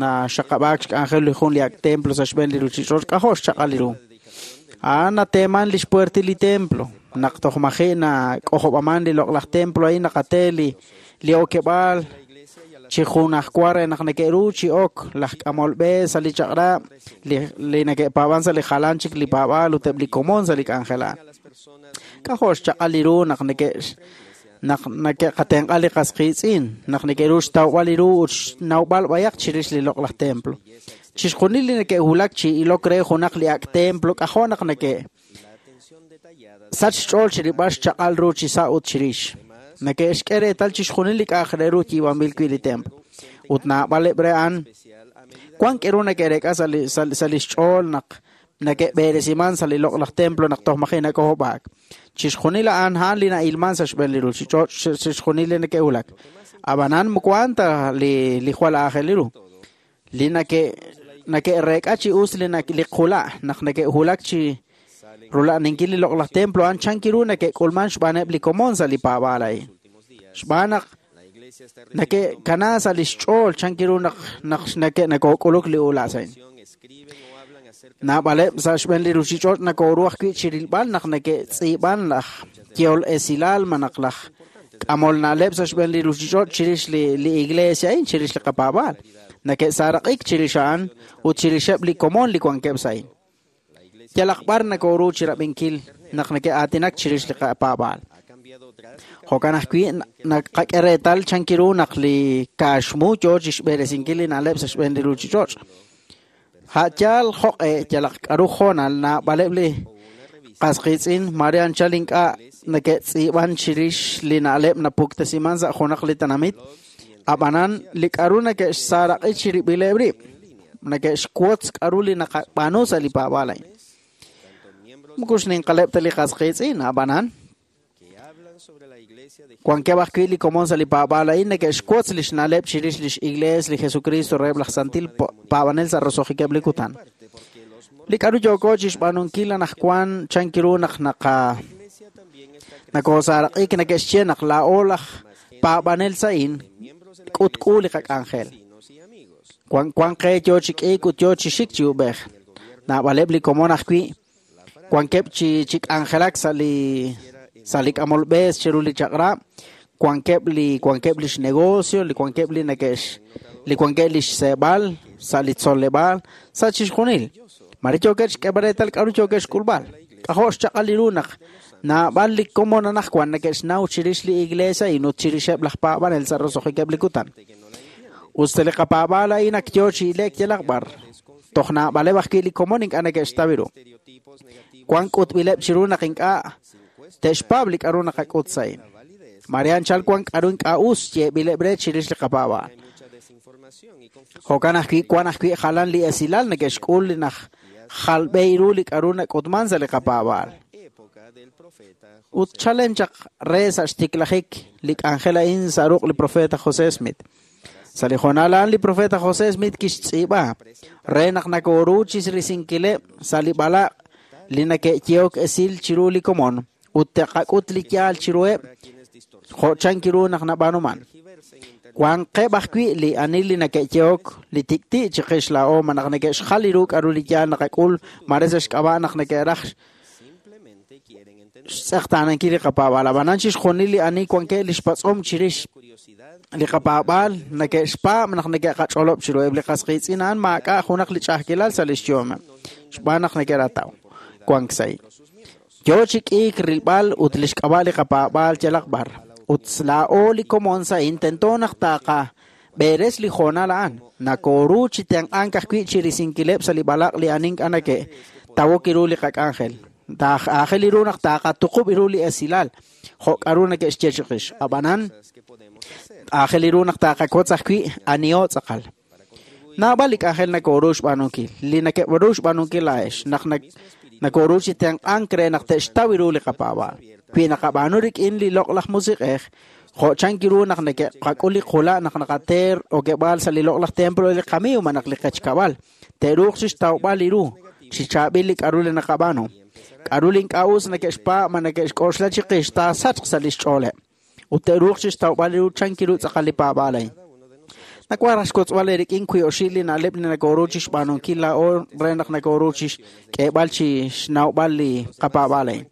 naxaqab'aak xk'anjel li jun li ak' templo sa' xb'een li ruchich'och' k'ajo' xchaq'al li ru. A'an nateeman li xpuertil li templo. Naq toj maji' nak'ojob'aman li loq'laj templo a'in naqate li okeb'aal chi junajwa re naq neke'ru chi ok laj k'amol b'e sa' li chaq'rab' li neke'paab'an sa' li jalan chik li paab'aal ut eb' li komon sa' li k'anjel a'an. K'ajo' xchaq'al li ru naq neke'qatenq'a li qas qiitz'in, naq neke'ru xtawb'al li ru ut xnawb'al b'ayaq chirix li loq'laj templo. Chixjunil li neke'wulak chi ilok re junaq li ak' templo k'ajo' naq neke' sach xch'ool chirib'al xchaq'al ru chi sa' ut chirix. Neke'xk'e reetal chixjunil li k'a'aq re ru yiib'anb'il wi' li templo. Ut naab'aleb' re a'an wan k'eru neke'reek'a sa' li xch'ool naq neke'b'eresiman sa' li loq'laj templo naq toj maji' nak'ojob'aak. Chixjunil a'an a'an li na'ilman sa' xb'een li ruchich'och' chixjunil li neke'wulak. Ab'anan moko a'an ta li jwal aajel li ru. Li neke'reek'a chi us li qula' naq neke'wulak chi rula'aninkil li loq'laj templo a'an chan kiru neke'k'ulman xb'aaneb' li komon sa' li paab'aal a'in. Xb'aan naq neke'kana sa' li xch'ool chan kiru naq neke'k'uluk li ula' sa' a'in. Naab'aleb' sa' xb'een li ruchich'och' nakoru ajwi' chirilb'al naq neke'tz'iib'an laj yehol esilal malaj laj k'amol na'leb' sa' xb'een li ruchich'och' chirix li iglesia a'in, chirix li qapaab'aal. Neke'saaraq'ik chirix a'an ut chirixeb' li komon li wankeb' sa' a'in. Yalaq b'ar nakoru chirab'inkil naq neke'aatinak chirix li qapaab'aal. Jo'kan ajwi' naqak'e reetal chan kiru naq li kaaxmu yoo chixb'eresinkil li na'leb' sa' xb'een li ruchich'och'. Ha'yaal jo'q'e yalaq k'aru hoonal naab'aleb' li qas qiitz'in mare anchal ink'a' neke'tz'iib'an chirix li na'leb' napuktesiman sa' junaq li tenamit, ab'anan li k'aru neke'xsaaraq'i chirib'ileb' rib', neke'xwotz k'aru li naqab'aanu sa' li paab'aal a'in. Moko xninqaleb' ta li qas qiitz'in, ab'anan wankeb' ajwi' li komon sa' li paab'aal a'in neke'xwotz li xna'leb' chirix lix iglees li Jesucristo reheb' laj santil paab'anel sa' roso'jikeb' li kutan. Li k'aru yooko chixb'aanunkil anaqwan chan kiru naq nakosaaraq'ik neke'xye naq laa'o laj paab'anel sa' a'in k'utk'u li qak'anjel. Wan qe yoo chi k'iik ut yoo chi xik chi ub'ej. Naab'aleb' li komon ajwi' wankeb' chi k'anjelak sa' li k'amol b'e chiru li chaq'rab', wankeb' li xnegocio, li wankeb' li li wankeb' li xseeb'al sa' li tzoleb'aal, sa' chixjunil. Mare yookeb' xk'eeb'al reetal k'aru yookeb' xk'ulb'al. K'ajo' xchaq'al li ru naq naab'al li komon anaqwan neke'xnaw chirix li iglesia a'in ut chirixeb' laj paab'anel sa' roso'jikeb' li kutan. Us ta li qapaab'aal a'in ak yoo chi ile'k yalaq b'ar. Toj naab'aleb' ajwi' li komon ink'a' neke'xtaw ru. Wan k'utb'ileb' chiru naq ink'a' te'xpaab' li k'aru naqak'ut sa' a'in. Mare anchal wan k'aru ink'a' us yeeb'ileb' re chirix li qapaab'aal. Jo'kan ajwi' wan ajwi' jalan li esilal neke'xk'ul li naj jalb'e ru li k'aru nak'utman sa' li qapaab'aal. Ut chalen chaq re sa' xtiklajik li k'anjel a'in sa' ruq' li profeta José Smith. Sa' li hoonal a'an li profeta José Smith kixtz'iib'a re naq nakoru chirisinkileb' sa' li b'alaq' li neke'yehok esil chiru li komon ut te'qak'ut li yaal chiruheb' jo' chan kiru naq nab'aanuman. Wanqeb' ajwi' li ani li neke'yehok li tik'ti' chiqix laa'o malaj neke'xjal li ru k'aru li yaal naqak'ul mare sa' xk'ab'a' naq neke'raj xtz'eqtaanankil li qapaab'aal. Ab'anan chixjunil li ani wankeb' li xpatz'om chirix li qapaab'aal neke'xpaab' naq neke'qach'olob' chiruheb' li qas qiitz'in a'an maak'a' junaq li ch'a'ajkilal sa' li xyu'ameb' xb'aan naq neke'rataw wank sa' a'in. Yoo chi k'iik rilb'al ut li xk'ab'a' li qapaab'aal yalaq b'ar. Ut laa'o li komon sa' a'in tento naq taqab'eres li hoonal a'an. Nakoru chi tenq'ank ajwi' chirisinkileb' sa' li b'alaq' li ani ink'a' neke'tawok ru li qak'anjel. Aajel ru naq taqatuqub' ru li esilal jo' k'aru neke'xye chiqix. Ab'anan aajel ru naq taqakotz ajwi' aniho tz'aqal. Naab'al li k'anjel nakoru xb'aanunkil, li neke'ru xb'aanunkil laa'ex naq nakoru chi tenq'ank re naq te'xtaw ru li qapaab'aal. Wi naqab'aanu rik'in li loq'laj musiq'ej, jo' chank ru naq neke'qak'ul li qula' naq naqate okeb'aal sa' li loq'laj templo li qamiiw malaj li qechkab'al, te'ruuq chixtawb'al li ru, chi chaab'il li k'a'ru li naqab'aanu. K'a'ru li ink'a' us neke'xpaab' ma neke'xk'oxla chiqix taasachq sa' lix ch'ooleb', ut te'ruuq chixtawb'al li ru chank ru tz'aqal li paab'aal a'in. Nawaj raj xwotzb'al eerik'in wiib' oxib' li na'leb' li nokoru chixb'aanunkil laa'o re naq nokoru chixk'eeb'al chi xnawb'al li qapaab'aal a'in.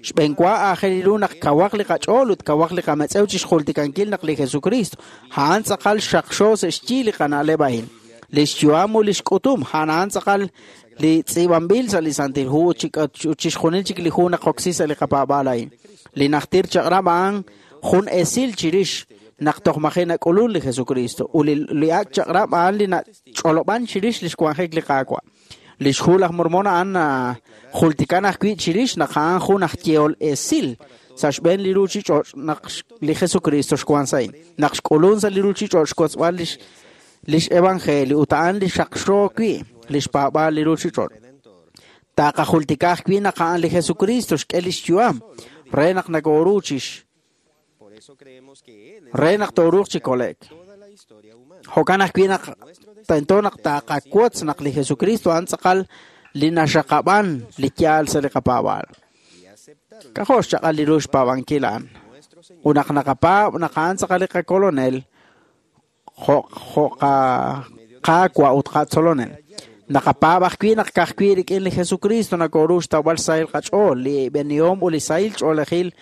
Xb'een wa aajel ru naq kawaq li qach'ool ut kawaq li qametz'ew chixjultikankil naq li Jesucristo a'an tz'aqal xaqxo sa' xyi li qana'leb' a'in. Lix yu'am ut lix k'utum a'an tz'aqal li tz'iib'anb'il sa' li Santil Hu ut chixjunil chik li hu naqoksi sa' li qapaab'aal a'in. Li najtir chaq'rab' a'an jun esil chirix naq toj maji' nak'ulun li Jesucristo ut li ak' chaq'rab' a'an li nach'olob'an chirix lix wanjik li Qaawa'. Lix hu laj Mormon a'an jultikan ajwi' chirix naq a'an jun aj yehol esil sa' xb'een li ruchich'och' naq li Jesucristo xwan sa' a'in. Naq xk'ulun sa' li ruchich'och' xwotzb'al lix evangelio ut a'an li xaqxo wi' lix paab'aal li ruchich'och'. Taqajultika ajwi' naq a'an li Jesucristo xk'e lix yu'am re naq nakoru chix re naq tooruuq chi kole'k. Jo'kan ajwi' naq tento naq taqawotz naq li Jesucristo a'an tz'aqal li naxaqab'an li yaal sa' li qapaab'aal. K'ajo' xchaq'al li ru xpaab'ankil a'an. Ut naq naqapaab' naq a'an tz'aqal li qakolonel, jo' Qaawa' ut qatzolonel. Naqapaab' ajwi' naq ka'ajwi' rik'in li Jesucristo nakoru xtawb'al xsahil qach'ool, li b'enihom ut li sahil ch'oolejil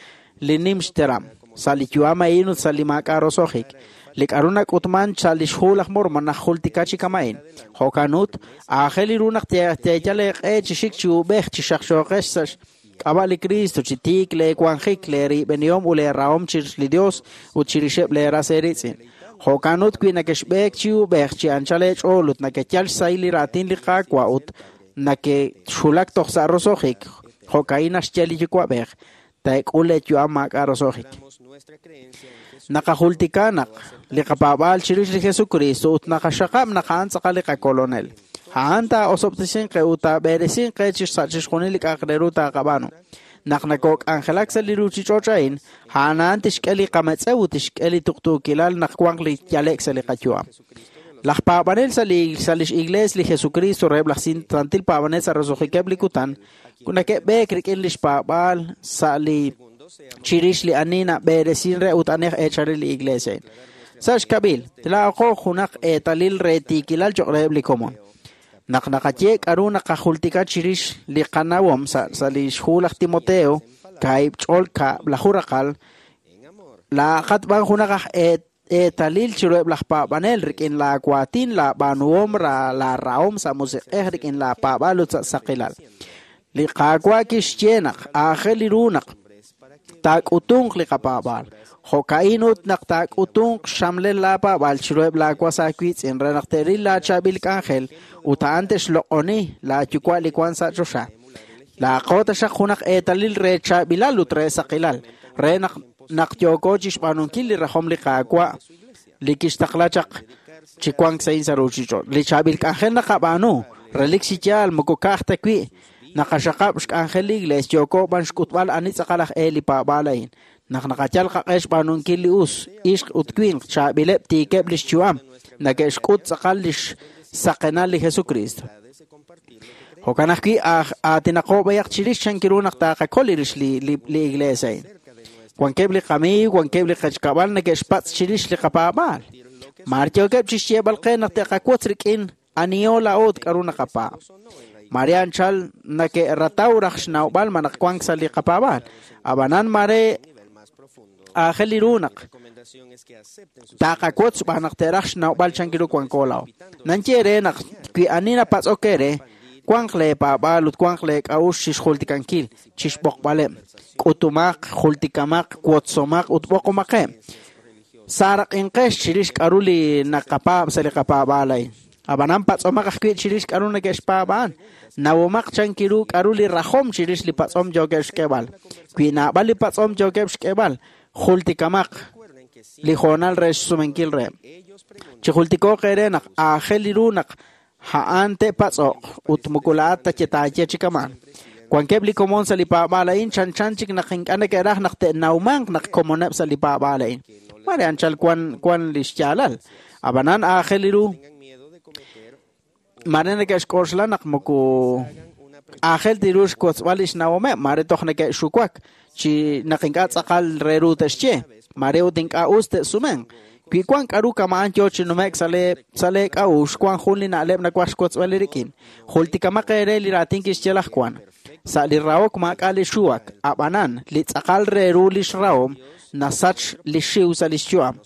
li nim xteram sa' li yu'am a'in ut sa' li maak'a' roso'jik. Li k'a'ru nak'utman sa' lix hu laj Mormon najultika chi kama'in. Jo'kan ut, aajel ru naq teeyal eeq'e chi xik chi uub'ej chi xaqxooqex sa' xk'ab'a' li Cristo, chi tiik lee wanjik, lee riib'enihom ut lee rahom chirix li Dios ut chirixeb' lee ras eeriitz'in. Jo'kan ut wi nakexb'eek chi uub'ej chi anchal eech'ool ut nakeyal xsahil li raatin li Qaawa' ut nakexulak toj sa' roso'jik, jo'ka'in naxye li Yuwa'b'ej, taek'ul leeyu'am maak'a' roso'jik. Naqajultika naq li qapaab'aal chirix li Jesucristo ut naqaxaqab' naq a'an tz'aqal li qakolonel. A'an taa'osob'tesinqe ut taab'eresinqe sa' chixjunil li k'a'aq re ru taaqab'aanu. Naq nakok'anjelak sa' li ruchich'och' a'in, a'an a'an tixk'e li qametz'ew ut tixk'e li tuqtuukilal naq wanq li yale'k sa' li qayu'am. Laj paab'anel sa' lix iglees li Jesucristo reheb' laj santil paab'anel sa' roso'jikeb' li kutan, neke'b'eek rik'in lix paab'aal sa' li chirix li ani nab'eresin re ut ani aj eecharil li iglees a'in. Sa' xkab'il, laa'aqo junaq eetalil re tiikilal choq' reheb' li komon. Naq naqaye k'a'ru naqajultika chirix li qanawom sa' lix hu laj Timoteo, kaahib' ch'ol kab'laju raqal, laa'aqat b'an junaq aj eetalil chiruheb' laj paab'anel rik'in laawaatin, laab'aanuhom, laarahom sa' musiq'ej rik'in laapaab'aal ut sa' saqilal. Li Qaawa' kixye naq aajel ru naq taak'utunq li qapaab'aal. Jo'ka'in ut naq taak'utunq xxamlel laapaab'aal chiruheb' laawas aawiitz'in re naq te'ril laachaab'il k'anjel ut a'an te'xloq'oni laayuwa' li wank sa' choxa. Laaqo taxaq junaq eetalil re chaab'ilal ut re saqilal, re naq yooko chixb'aanunkil li rajom li Qaawa' li kixtaqla chaq chi wank sa' sa' ruchich'och'. Li chaab'il k'anjel naqab'aanu, relik chi yaal moko ka'aj ta wi' naqaxaqab' xk'anjel li iglees yooko b'an xk'utb'al ani tz'aqal aj e li paab'aal a'in. Naq naqayal qaq'e xb'aanunkil li us, ixq ut winq, chaab'ileb' tiikeb' lix yu'am, neke'xk'ut tz'aqal lix saqenal li Jesucristo. Jo'kan ajwi' aatinaqo b'ayaq chirix chank ru naq taqakol rix li iglees a'in. Wankeb' li qamiiw, wankeb' li qechkab'al neke'xpatz' chirix li qapaab'aal. Maar yookeb' chixyeeb'al qe naq te'qawotz rik'in aniho laa'o ut k'a'ru naqapaab'. Mare anchal nake'rataw raj xnawb'al ma naq wank sa' li qapaab'aal. Ab'anan mare aajel li ru naq taqawotz xb'aan naq te'raj xnawb'al chank ru wanko laa'o. Nanye re naq wi ani napatz'ok eere, wanq leepaab'aal ut wanq leek'a'uxl chixjultikankil, chixb'oqb'aleb', k'utumaq, jultikamaq, wotzomaq ut b'oqomaqeb'. Saaraq'inqex chirix k'a'ru li naqapaab' sa' li qapaab'aal a'in. Ab'anan patz'omaq ajwi' chirix k'a'ru neke'xpaab'aan. Nawomaq chank ru k'a'ru li rajom chirix li patz'om yookeb' xk'eeb'al. Wi naab'al li patz'om yookeb' xk'eeb'al, jultikamaq li hoonal re xsumenkil reheb'. Chi jultikooq eere naq aajel li ru naq a'an te'patz'oq ut moko laa'at ta taaye chi kamaan. Wankeb' li komon sa' li paab'aal a'in chanchan chik naq ink'a' neke'raj naq te'nawmanq naq komoneb' sa' li paab'aal a'in. Mare anchal wan li xyaalal. Ab'anan aajel ru mare neke'xk'oxla naq moko aajel tiru xkotzb'al li xnawomeb', mare toj neke'xuwak chi naq ink'a' tz'aqal re ru te'xye, mare ut ink'a' us te'sumenq. Wi wan k'aru kama'an yo chi nume'k sa' lee k'a'uxl, wan jun li na'leb' nawaj xkotzb'al rik'in. Jultikamaq eere li raatin kixye laj Juan. Sa' li rahok maak'a' li xuwak, ab'anan li tz'aqal re ru li xrahom nasach li xiw sa' li xyu'am.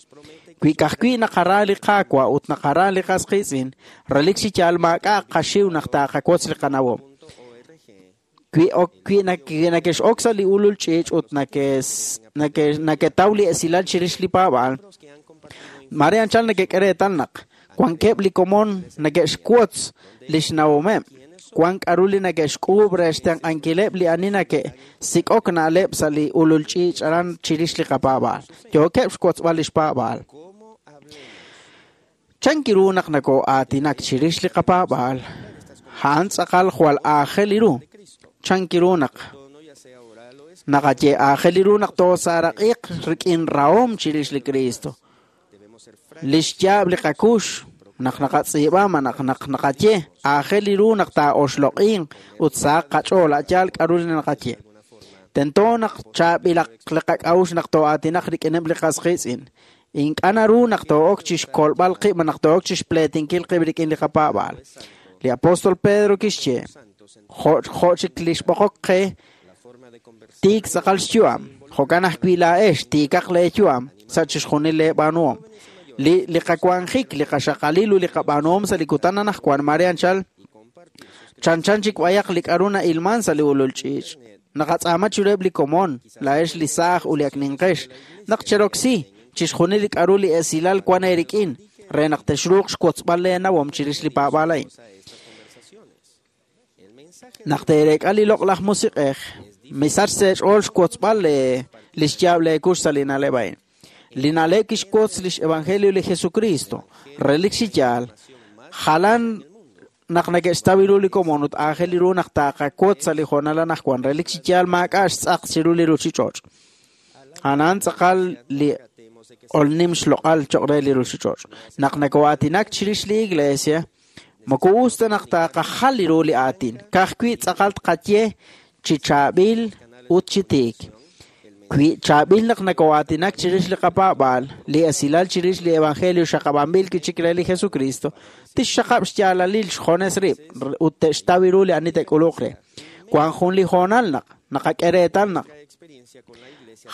Wi ka'ajwi' naqara li Qaawa' ut naqara li qas qiitz'in, relik chi yaal maak'a' qaxiw naq taaqawotz li qanawom. Wi nakex'ok sa' li ulul ch'iich' ut naketaw li esilal chirix li paab'aal, mare anchal nekek'e reetal naq wankeb' li komon neke'xwotz li xnawomeb', wan k'aru li neke'xk'uub' re xtenq'ankileb' li ani neke'sik'ok na'leb' sa' li ulul ch'iich' aran chirix li qapaab'aal. Yookeb' xwotzb'al li xpaab'aal. Chanki ru naq nakoo'aatinak chirix li qapaab'aal, a'an tz'aqal jwal aajel ru. Chanki ru naq naqaye aajel ru naq toosaaraqiq rik'in rahom chirix li Cristo. Li xyaab' li qakux naq naqatz'iib'a ma naq naqaye aajel ru naq taa'oxloq'inq ut sahaq qach'ool a' yaal k'aru li naqaye. Tento naq chaab'ilaq li qak'a'uxl naq too'aatinaq rik'ineb' li qas qiitz'in. Ink'a' naru naq too'ok chi xkolb'al qib' naq too'ok chi xpleetinkil qib' rik'in li qapaab'aal. Li apóstol Pedro kixye jo' chik li xb'oqok qe tiik tz'aqal xyu'am. Jo'kan ajwi' laa'ex tiikaq leeyu'am sa' chixjunil leeb'aanuhom. Li qawanjik, li qaxaqalil ut li qab'aanuhom sa' li kutan anaqwan mare anchal chanchan chik b'ayaq li k'aru na'ilman sa' li ulul ch'iich'. Naqatz'aama chiruheb' li komon, laa'ex li saaj ut li ak ninqex, naq cheroksi chixjunil li k'aru li esilal wan eerik'in re naq texruuq xwotzb'al leenawom chirix li paab'aal a'in. Naq teereek'a li loq'laj musiq'ej, misach sa' eech'ool xwotzb'al li xyaab' leekux sa' li na'leb' a'in. Li na'leb' kixwotz lix evangelio li Jesucristo, relik chi yaal, jalan naq neke'xtaw ru li komon ut aajel ru naq taaqawotz sa' li hoonal anaqwan, relik chi yaal maak'a' xtz'aq chiru li ruuchich'och'. A'an tz'aqal li olnim xloq'al cho'q re li ruuchich'och'. Naq nakoo'aatinak chirix li iglesia, moko us ta naq taaqajal ru li aatin, ka'ajwi' tz'aqal tqaye chi chaab'il ut chi tiik. Wi chaab'il naq nakoo'aatinak chirix li qapaab'aal, li esilal chirix li evangelio xaqab'anb'il kichik re li Jesucristo, tixxaqab' xyaalalil xjones rib' ut te'xtaw ru li ani te'k'uluq re. Wan jun li hoonal naq naqak'e reetal naq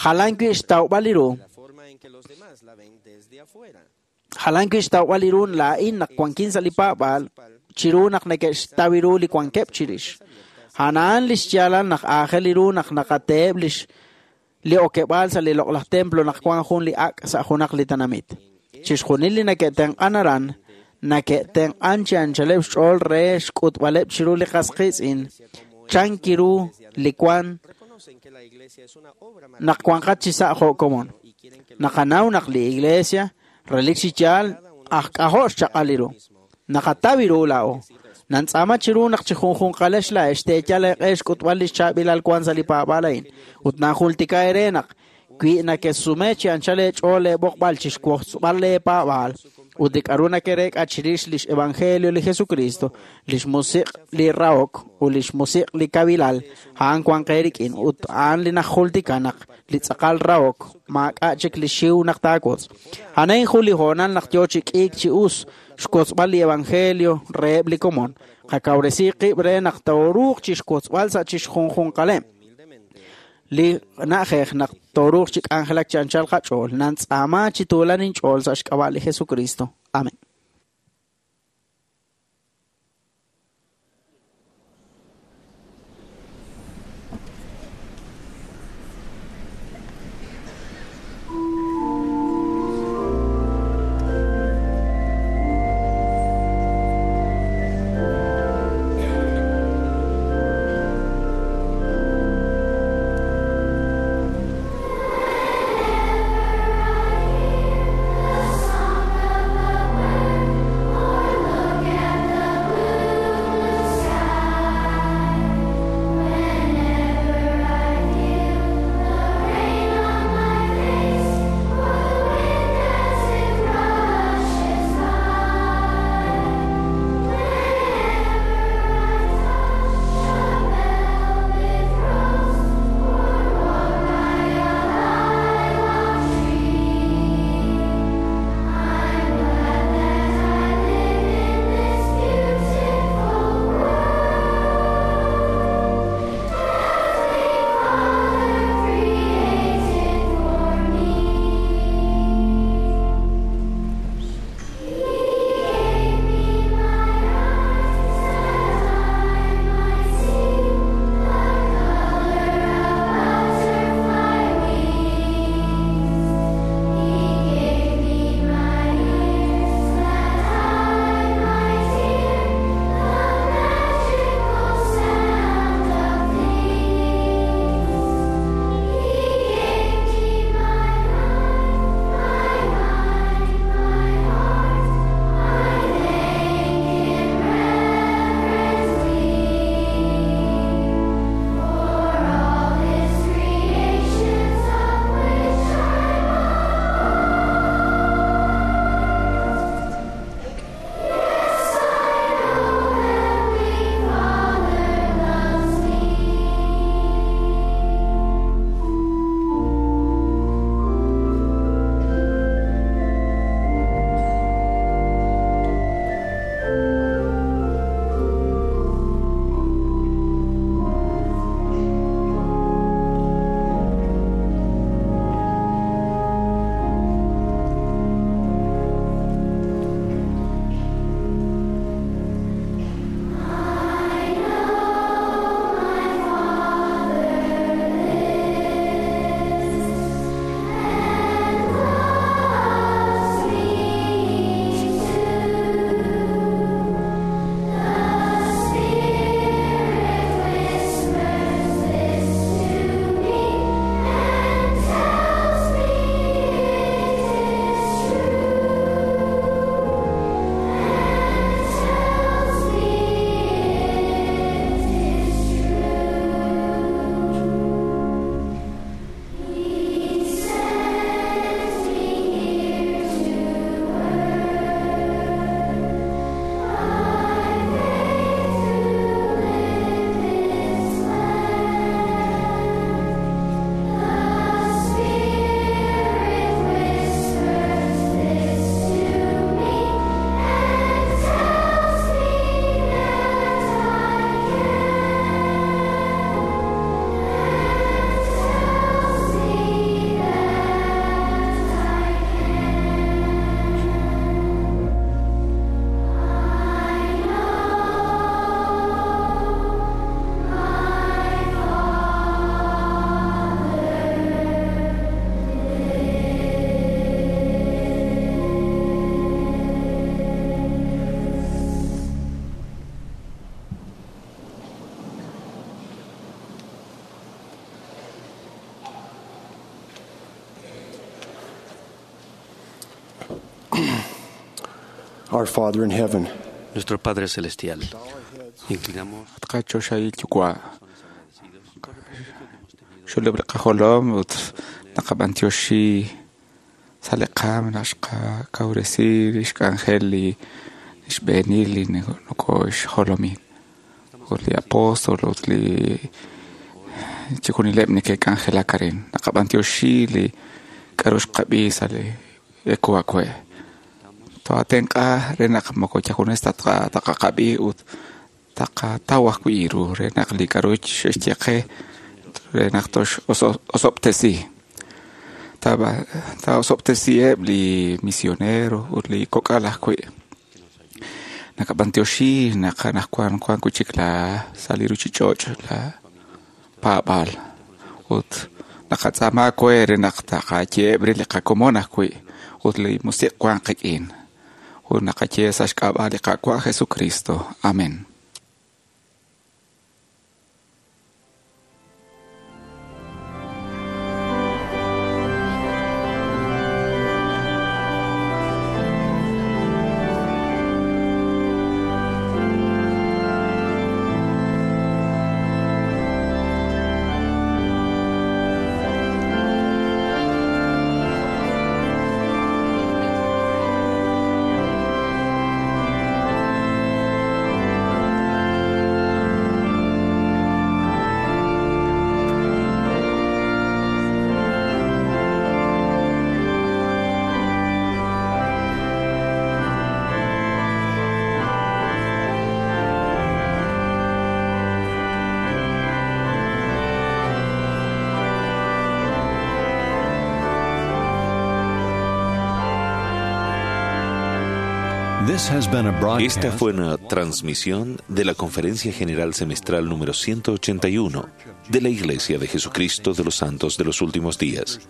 jalan wi' xtawb'al li ru. Jalan wi' xtawb'al li ru laa'in naq wankin sa' li paab'aal chiru naq neke'xtaw ru li wankeb' chirix. A'an li xyaalal naq aajel ru naq naqateheb' li okeb'aal sa' li loq'laj templo naq wan jun li ak' sa' junaq li tenamit. Chixjunil li neke'tenq'an aran, neke'tenq'an chi anchaleb' xch'ool re xk'utb'aleb' chiru li qas qiitz'in, chanki ru li wan naq wanqat chi sa' jo' komon. Naqanaw naq li iglesia relik chi yaal aj k'ajo' xchaq'al ru. Naqataw ru laa'o. Nantz'aama chiru naq chi junjunqalex laa'ex teeyal eeq'e xk'utb'al li xchaab'ilal wan sa' li paab'aal a'in. Ut najultika eere naq wi nakesume chi anchal eech'ool leeb'oqb'al chi xwotzb'al leepaab'aal ut li k'aru nakereek'a chirix lix evangelio li Jesucristo, lix musiq' li rahok ut lix musiq' li kawilal, a'an wan qe rik'in ut a'an li najultika naq li tz'aqal rahok maak'a' chik li xiw naq taawotz. A'an jun li hoonal naq yo chi k'iik chi us xwotzb'al li evangelio reheb' li komon. Qakawresi qib' re naq tooruuq chi xwotzb'al sa' chixjunjunqaleb'. Li na'ajej naq tooruuq chi k'anjelak chi anchal qach'ool, nantz'aama chi tuulan inch'ool sa' xk'ab'a' li Jesucristo. Amén. Whenever I hear the song of the birds. Our Father in heaven, Nuestro Padre Celestial, inclinamos Qachoxahil Yuwa', xulub' li qajolom ut naqab'antioxi sa' li qaam naq xqakawresi lix k'anjel li xb'eenil li nokoxjolomin ut li apóstol ut li chixjunileb' neke'k'anjelak arin. Naqab'antioxi li k'a'ru xqab'i sa' li ekuakue'. Toatenq'a re naq moko yajunes ta taqaqab'i ut taqataw ajwi' ru re naq li k'a'ru xe'xye qe re naq toxosob'tesi. Taosob'tesiheb' li misionero ut li kok'al ajwi'. Nakab'antioxi naq anaqwan wan wi' chik la sa' li ruchich'och' la paab'aal ut naqatz'aama we re naq taqayeheb' re li qakomon ajwi' ut li musiq' wan qik'in. Ut naqaye sa' xk'ab'a' li Qaawa' Jesucristo. Amén. Esta fue una transmisión de la Conferencia General Semestral número 181 de la Iglesia de Jesucristo de los Santos de los Últimos Días.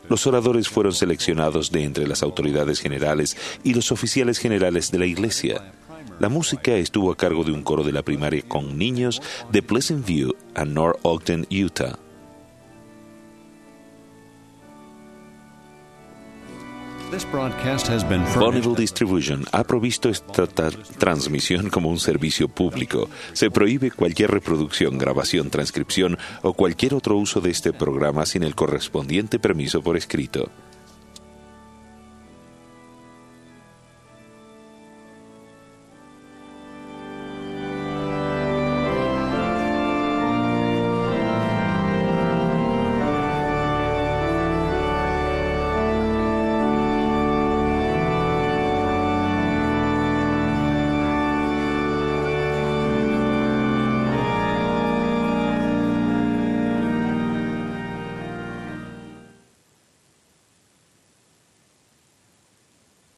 Los oradores fueron seleccionados de entre las autoridades generales y los oficiales generales de la Iglesia. La música estuvo a cargo de un coro de la primaria con niños de Pleasant View a North Ogden, Utah. Bonneville Distribution ha provisto esta transmisión como un servicio público. Se prohíbe cualquier reproducción, grabación, transcripción o cualquier otro uso de este programa sin el correspondiente permiso por escrito.